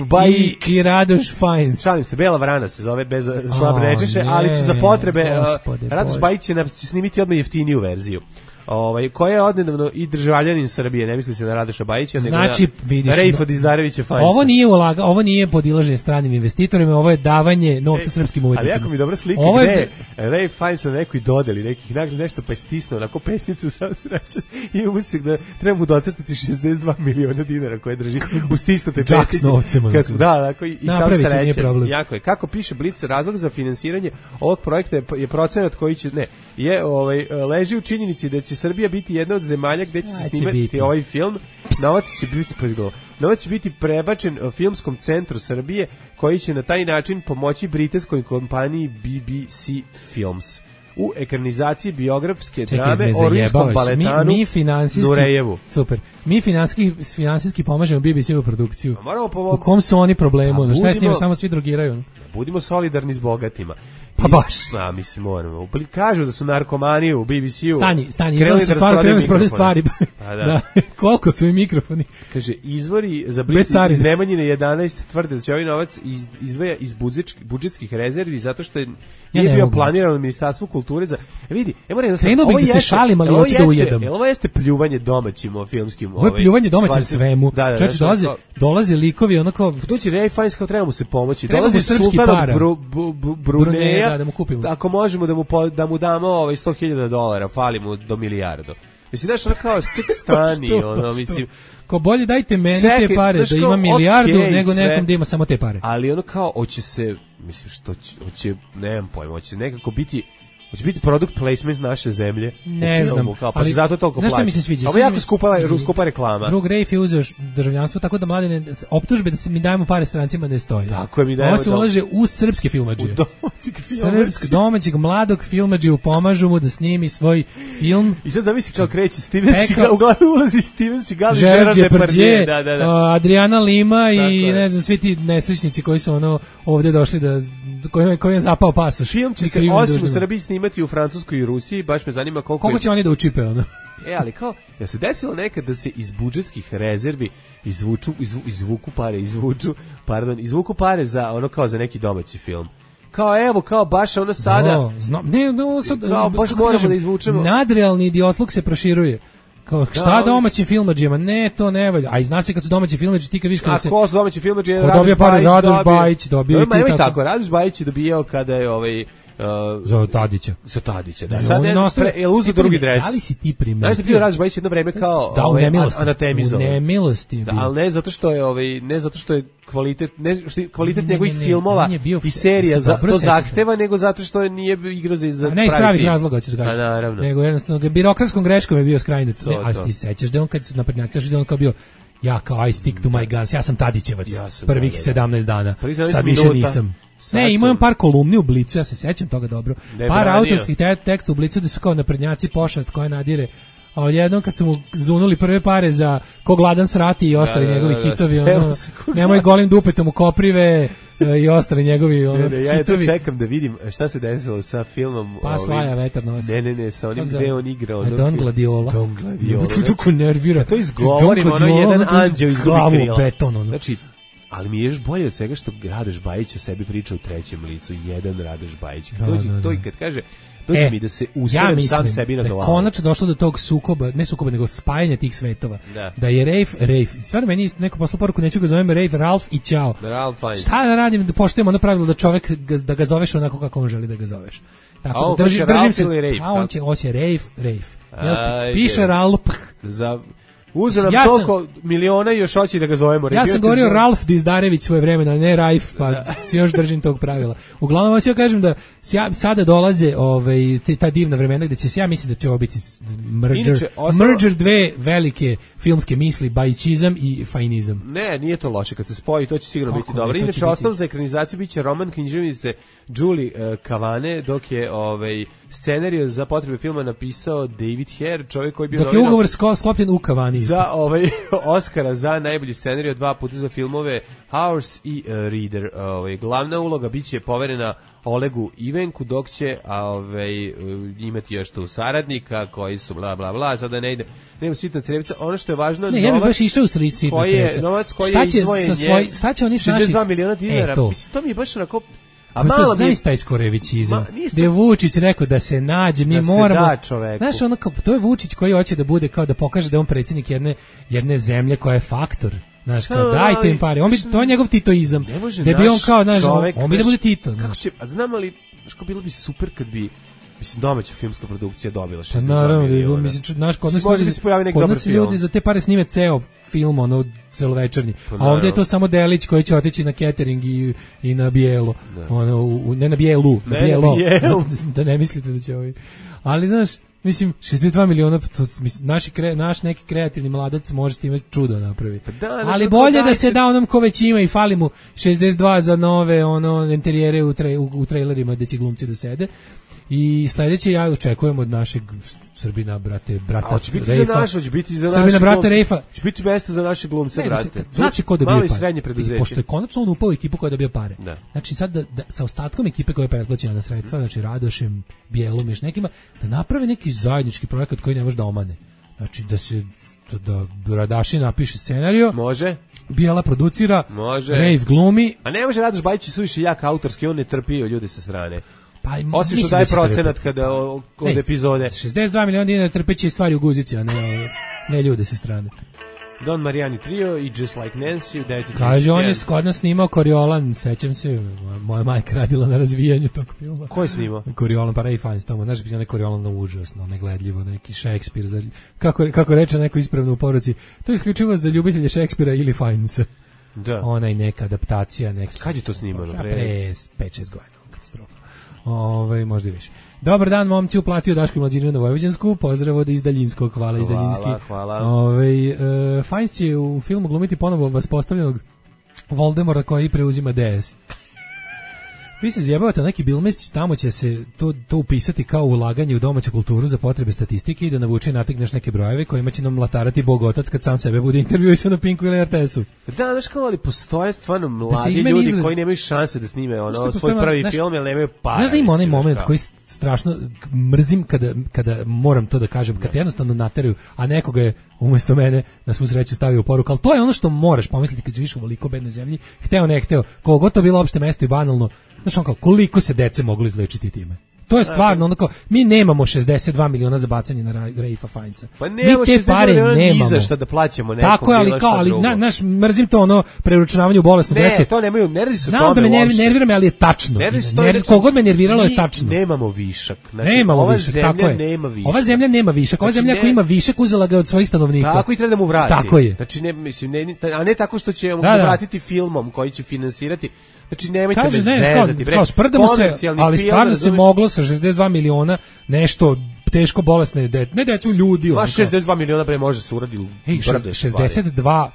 Bajić i Radoš Fiennes. Šalim se, Bela vrana se zove bez vrab nečeše, ali će za potrebe Radoš Bajić će snimiti odmah jeftiniju verziju. Koja je odnedavno i državljanin Srbije, ne misli se na Radoša Bajića, nego znači, na Rafe Dizdarevića Fiennesa. Ovo nije podilaženje stranim investitorima, ovo je davanje novca srpskim umetnicima. Ali jako mi dobra slika gde Rafe Fiennes na nekoj dodeli nekih nagrada nešto pa je stisnuo onako pesnicu sam srećan i umislim da treba mu docrtati 62 miliona dinara koje drži u stisnutoj pesnici. Da, i sam srećan. Jako je. Kako piše Blic, razlog za finansiranje ovog projekta je procenat koji će, leži u činjenici da će Srbija biti jedna od zemalja gde će se snimati ovaj film. Novac će biti prebačen filmskom centru Srbije koji će na taj način pomoći britanskoj kompaniji BBC Films u ekranizaciji biografske drame o rimskom baletanu Nurejevu. Super. Mi finansijski pomažemo BBC-u produkciju. U kom su oni problemu? Šta je s njima? Samo svi drogiraju. Budimo solidarni s bogatima. Pa baš. Mislim, moramo. Kažu da su narkomani u BBC-u. Stani, izgleda su krenuli s stvari. Da. Koliko su i mikrofoni? Kaže, izvori za Blic iz Nemanjine 11 tvrde da će ovaj novac izdvaja iz budžetskih rezervi zato što nije bio planiran u Ministarstvu kulture za... Vidi, krenuo bih da se šalim, ali hoću da ujedam. Ovo jeste pljuvanje domaćim filmskim... Ovo je pljuvanje domaćim svemu. Čeče, dolaze likovi onako... Tu će Ray Fiennes kao treba mu se pomoći. Dolazi sultan od Bruneja. Da mu kupimo. Ako možemo da mu damo $100,000, fali mu do milijardu. Mislim, znaš, ono kao ček stani, mislim... Ko bolje dajte meni te pare, da ima milijardu, nego nekom da ima samo te pare. Ali ono kao, hoće se, mislim, hoće, nemam pojma, hoće nekako biti... Hoće biti product placement naše zemlje. Ne znam, pa se zato toliko plaća. Znaš šta mi se sviđa? Ovo je jako skupa reklama. Drug Rafe je uzeo državljanstvo, tako da mladine optužbe da se mi dajemo pare strancima ne stoji. Tako je, mi dajemo. Ovo se ulaže u srpske filmadžije. Domaćeg mladog filmadžiju, pomažu mu da snimi svoj film. I sad zamisli kao kreće Steven Seagal, uglavnom ulazi Steven Seagal i Gerard Depardieu. Adriana Lima i ne znam, svi ti nesrećnici koji su ovdje došli da koji je zapao pasoš. Film će se osim u Srbiji snimati u Francuskoj i Rusiji, baš me zanima koliko će oni da učipe ono. Ali kao, ja se desilo nekad da se iz budžetskih rezervi izvuku pare za ono kao za neki domaći film. Kao baš ono sada. Kao baš moramo da izvučemo. Nadrealni idiotluk se proširuje. Kao, šta domaćim filmadžijama? Ne, to ne valja. A i zna se kad su domaći filmadži, ti kad viš kada se... A ko su domaći filmadži? Radoš Bajić dobio. Ima tako, Radoš Bajić je dobijao kada je za Tadića. Da. Sad je uzeo drugi dres. Da li si ti primetio? Znaš da bio Radoš Bajić jedno vreme kao anatemizovan. U nemilosti. Ali ne zato što je kvalitet njegovih filmova i serija to zahteva, nego zato što nije igrao za ne iz pravih razloga, hoćeš da kažeš. Naravno. Nego jednostavno birokratskom greškom je bio skrajnut. A ti sećaš da on kad su naprednjaci, da on kao bio ja kao I stick to my guns, ja sam Tadićevac prvih 17 dana, sad više nisam. Ne, imao par kolumni u Blicu, ja se sećam toga dobro. Par autorskih teksta u Blicu da su kao naprednjaci pošast koja nadire. A odjednom kad su mu zunuli prve pare za Ko gladan srati i ostali njegovi hitovi, nemoj golim dupetom u koprive i ostali njegovi hitovi. Ja to čekam da vidim šta se desilo sa filmom. Pa slaja vetar nosi. Ne, sa onim gde on igrao. Don Gladiola. To nervira. To izgovorim, jedan anđeo iz glavu beton. Znači, ali mi je još bolje od svega što Radoš Bajić o sebi priča u trećem licu, jedan Radoš Bajić. To i kad kaže, dođe mi da se usrem sam sebi na glavu. Konačno došlo do tog sukoba, ne sukoba, nego spajanja tih svetova. Da je Rafe, stvarno meni neko poslao poruku, neću ga zovem Rafe, Ralph i Ćao. Šta da radim, da poštujemo ono pravilo da čovek, da ga zoveš onako kako on želi da ga zoveš. Tako, a on držim se, Rafe? A on će Rafe. Piše Ralph. Uzeo nam toliko miliona i još hoće da ga zovemo. Ja sam govorio Ralf Dizdarević svoje vremena, ne Raif, pa se još držim tog pravila. Uglavnom, hoću ja kažem da sada dolaze ta divna vremena gde će se, ja mislim da će ovo biti merger dve velike filmske misli, bajčizam i fajnizam. Ne, nije to loše, kad se spoji, to će sigurno biti dobro. Inače, osnov za ekranizaciju biće roman književnice Julie Cavane, dok je scenariju za potrebe filma napisao David Hare, čovjek koji je bio dok je ugovor sklopljen u Cavani. Za Oscara za najbolji scenariju 2 puta za filmove Hours i Reader. Glavna uloga biće poverena Olegu Ivenku, dok će imati još tu saradnika koji su bla bla bla, sada ne ide, nema sitna crevica. Ono što je važno, ne, ja bih baš išao u sitna crevica. Novac koji je izdvojen je $62 miliona dinara. Mislim, to mi je baš onako... A malo mi je taj skorevićizam. Gde je Vučić rekao da se nađe, mi moramo. Znaš, ono kao, to je Vučić koji hoće da bude kao da pokaže da je on predsjednik jedne zemlje koja je faktor. Znaš, kao dajte im pare. To je njegov titoizam. Da bi on kao, znaš, on bi da bude Tito. Kako će, a znam ali, bilo bi super kad bi, mislim, domaća filmska produkcija dobila 62 miliona. Naravno, mislim, znaš, kod nas ljudi za te pare snime ceo film, ono, celovečernji. A ovdje je to samo delić koji će otići na catering i na bijelo. Ono, ne na bijelu, na bijelo. Da ne mislite da će ovi. Ali, znaš, mislim, 62 miliona, naš neki kreativni mladac može s time čudo napraviti. Ali bolje da se da onom ko već ima i fali mu 62 za nove interijere u trailerima gde će glumci da sede. I sledeće ja očekujem od našeg Srbina, brata Reifa. Hoće biti za Srbina, brata Reifa. Će biti mesta za naše glumce, brate. Znači ko dobije pare. Pošto je konačno on upao ekipu koja dobija pare. Znači sad da sa ostatkom ekipe koja je pretplaćena na sredstva, znači Radošem, Bijelom, još nekima, da naprave neki zajednički projekat koji ne može da omane. Znači da Radaši napiše scenarijo. Može. Bijela producira. Može. Reif glumi. A ne može Radoš Bajić suviše jak autorski, on ne trpi ljude sa strane. Osim što daje procenat kada od epizode. 62 miliona dinara trpeće stvari u guzici, a ne ljude sa strane. Don Marijani Trio i Just Like Nancy u 9. Kaže, on je kod nas snimao Coriolan, sećam se, moja majka radila na razvijanju tog filma. Ko je snimao? Coriolan, pa Ray Fiennes tamo, znaš, ne Coriolan na užasno, negledljivo, neki Shakespeare, kako reče neko ispravno u poruci, to je isključivo za ljubitelje Shakespearea ili Fiennesa. Da. Ona i neka adaptacija. Kad je to snimano? Pre 5-6 godina, katastrofa. Možda i više. Dobar dan, momci, uplatio Daško i Mlađinu na Vojvođansku, pozdrav od iz Daljinskog, hvala iz Daljinski. Hvala. Fiennes će u filmu glumiti ponovo vaspostavljenog Voldemora koji preuzima DS. Vi se zjebavate, neki Bilmest, tamo će se to upisati kao ulaganje u domaću kulturu za potrebe statistike i da navuče i nategneš neke brojeve kojima će nam latarati Bog otac kad sam sebe bude intervjuisao na Pinku ili RTS-u. Da, znaš kao, ali postoje stvarno mladi ljudi koji nemaju šanse da snime svoj prvi film, jer nemaju para. Znaš da ima onaj moment koji strašno mrzim kada moram to da kažem, kad te jednostavno nateraju, a nekoga je umjesto mene na svu sreću stavio poruku, ali to je ono što moraš pomisliti kad živiš u veliko bednoj zemlji, hteo ne hteo, koliko to bilo opšte mesto i banalno. Znaš on kao, koliko se dece moglo izlečiti time? To je stvarno, ono kao, mi nemamo 62 miliona za bacanje na Reifa Fiennesa. Pa nemamo 62 miliona ni za šta da plaćamo nekom. Tako je, ali kao, naš, mrzim to ono, preučavanje u bolesnu dece. Ne, to nemaju, ne radi se o tome uopšte. Znam da me nervira me, ali je tačno. Kogod me nerviralo je tačno. Nemamo višak. Znači, nemamo višak, tako je. Nema višak. Ova zemlja nema višak. Ova zemlja ako ima višak, uzela ga od svojih stanovnika. Tako i treba da mu vrati. Tako je. Znači, a ne tako što će mu vratiti filmom koji će finansirati. Znači, nemojte me zezati. Kao sprdamo se, ali stvarno se moglo sa 62 miliona nešto teško bolesne ne decu ljudi. Ma 62 miliona bre može se uradi. 62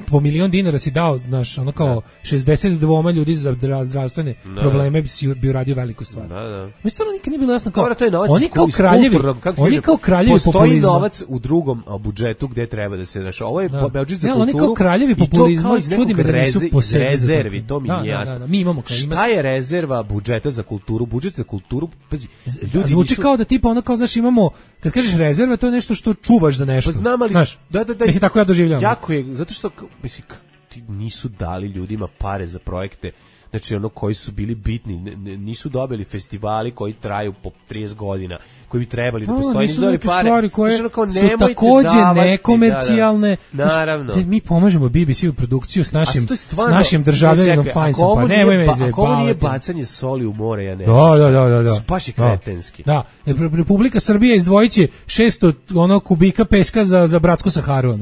po milion dinara si dao, znaš, ono kao 62 ljudi za zdravstvene probleme bi uradio veliku stvar. Da. Mi stvarno nikad nije bilo jasno kao, oni kao kraljevi populizma. Postoji novac u drugom budžetu gdje treba da se, znaš, ovo je budžet za kulturu. Oni kao kraljevi populizma, čudi me da nisu posebni rezervi, to mi nije jasno. Mi imamo kao šta je rezerva budžeta za kulturu? Budžet za kulturu, pazi, ljudi zvuči kao da tipa ono kao, znaš, imamo, kad kažeš rezerva, to je nešto što čuvaš za nešto. Pa znam, ali da. Mislim, tako ja doživljavam. Jako je, zato što, mislim, ti nisu dali ljudima pare za projekte. znači ono koji su bili bitni, nisu dobili festivali koji traju po 30 godina, koji bi trebali da postoji, nisu dobili pare. Stvari koje znači, ono, su takođe nekomercijalne. Naravno. Znači, mi pomažemo BBC u produkciju s našim državljaninom Fajnsom, pa nemoj me zajebavati. Ako ovo nije bacanje soli u more, ja ne Da. Baš je kretenski. Da, Republika Srbija izdvojiće 600 kubika peska za bratsku Saharu.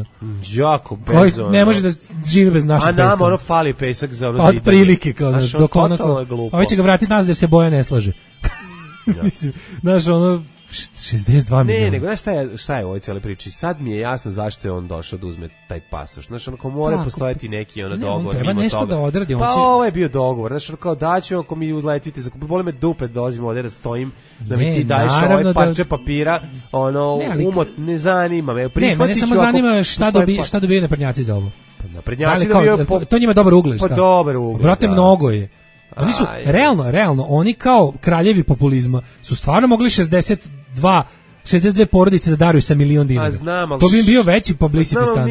Jako bezno. Ne može da živi bez našeg peska. A nama ono fali pesak za ono zidanje. Od prilike, kao dok ono glupo. Ovo će ga vratiti nazad jer se Boja ne slaže. Mislim, znaš, ono 62 miliona. Ne, nego šta je u ovoj cijeli priči? Sad mi je jasno zašto je on došao da uzme taj pasoš. Znaš, onako mora postojati neki dogovor. Treba nešto toga. Da odradi. Pa ovo je bio dogovor. Znaš, ono kao daću ako mi uzletite, boli me dupe da dolazim ovdje da stojim, da mi ti daješ ovaj parče papira, ne zanima me. Ne, mene samo zanima šta dobiju naprednjaci za ovo. Naprednjaci dobiju... To njima dobar ugled, šta? Pa dobar ugled, brate, mnogo je. Oni su, realno, oni kao kraljevi populizma su stvarno mogli 62 porodice da daruju sa $1.000.000 dinara. To bi im bio veći publicity stand.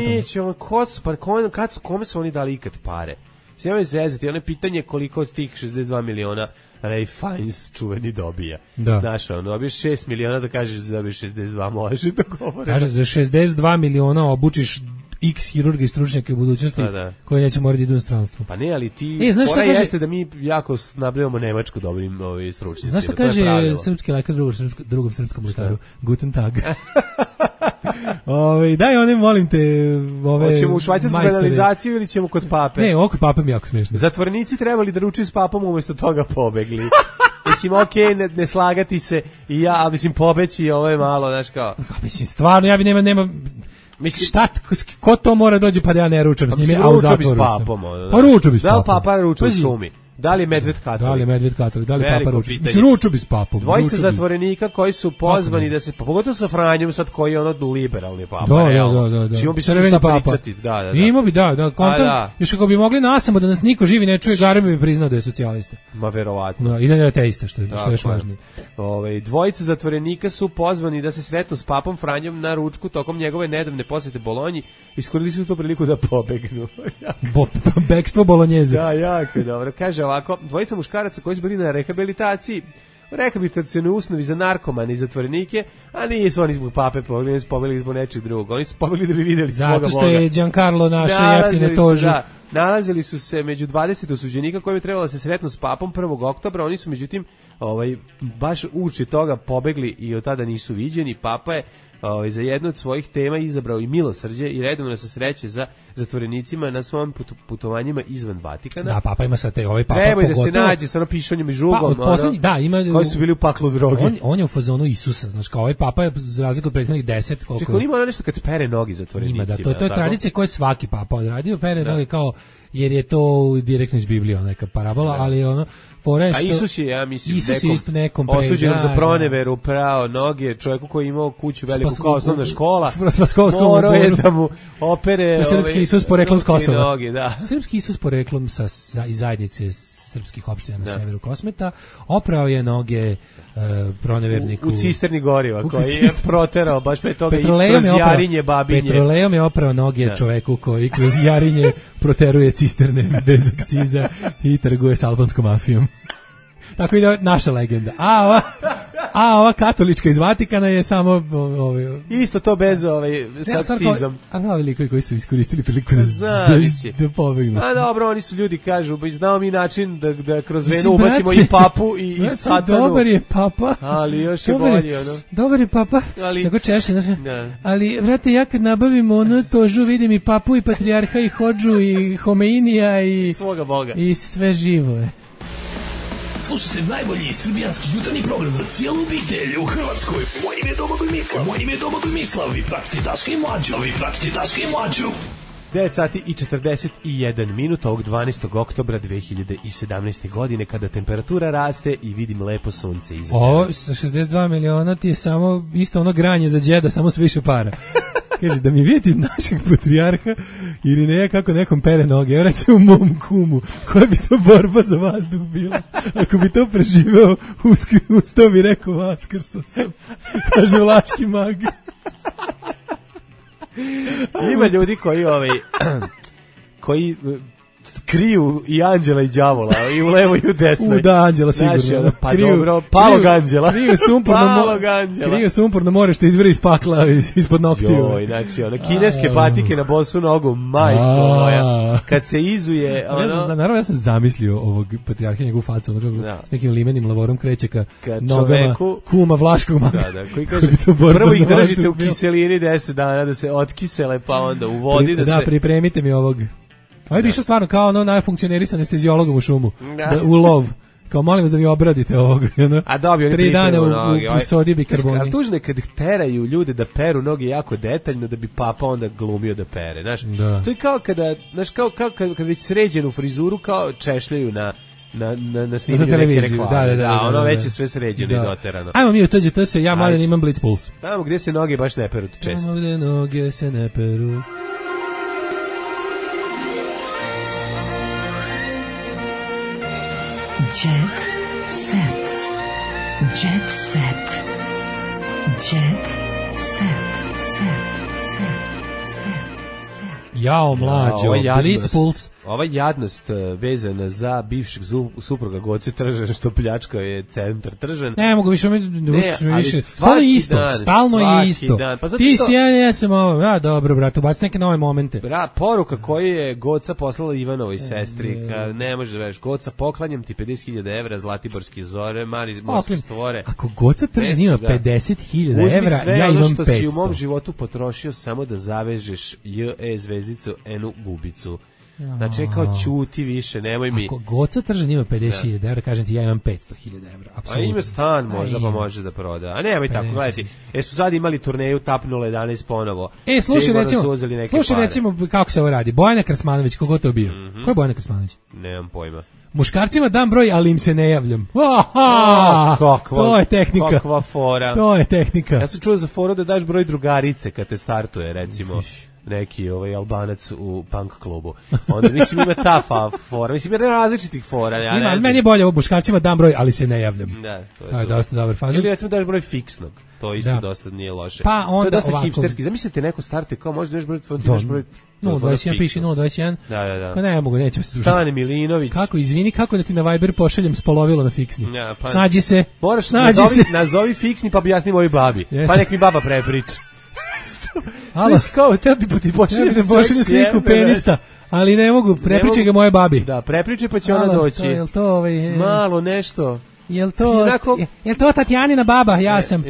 Kome su oni dali ikad pare? Sve me zezati, ono je pitanje koliko od tih 62 miliona Ray Fiennes čuveni dobija. Znaš, dobiješ 6 miliona da kažeš da dobiješ 62, može da govore. Kaže, za 62 miliona obučiš X hirurga i stručnjaka u budućnosti koji neće morati idu u stranstvo. Pa ne, ali ti pora jeste da mi jako nabavljamo Nemačku dobrim stručnjacima. Znaš šta kaže srpski lekar drugom srpskom lekaru? Guten Tag. Daj one, molim te, hoćemo u švajcarsku kanalizaciju ili ćemo kod pape? Ne, ovo kod pape mi jako smiješno. Zatvorenici trebali da ručuju s papom, umjesto toga pobegli. Mislim, okej, ne slagati se i ja, ali mislim, pobeći, ovo je malo, znaš kao. Mislim, stvarno, ja bi nema mislim, šta, ko to mora dođe pa da ja ne ručam s njime, a u zatvoru sam. Pa ruču bi s papom. Da li papa ruču u šumi? Da li je medved katolik? Da li papa ruču? Mislim, ruču bi s papom. Dvojica zatvorenika koji su pozvani da se, pogotovo sa Franjom sad koji je ono liberalni papa. Da. Čimo bi se šta pričati. Ima bi, još ako bi mogli nasamo da nas niko živi ne čuje, Garbi bi priznao da je socijalista. Ma verovatno. I da je ateista, što je još važnije. Dvojica zatvorenika su pozvani da se sretnu s papom Franjom na ručku tokom njegove nedavne posete Bolonji. Iskoristili su tu priliku da pobegnu. Bekstvo Bolonjeze. Da, jako je dobro. Kaže ovako, dvojica muškaraca koji su bili na rehabilitacionoj usnovi za narkomane i zatvorenike, a nisu oni zbog pape pobegli, oni su pobegli zbog nečeg drugog. Oni su pobegli da bi vidjeli svoga Boga. Zato što je Giancarlo naše jeftine tože. Nalazili su se među 20 osuđenika koji bi trebalo da se sretnu s papom 1. oktobra. Oni su međutim baš uoči toga pobegli i od tada nisu viđeni. Papa je za jednu od svojih tema izabrao i milosrđe i redovno se sreće za zatvorenicima na svom putovanjima izvan Vatikana. Da, papa ima sad papa treba da se nađe sa pišonjem i žugom, koji su bili u paklu droge. On je u fazonu Isusa, znaš, kao ovaj papa je za razliku od prethodnih 10 koliko. Čekaj, ima nešto kad pere nogi zatvorenicima. Ima, to je tradicija koju je svaki papa odradio, pere noge kao, jer je to direktno iz Biblije, neka parabola, ali ono a Isus je, ja mislim, nekom osuđen za proneveru, prao noge, čovjeku koji je imao kuću veliku kao osnovna škola, morao je da mu opere srpski Isus poreklom s Kosova. Srpski Isus poreklom iz zajednice srpskih opština na severu Kosmeta, oprao je noge proneverniku u cisterni goriva koji je proterao baš pre toga i kroz Jarinje babinje. Petrolejom je oprao noge čoveku koji kroz Jarinje proteruje cisterne bez akciza i trguje s albanskom mafijom. Tako ide naša legenda. A ova katolička iz Vatikana je samo isto to bez s akcizom. A ovi likovi koji su iskoristili priliku da pobegnu. A dobro, oni su ljudi, kažu, znao mi način da kroz venu ubacimo i papu i satanu. Dobar je papa. Ali još je bolje, Dobar je papa. Sako češe, ali, vrate, ja kad nabavim tožu, vidim i papu i patrijarha i hodžu i Homeinija i svoga Boga. I sve živo je. Slušajte najbolji srbijanski jutarnji program za cijelu obitelj u Hrvatskoj. Moje ime je Domagoj Mislav. Vi pratite Daška i Mlađu. 9 sati i 41 minut ovog 12. oktobra 2017. godine kada temperatura raste i vidim lepo sunce iza. Ovo sa 62 miliona ti je samo isto ono granje za džeda, samo s više para. Kaže, da mi vidjeti našeg patrijarha ili ne, kako nekom pere noge. Evo recimo mom kumu, koja bi to borba za vazduh bila. Ako bi to preživeo, ustao bi rekao, vaskrso sam. Kaže vlaški mag. Ima ljudi koji kriju i anđela i đavola, i u levo i u desnoj. Da, anđela sigurno. Znaš, pa dobro, palog anđela. Kriju sumporno more što izvire iz pakla ispod noktiju. Joj, znači, kineske patike na bosu nogu, majko moja. Kad se izuje, naravno, ja sam zamislio ovog patrijarha, njegovu facu, s nekim limenim lavorom kreće ka nogama kuma Vlaškog maka. Da, koji kaže, prvo ih držite u kiselini 10 dana da se otkisele, pa onda u vodi da se... Da, pripremite mi ovog. Ovo bi išao stvarno kao najfunkcioneri sa anestezijologom u šumu, u lov. Kao molim vas da mi obradite ovog. A dobio, 3 dana u sodi bikarboni. A tužno je kad teraju ljude da peru noge jako detaljno da bi papa onda glumio da pere. Znaš, to je kao kada, znaš, kao kad već sređenu frizuru kao češljaju na snimlju neke reklame. Da, ono već je sve sređeno i doterano. Ajmo mi u TGT se, ja mladen imam Blitz Puls. Tamo gdje se noge baš ne peru često. Tamo gdje noge se ne peru. Jet set. Jet set. Jet set. Jao mlađo, Blitz Puls. Ova jadnost vezana za bivšeg supruga Goce Tržan što pljačkao je centar Tržan. Ne mogu više, stalno je isto. Pa ti si ja sam ovo, ja dobro brate, ubaci neke nove momente. Poruka koju je Goca poslala Ivanovoj sestri, ne možeš da veš, Goca, poklanjam ti 50.000 evra, Zlatiborski zore, mali morski stvore. Ako Goca Tržan ima 50.000 evra, ja imam 500. Što si u mom životu potrošio samo da zavežeš JE zvezdicu Enu Gubicu. Znači, kao ćuti više, nemoj mi... Ako Goca Tržan ima 50.000 evra, kažem ti, ja imam 500.000 evra. A ima stan možda, pa može da proda. A nemoj tako, gledajte, su sad imali turneju Tap 011 ponovo. Slušaj recimo kako se ovo radi. Bojana Krasmanović, kogo to bio? Ko je Bojana Krasmanović? Nemam pojma. Muškarcima dam broj, ali im se ne javljam. To je tehnika. Kakva fora. To je tehnika. Ja sam čuo za foru da daš broj drugarice kad te startuje, recimo. Neki Albanac u punk klubu. Onda mislim ima ta fora, mislim ima različitih fora. Ja ima, meni je bolje ovo, muškarcima dam broj, ali se ne javljam. Da, to je dosta dobar fazon. Ili recimo daš broj fiksnog, to isto dosta nije loše. Pa onda to je dosta ovako hipsterski. Zamislite neko startuje kao možda daš broj 021 piši 021. Da. Kao ne mogu, nećemo se družiti. Stane Milinović. Kako da ti na Viber pošaljem spolovilo na fiksni. Snađi se. Moraš nazovi fiksni pa objasni mojoj babi. Pa nek mi baba prepriča. Znaš kao, tebi ti pošaljem sliku penista, ali ne mogu, prepričaj ga moje babi. Da, prepričaj pa će ona doći. Jel to malo nešto. Jel to Tatjanina baba? Ja sam.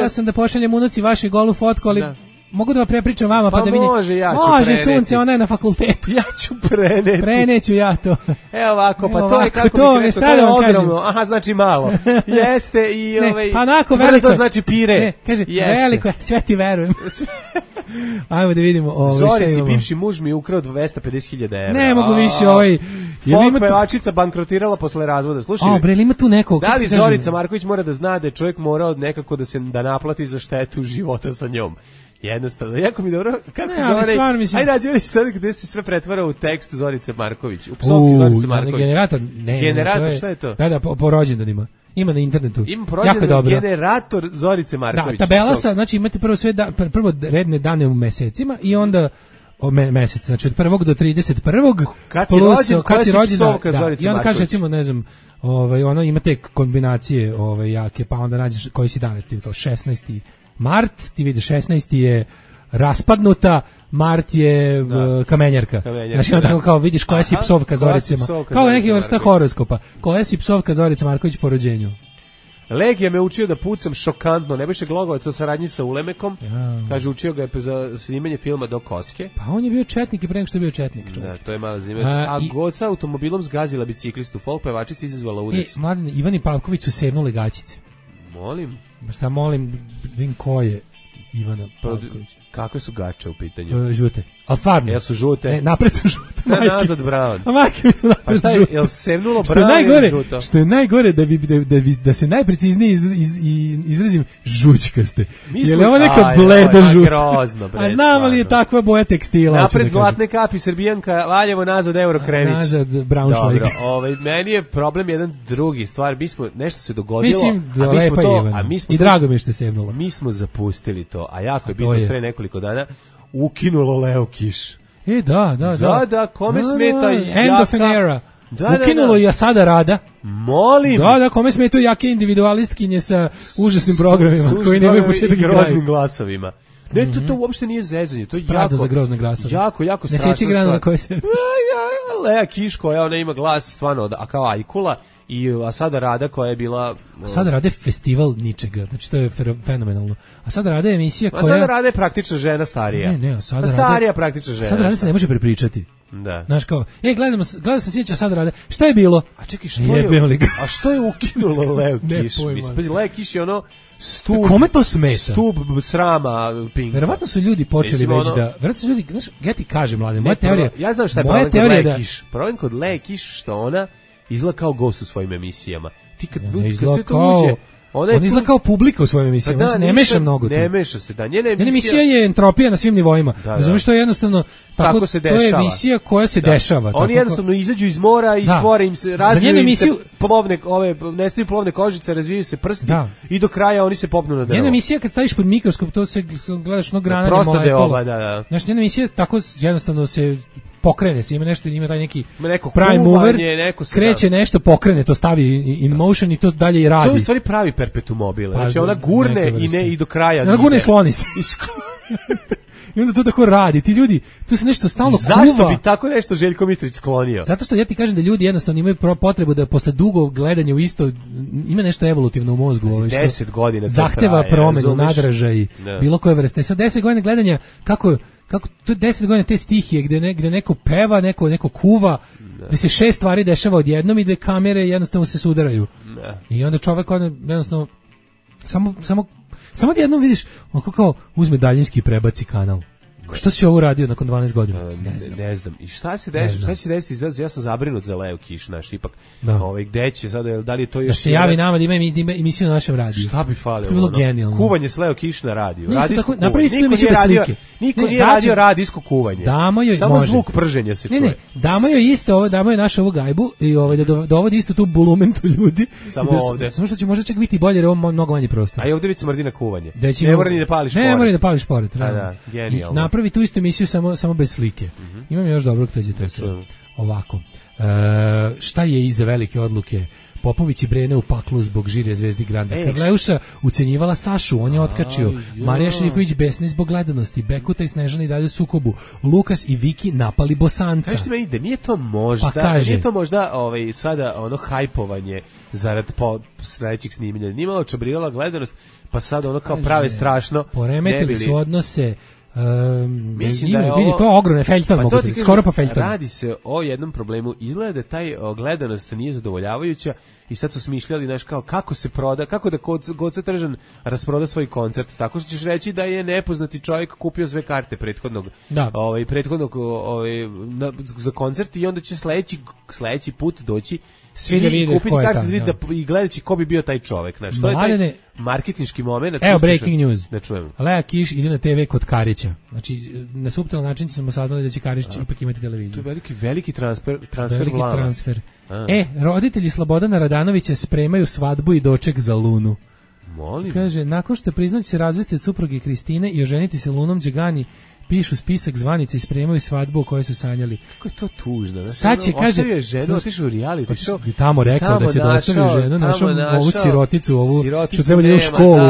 Ja sam da pošaljem unuci vašu golu fotku, ali mogu da vam prepričam vama pa da vidite. Može, sunce, ona je na fakultetu. Ja ću preneti. Preneću ja to. Evo ovako, pa to je kako mi rekao, to je ogromno. Aha, znači malo. Jeste i veliko znači pire. Kaže, veliko je, sve ti verujem. Ajmo da vidimo. Zorici, bivši muž mi je ukrao 250.000 evra. Ne mogu više Folk pevačica bankrotirala posle razvoda. Slušaj, ima tu nekog. Da li Zorica Marković mora da zna da je čovjek morao nekako da naplati za štetu života sa njom? Jednostavno, jako mi dobro, kako zove, ajde nađi sad gde se sve pretvara u tekst Zorice Marković, u psovki Zorice Marković. Generator, šta je to? Da, po rođendanima. Ima na internetu. Ima rođendan generator Zorice Marković. Da, tabela sa, znači imate prvo redne dane u mesecima i onda mesec, znači od 1. do 31. Kad si rođen, psovka Zorice Marković. I onda kaže, recimo, ne znam, ono ima te kombinacije jake, pa onda nađeš koji si dan, kao 16. Mart, ti vidiš 16. je raspadnuta, Mart je kamenjarka. Znači onda kao vidiš koja si psovka Zorice Marković. Kao neki vrsta horoskopa. Koja si psovka Zorice Marković po rođenju? Legija me učio da pucam šokantno. Nebojša Glogovac o saradnji sa Ulemekom. Kaže, učio ga je za snimanje filma Do koske. Pa on je bio četnik i pre nego što je bio četnik. Da, to je mala zimač. A Goca automobilom zgazila biciklistu. Folk pevačica izazvala udes. Mladen, Ivan i Pavković su sevnule gaćice. Molim? Šta molim, vidim ko je Ivana Pavković. Kakve su gače u pitanju? Žute. Ali stvarno. Jel su žute? Ne, napred su žute. Nazad brown. A majke mi su napred žute. Pa šta je, jel sevnulo brown ili žuto? Što je najgore, da se najpreciznije izrazim, žućkaste. Je li ovo neka bleda žuta? Grozno, bre. A znam li je takva boja tekstila? Napred zlatne kapi, Srbijanka, Valjevo, nazad Eurokrenić. Nazad Braunschweig. Dobro, meni je problem jedan drugi stvar. Mi smo, nešto se dogodilo. Mislim da lepa Ivana. I drago mi je što je sevnulo. Mi smo zapustili to, a jako je bilo pre nekoliko dana ukinulo Leo Kiš. Da, kome smeta End of an era. Ukinulo i Asada Rada. Molim. Da, kome smetaju jake individualistkinje sa užasnim programima koji nemaju početak i kraj. Groznim glasovima. Ne, to uopšte nije zezanje, to je Prada za grozne glasove. Jako strašno. Ne seći grana na koje se... Lea Kiš koja ona ima glas stvarno kao Ajkula i Asada Rada koja je bila... Asada Rada je festival ničega, znači to je fenomenalno. Asada Rada je emisija koja... Asada Rada je praktično žena starija. Ne, Asada Rada... Starija praktično žena. Asada Rada se ne može prepričati. Da. Znaš kao, gledao sam sjeća Asada Rada, šta je bilo? A čekaj, što je ukinulo Leo Kiš? Mislim, Leo Kiš je ono stub... Kome to smeta? Stub srama Pinka. Verovatno su ljudi počeli već da... Verovatno su ljudi, znaš, ja ti kažem, mlade, moja teorija... Ja znam šta je problem kod Leo Kiš. Problem kod Leo Kiš što ona izgleda kao gost u svojim emisijama. Ti kad sve to uđe... On izgleda kao publika u svojim emisijama, on se ne meša mnogo tu. Ne meša se, da. Njena emisija je entropija na svim nivoima. Razumiješ, to je jednostavno tako se dešava. To je emisija koja se dešava. Oni jednostavno izađu iz mora i stvore im se, razviju im se nestaju plovne kožice, razvijaju se prsti i do kraja oni se popnu na drvo. Njena emisija kad staviš pod mikroskop, to se gledaš grana molekula. Znaš, njena emisija tako jednostavno se pokrene se, ima taj neki prime mover, kreće nešto, pokrene, to stavi in motion i to dalje i radi. To je u stvari pravi perpetuum mobile. Znači ona gurne i do kraja. Ona gurne i skloni se. I onda to tako radi. Ti ljudi, tu se nešto stalno kuva. Zašto bi tako nešto Željko Mitrović sklonio? Zato što ja ti kažem da ljudi jednostavno imaju potrebu da posle dugo gledanja u isto, ima nešto evolutivno u mozgu. 10 godina zahteva promenu, nadražaj, bilo koje vrste. Sad 10 godina gledanja, kako to 10 godina te stihije gde neko peva, neko kuva, gde se 6 stvari dešava odjednom i gde kamere jednostavno se sudaraju. I onda čovek jednostavno samo jednom vidiš, on kao uzme daljinski i prebaci kanal. Što si ovo uradio nakon 12 godina? Ne znam. I šta će se desiti? Ja sam zabrinut za Leo Kiš, naš, ipak. Gde će sada, da li je to još... Da se javi nama da ima emisiju na našem radiju. Šta bi falilo? To je bilo genijalno. Kuvanje s Leo Kiš na radiju. Napravi se tu emisiju bez slike. Niko nije radio radijsko kuvanje. Samo zvuk prženja se čuje. Ne, damo joj isto ovo, damo joj našu ovu gajbu i da dovodi isto tu bulumentu ljudi. Samo ovde. Samo što će možda čak biti bolje jer ovo mnogo manje prostora. A i ovde već smrdi na kuvanje. Ne mora ni da pališ pored. Ne mora ni da pališ pored. Da, genijalno. Napravi tu istu emisiju samo bez slike. Imam još dobrog teđete ovako. Šta je iza velike odluke? Popović i Brene u paklu zbog žirje Zvezdi Granda. Karleuša ucenjivala Sašu, on je otkačio. Marija Šerifović besni zbog gledanosti. Bekuta i Snežana i dalje u sukobu. Lukas i Viki napali Bosanca. Kažete me ide, nije to možda sada ono hajpovanje zarad sledećeg snimanja. Nije malo čabrirala gledanost, pa sad ono kao prave strašno. Poremetili su odnose. Mislim da je vidi, to ogromne Feljton mogu ti, skoro pa Feljton. Radi se o jednom problemu, izgleda da taj gledanost nije zadovoljavajuća i sad su smišljali, znaš, kao kako se proda, kako da Goca Tržan rasproda svoj koncert, tako što ćeš reći da je nepoznati čovjek kupio sve karte prethodnog za koncert i onda će sledeći put doći svi kupiti karte i gledajući ko bi bio taj čovjek, znaš, to je taj marketinški moment. Evo breaking news. Ne čujem. Lea Kiš ide na TV kod Karića. Znači, na suptilan način smo saznali da će Karić ipak imati televiziju. To je veliki transfer transfer. Roditelji Slobodana Radanovića spremaju svadbu i doček za Lunu. Molim. Kaže, nakon što priznaće se razvesti od supruge Kristine i oženiti se Lunom Đegani, pišu spisak zvanice i spremaju svadbu o kojoj su sanjali. Kako je to tužno. Sad će, kaže, ostavio ženu, otišao u reality show. I tamo rekao da će da ostavi ženu, našao ovu siroticu, ovu što treba da je u školu.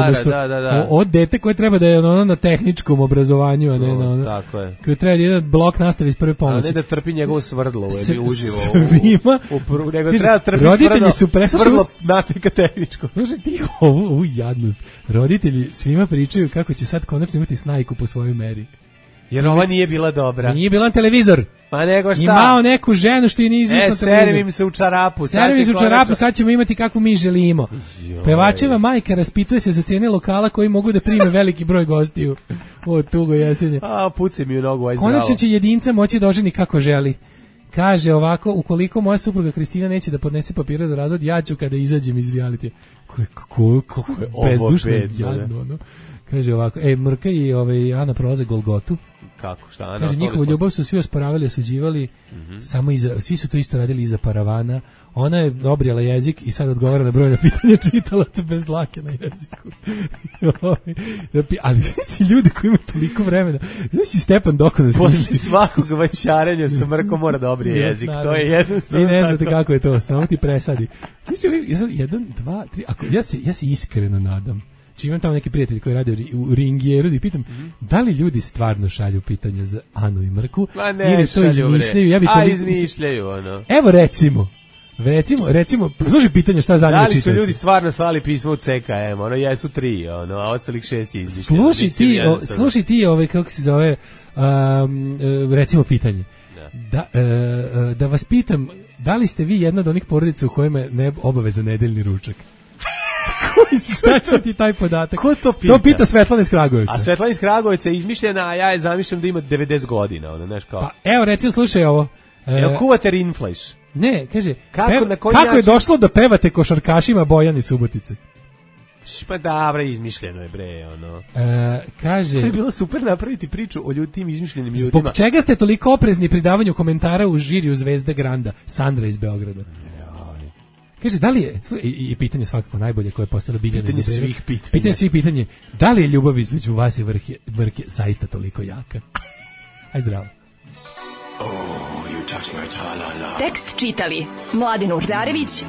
Od dete koje treba da je ono na tehničkom obrazovanju, a ne na ono. Tako je. Koje treba da jedan blok nastavi iz prve pomoći. A ne da trpi njegovo svrdlo, uživo. Svima. Nego treba trpi svrdlo nastavika tehničko. Slušaj ti ovu jadnost. Roditelji svima pričaju kako će sad konačno imati snajku po svojoj meri. Jer ova nije bila dobra. Nije bila na televizor. Pa nego šta? Imao neku ženu što je nije izišla na televizor. Servim se u čarapu. Sad ćemo imati kakvu mi želimo. Pevačeva majka raspituje se za cijene lokala koji mogu da prime veliki broj gostiju. O, tugo jesenje. Puci mi u nogu, aj zdravo. Konačno će jedinca moći da oženi kako želi. Kaže ovako, ukoliko moja supruga Kristina neće da podnese papira za razvod, ja ću kada izađem iz realitija. Kako je bezdušno jadno, ono. Kaže ovako, Mrka i Ana prolaze Golgotu. Kako, šta Ana? Kaže, njihovu ljubav su svi osporavali, osuđivali, samo svi su to isto radili iza paravana. Ona je obrijala jezik i sad odgovara na brojna pitanja čitalaca bez dlake na jeziku. Ali si ljudi koji imaju toliko vremena. Znaš si Stepan Dokonac. Posle svakog vaćarenja sa Mrkom mora da obrije jezik. To je jednostavno. I ne znate kako je to, samo ti presadi. Jedan, dva, tri, ja se iskreno nadam. Znači imam tamo neki prijatelj koji radi u Ringijeru i pitam, da li ljudi stvarno šalju pitanja za Anu i Mrku ili to izmišljaju? Izmišljaju, ono. Evo recimo, slušaj pitanje šta zanima čitaoci. Da li su ljudi stvarno slali pismo u CKM, ono, jesu 3, ono, a ostalih 6 je izmišljeno. Slušaj ti, kako se zove, recimo pitanje. Da vas pitam, da li ste vi jedna od onih porodica u kojima je obaveza nedeljni ručak? Šta će ti taj podatak? Ko to pita? To pita Svetlana iz Kragujevca. A Svetlana iz Kragujevca je izmišljena, a ja je zamišljam da ima 90 godina, ono, znaš kao. Pa evo, recimo, slušaj ovo. Jel kuvate rinfleš? Ne, kaže, kako je došlo da pevate košarkašima Bojan i Subotice? Pa dobra, izmišljeno je, bre, ono. Kaže... To je bilo super napraviti priču o tim izmišljenim ljudima. Zbog čega ste toliko oprezni pri davanju komentara u žiriju Zvezde Granda? Sandra iz Beograda. Kaže, da li je, i pitanje svakako najbolje koje je postalo Biljana pitanje Izaberović. svih pitanja. Pitanje svih pitanja, da li je ljubav između vas i Mrke zaista toliko jaka? Aj zdravo. Tekst čitali Mladin Urdarević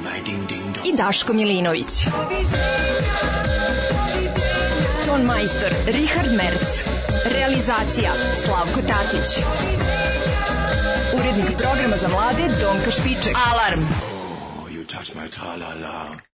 i Daško Milinović. Ton majstor Richard Merc. Realizacija Slavko Tatić. Urednik programa za mlade Donka Špiček. Alarm! Touch my tra-la-la.